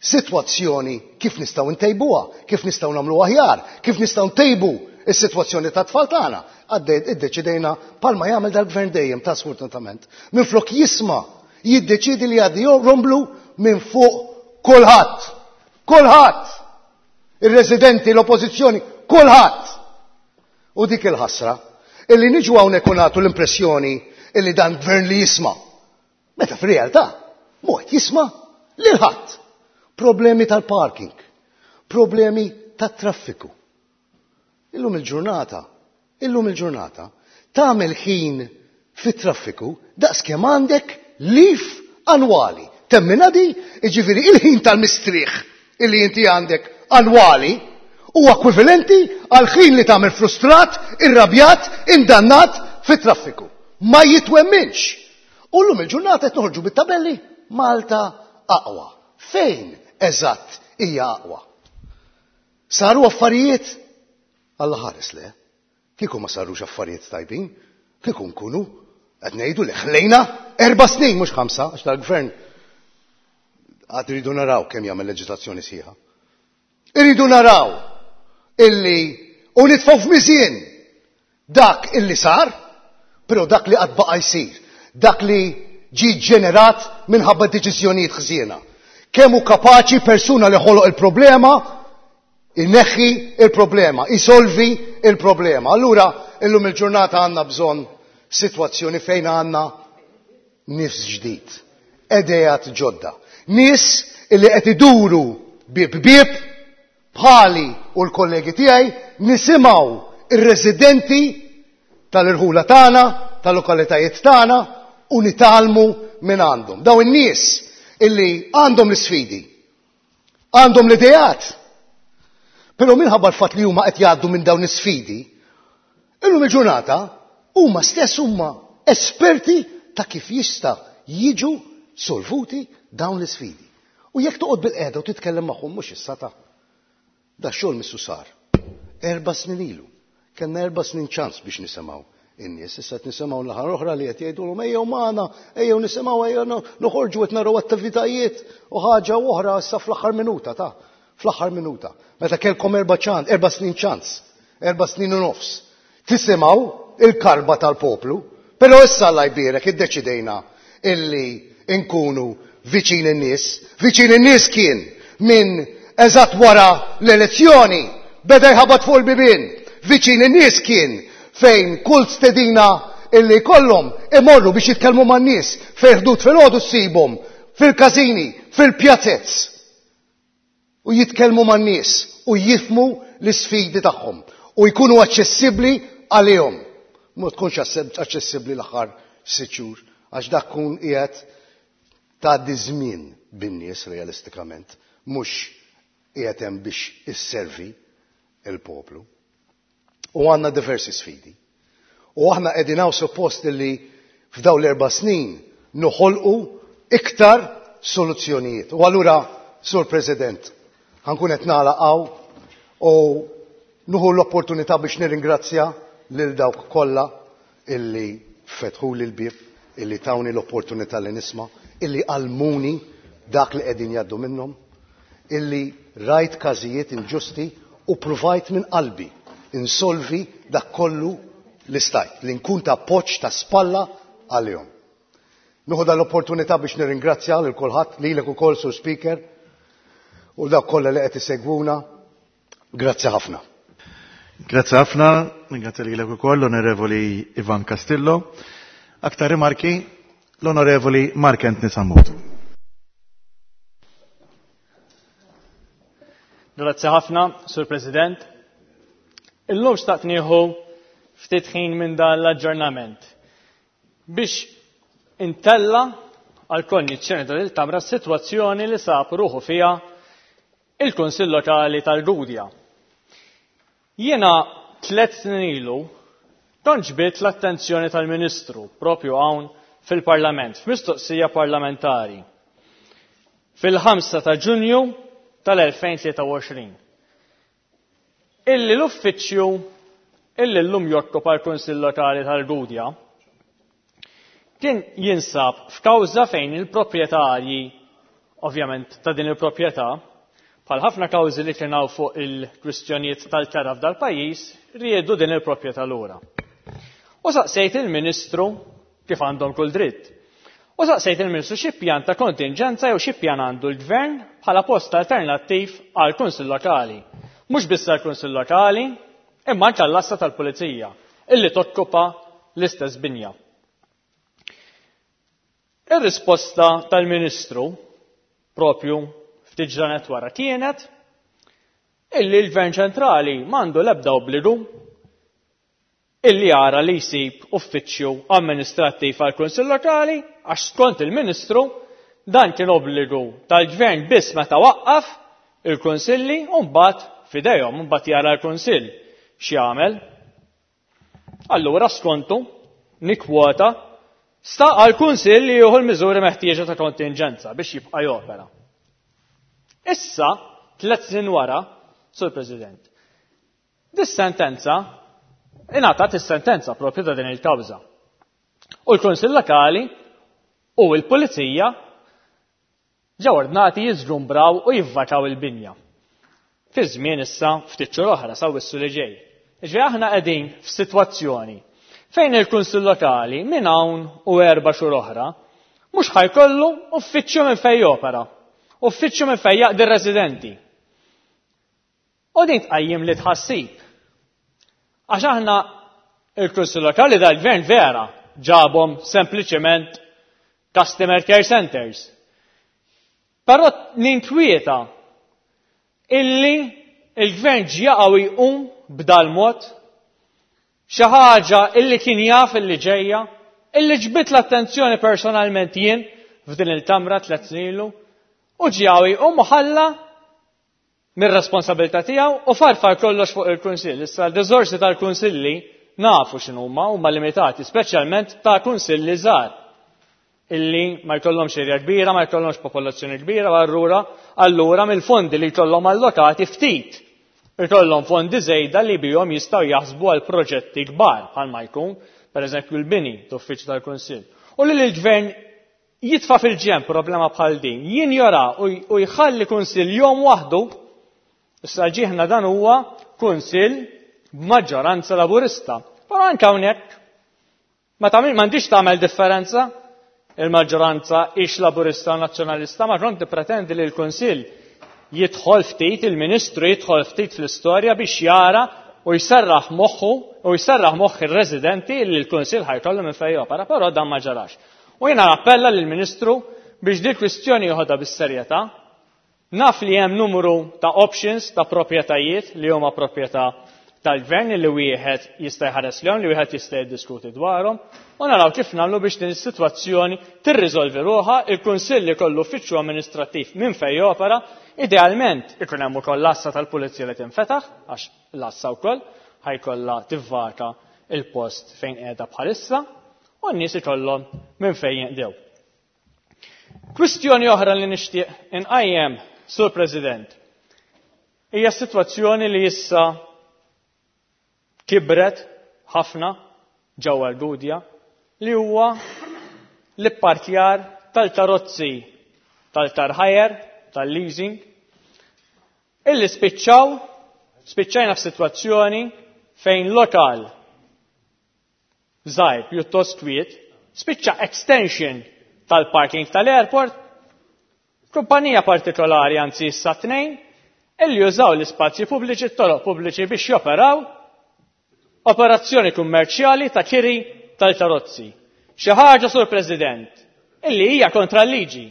sitwazzjoni kif nistgħu ntejbuha, kif nistgħu nagħmlu aħjar, kif nistgħu ntejbu is-sitwazzjoni tat-tfal tagħna. Iddeċidejna palma jagħmel dal-gvern dejjem ta' sfortunatament. Minflok jisma' jiddeċidi li jgħaddi romblu minn fuq kulħadd. Kulħadd! Ir-residenti, l-oppożizzjoni, kulħadd! U dik il-ħasra illi niġu hawnhekk u nagħtu l-impressjoni illi dan gvern li jisma'. Meta fir-realtà mhu qed jisma' lil ħadd. Problemi tal-parking, problemi tat-traffiku. Illum il-ġurnata, illum il-ġurnata, tagħmel ħin fit-traffiku daqs kemm għandek lif annwali. Temmina di, jiġifieri il-ħin tal-mistrieħ illi inti għandek annwali huwa ekwivalenti għal ħin li tagħmel frustrat, irrabjat, indannat fit-traffiku. Ma jitwemminx. U llum il-ġurnata qed noħorġu bit-tabelli Malta aqwa. Fejn eżatt hija aqwa? Saru affarijiet? Alla ħares le. Kieku ma sarux affarijiet tajbin, kieku nkunu qed ngħidu li ħlejna 4 snin mhux 5 għax tal-gvern għad iridu naraw kemm jagħmel leġislazzjoni sħiħa. Iridu naraw illi u nitfgħu f'miżien dak illi sar, però dak li qatt baqa' jsir, dak li ġie ġenerat minħabba deċiżjonijiet ħżiena. Kemm hu kapaċi persuna li ħoloq il-problema ineħħi il-problema, isolvi il-problema. Allura illum il-ġurnata għandna bżonn sitwazzjoni fejn għandna nifs ġdid, idejat ġodda. Nies illi qed iduru bieb bieb bħali u l-kollegi tiegħi nisimgħu ir-residenti tal-irħula tagħna, tal-lokalitajiet tagħna u nitgħallmu minn għandhom. Daw in-nies illi għandhom l-isfidi, għandhom l-idejat. Però minħabba l-fatt li huma qed jgħaddu minn dawn is-sfidi, illum il-ġurnata huma stess huma esperti ta' kif jista' jiġu solvuti dawn l-isfidi. U jekk toqgħod bil-qiegħda u titkellem magħhom mhux issa ta' da xogħol missu sar. 4 snin ilu. Kellna 4 snin ċans biex nisimgħu. in-nies. Issa qed nisimgħu naħa oħra li qed jgħidulhom ejjew magħna, ejjew nisimgħu ejjew noħorġu qed naraw attivitajiet u ħaġa oħra issa fl-aħħar minuta ta' fl-aħħar minuta. Meta kellkom erba' ċans, erba' snin ċans, erba' snin u nofs. Tisimgħu il-karba tal-poplu, però issa Alla jbierek iddeċidejna illi nkunu viċin in-nies. Viċin in-nies kien minn eżatt wara l-elezzjoni beda jħabat fuq il-bibien. Viċin in-nies kien fejn kull stedina illi jkollhom imorru biex jitkellmu man-nies fejn ħdud filgħodu ssibhom fil-każini, fil-pjazez. U jitkellmu man-nies u jifhmu l-isfidi tagħhom u jkunu aċċessibbli għalihom. Ma tkunx aċċessibbli l-aħħar sitt xhur għax dak kun qiegħed tgħaddi żmien bin-nies realistikament, mhux qiegħed hemm biex isservi il-poplu. U għandna diversi sfidi. U aħna qegħdin hawn suppost li f'dawn l-erba' snin noħolqu iktar soluzzjonijiet. U allura, Sur President, ħankun qed nagħlaq hawn u nuħu l-opportunità biex nirringrazzja lil dawk kollha illi fetħuli l-bieb, illi tawni l-opportunità li nisma', illi għallmuni dak li qegħdin jgħaddu minnhom, illi rajt każijiet inġusti u pruvajt minn qalbi insolvi dak kollu li stajt, li nkun ta' appoġġ ta' spalla għalihom. Nieħu dan l-opportunità biex nirringrazzja lil kulħadd, lilek ukoll Sur Speaker, u dawk kollha li qed isegwuna. Grazzi ħafna. Grazzi ħafna, ringrazzja lilek ukoll l-Onorevoli Ivan Castillo. Aktar rimarki, l-Onorevoli Mark Anthony Sammut. Grazzi ħafna, Sur President. Illum xtaqt nieħu ftit ħin minn dan l-aġġornament biex intella għal konjizzjoni ta' il-Kamra s-sitwazzjoni li sab ruħu fiha il-Kunsill Lokali tal-Gudja. Jiena 3 snin ilu kont ġbidt l-attenzjoni tal-Ministru propju hawn fil-Parlament, f'mistoqsija parlamentari, fil-5 ta' Ġunju tal-2023. Illi l-uffiċċju illi llum jokkupa l-Kunsill Lokali tal-Gudja kien jinsab f'kawża fejn il-proprjetarji, ovvjament ta' din il-proprjetà, bħal ħafna kawżi li kien hawn fuq il-kwistjonijiet tal-kera f'dal-pajjiż, riedu din il-proprjetà lura. U saqsejt il-Ministru kif għandhom kull dritt. U saqsejt il-Ministru xi pjan ta' kontinġenza jew xi pjan għandu l-Gvern bħala post alternattiv għal Kunsill Lokali. Mhux biss għal Kunsill Lokali, imma anke għall-Għassa tal-Pulizija illi tokkupa l-istess binja. Ir-risposta tal-Ministru propju ftit ġranet wara kienet illi l-Gvern ċentrali m'għandu l-ebda obbligu illi jara li jsib uffiċċju amministrattiv għal Kunsill Lokali għax skont il-Ministru dan kien obbligu tal-Gvern biss meta waqqaf il-Kunsilli u mbagħad f'idejhom, mbagħad jara l-Kunsill x'jagħmel. Allura skontu nikkwota sta għall-Kunsill li jieħu l-miżuri meħtieġa ta' kontinġenza biex jibqa' jopera. Issa, 3 snin wara, Sur President, dis-sentenza ingħatat is-sentenza propju ta' din il-kawża. U l-Kunsill Lokali u l-Pulizija ġew ordnati jiżgumbraw u jivvakaw il-binja. Fi żmien issa ftit xhur oħra sa wissu li ġej. Ġifieri aħna qegħdin f'sitwazzjoni fejn il-Kunsill Lokali minn hawn u 4 xhur oħra mhux ħajkollu uffiċċju minn fejn jopera, uffiċċju minn fejn jaqdi r-residenti. U din tqajjim li tħassib. Għax aħna il-Kunsill Lokali dal-Gvern vera ġabhom sempliċement customer care centers. Però ninkwieta illi il-Gvern ġjaqgħu jqum b'dal mod xi ħaġa illi kien jaf illi ġejja, illi ġbit l-attenzjoni personalment jien f'din il-kamra 3 snin ilu, u ġjaqgħu jqum u ħalla mir-responsabilità tiegħu u farfar kollox fuq il-Kunsill. Issa l-riżorsi tal-Kunsilli nafu x'inhuma, huma limitati, speċjalment ta' kunsilli żgħar illi ma jkollhomx erja kbira, ma jkollhomx popolazzjoni kbira, u allura mill-fondi li jkollhom allokati ftit ikollhom fondi żejda li bihom jistgħu jaħsbu għal proġetti kbar bħalma jkun pereżempju l-bini ta' uffiċċju tal-Kunsill. U li l-Gvern jitfa' fil-ġenb problema bħal din, jinjora u jħalli Kunsill jom waħdu, issa ġieħna dan huwa Kunsill b'maġġoranza Laburista. Però anke hawnhekk ma tagħmel m'għandix tagħmel differenza il-maġġoranza ix Laburista u Nazzjonalista, ma kont tippretendi li l-Kunsill jidħol ftit, il-Ministru jidħol ftit fl-istorja biex jara u jserraħ moħħu u jserraħ moħħ ir-residenti li l-Kunsill ħajkollu minn fejn jopera, però dan ma ġarax. U jiena nappella lill-Ministru biex din kwistjoni joħodha bis-serjetà. Naf li hemm numru ta' options ta' proprjetajiet li huma proprjetà tal-gvern li wieħed jista' jħares lehom, li wieħed jista' jiddiskuti dwarhom, u naraw kif nagħmlu biex din is-sitwazzjoni tirriżolvi ruħha, il-Kunsill ikollu uffiċċju amministrattiv minn fejn jopera, idealment ikun hemm ukoll l-għassa tal-pulizija li tinfetaħ, għax l-għassa wkoll ħajkollha tivvaka il-post fejn qiegħda bħalissa, u n-nies ikollhom minn fejn jinqdew. Kwistjoni oħra li nixtieq inqajjem, Sur President, hija s-sitwazzjoni li issa kibret ħafna ġewwa l-Gudja li huwa l-ipparkjar tal-karozzi tal-car hire, tal-leasing, illi spiċċaw, spiċċajna f'sitwazzjoni fejn lokal żgħir pjuttost kwiet, spiċċa extension tal-parking tal-airport, kumpanija partikolari, anzi issa tnejn, illi jużaw l-ispazji pubbliċi, t-toroq pubbliċi biex joperaw operazzjoni kummerċjali ta' kiri tal-karozzi. Xi ħaġa, Sur President, illi hija kontra l-liġi.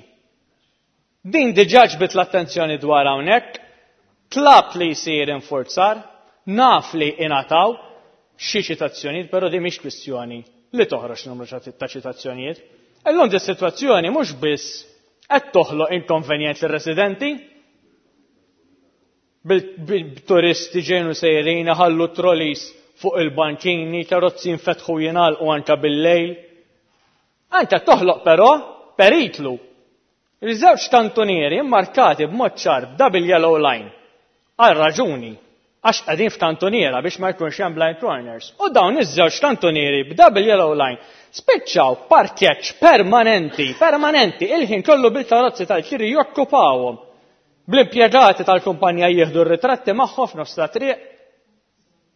Din diġà ġbit l-attenzjoni dwar hawnhekk, tlab li jsir infurzar, naf li ingħataw xi ċitazzjonijiet, però din mhix kwistjoni li toħroġ numru ta' ċitazzjonijiet. Illum di sitwazzjoni mhux biss qed toħloq inkonvenjent lir-residenti, bil-turisti ġejnu sejrin ħallu trolleys fuq il-bankini, karozzi jinfetħu jingħalqu anke bil-lejl. Anke toħloq però periklu. Il-żewġ kantunieri mmarkati b'mod ċar double yellow line għal raġuni għax qegħdin f'kantuniera biex ma jkunx hemm blind corners. U dawn iż-żewġ kantunieri b'double yellow line spiċċaw parkeġġ permanenti, permanenti, il-ħin kollu bil-karozzi tal-kiri jokkupawhom. Bl-impjegati tal-kumpanija jieħdu r-ritratti magħhom f'nofs ta' triq.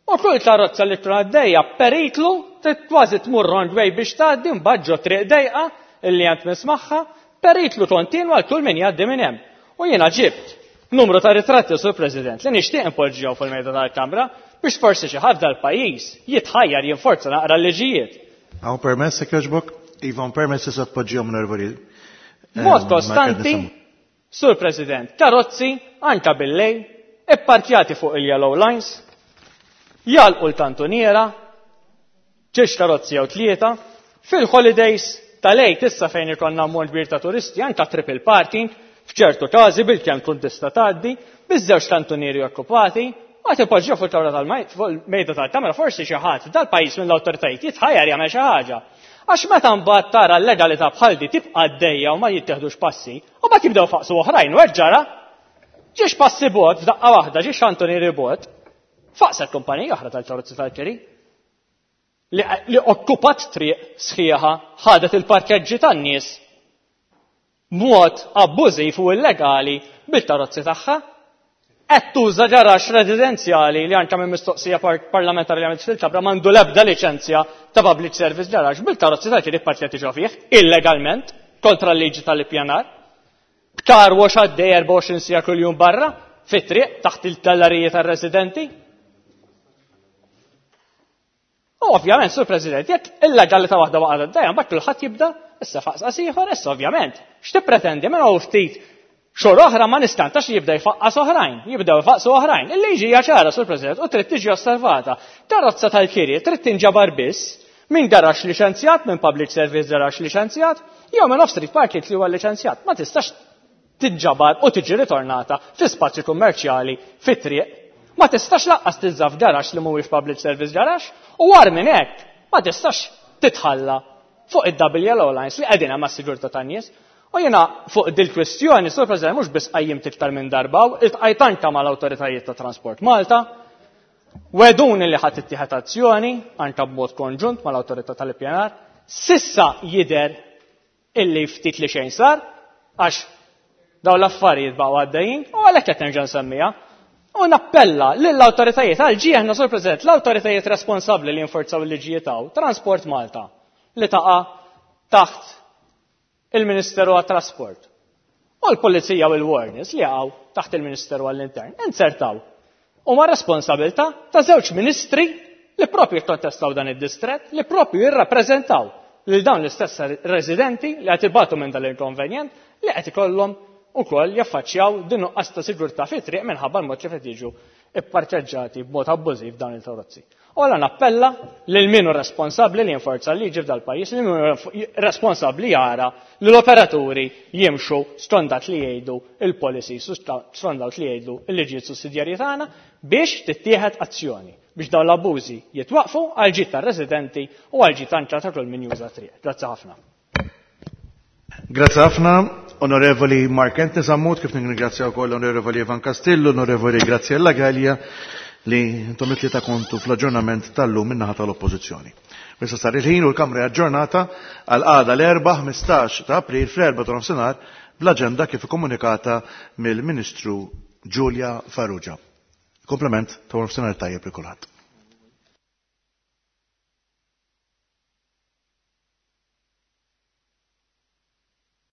U kull karozza li tkun għaddejja periklu trid kważi tmur wrong way biex tgħaddi mbagħad ġo triq dejqa illi għand mismaħħa, periklu kontinwa għal kull min jgħaddi minn hemm. U jiena ġibt numru ta' ritratti, Sur President, li nixtieq impoġġihom fuq il-mejda tal-Kamra biex forsi xi ħadd dal-pajjiż jitħajjar jinforza naqra l-liġijiet. Hawn permess jekk jogħġbok? Iva, hawn permess issa tpoġġihom onorevoli. Mod kostanti, Sur President, karozzi anka bil-lejl, ipparkjati fuq il-yellow lines, jagħlqu l-kantuniera, ġiex karozzi jew tlieta, fil-holidays tal-Għid issa fejn ikollna ammont kbir ta' turisti, anka triple parking, f'ċertu każi bil-kemm tkun tista' tgħaddi, biż-żewġ kantunieri okkupati, ma tipoġġew fuq il-kamra fuq il-mejda tal-kamra, forsi xi ħadd dal-pajjiż mill-awtoritajiet jitħajjar jagħmel xi ħaġa. Għax meta mbagħad tara l-legalità bħal di tibqa' għaddejja u ma jittieħdux passi, u mbagħad jibdew faqsu oħrajn u hekk ġara. Ġiex passi bot f'daqqa waħda, ġiex kantunieri bot, faqset kumpanija oħra tal-karozzi tal-kiri li okkupat triq sħiħa, ħadet il-parkeġġi tan-nies b'mod abbużiv u illegali bil-karozzi tagħha. Qed tuża garaxx residenzjali li anke minn mistoqsija parlamentari li għamilt fil-Kamra m'għandu l-ebda liċenzja ta' public service garage bil-karozzi tal-kiri parkeġġi ġo fih illegalment kontra l-liġi tal-ippjanar. B'car wash għaddej 24 siegħa kuljum barra fit-triq taħt il-galleriji tar-residenti. U ovvjament, Sur President, jekk illegalità waħda waqgħet għaddejja, mbagħad kulħadd jibda issa faqsqas ieħor, issa ovvjament. X'tippretendi minn hawn ftit xhur oħra ma nistantax li jibda jfaqqas oħrajn, jibdew jfaqqsu oħrajn. Il-liġi hija ċara, Sur President, u trid tiġi osservata. Karozza tal-kiri trid tinġabar biss minn garaxx liċenzjat, minn public service garaxx liċenzjat, jew minn off-street parking li huwa liċenzjat. Ma tistax tinġabar u tiġi ritornata fi spazju kummerċjali fit-triq. Ma tistax laqqas tiżżaf garaxx li mhuwiex public service garaxx, u war minn hekk ma tistax titħalla fuq id-double yellow lines li qegħdin hemm għas-sigurtà tan-nies. U jiena fuq dil-kwistjoni, Sur President, mhux biss qajjimt iktar minn darba, iltqajt anke mal-awtoritajiet ta' Transport Malta. Wegħduni li ħa tittieħed azzjoni anke b'mod konġunt mal-Awtorità tal-Ippjanar. S'issa jidher illi ftit li xejn sar għax dawn l-affarijiet baqgħu għaddejjin u għalhekk qed nerġa' nsemmiha. U nappella lill-awtoritajiet għal ġieħna, Sur President, l-awtoritajiet responsabbli li jinforzaw il-liġijiet hawn, Transport Malta, li taqa' taħt il-Ministeru għat-Trasport, u l-Pulizija u l-Warners li jaqgħu taħt il-Ministeru għall-Intern, inzertaw huma responsabilità ta' żewġ ministri li propju jikkontestaw dan id-distrett, li propju jirrappreżentaw lil dawn l-istess residenti li qed ibatu minn dal-inkonvenjent li qed ikollhom ukoll jaffaċċjaw din nuqqas ta' sigurtà fit-triq minħabba l-mod kif qed jiġu ipparkeġġati b'mod abbużiv dawn il-karozzi. U allura nappella lil min hu responsabbli li jinforza l-liġi f'dal-pajjiż, lil min hu responsabbli jara li l-operaturi jimxu skont dak li jgħidu il-policies u skont dak li jgħidu l-liġijiet sussidjarji tagħna biex tittieħed azzjoni biex dawn l-abbużi jitwaqqfu għall-ġid tar-residenti u għall-ġid anke ta' kull min juża t-triq. Grazzi ħafna. Grazzi ħafna, Onorevoli Mark Anthony Sammut, kif ningrazzja wkoll l-Onorevoli Ivan Castillo, l-Onorevoli Graziella Gallia, li intom it-tlieta kontu fl-aġġornament tal-lum min-naħa tal-Oppożizzjoni. Issa sar il-ħin u l-Kamra aġġornata għal għada l-Erbgħa 15 ta' April fl-4 ta' nofsinhar bl-aġenda kif ikkomunikata mill-Ministru Julia Farrugia. Komplement ta' nofsinhar tajjeb lil kulħadd.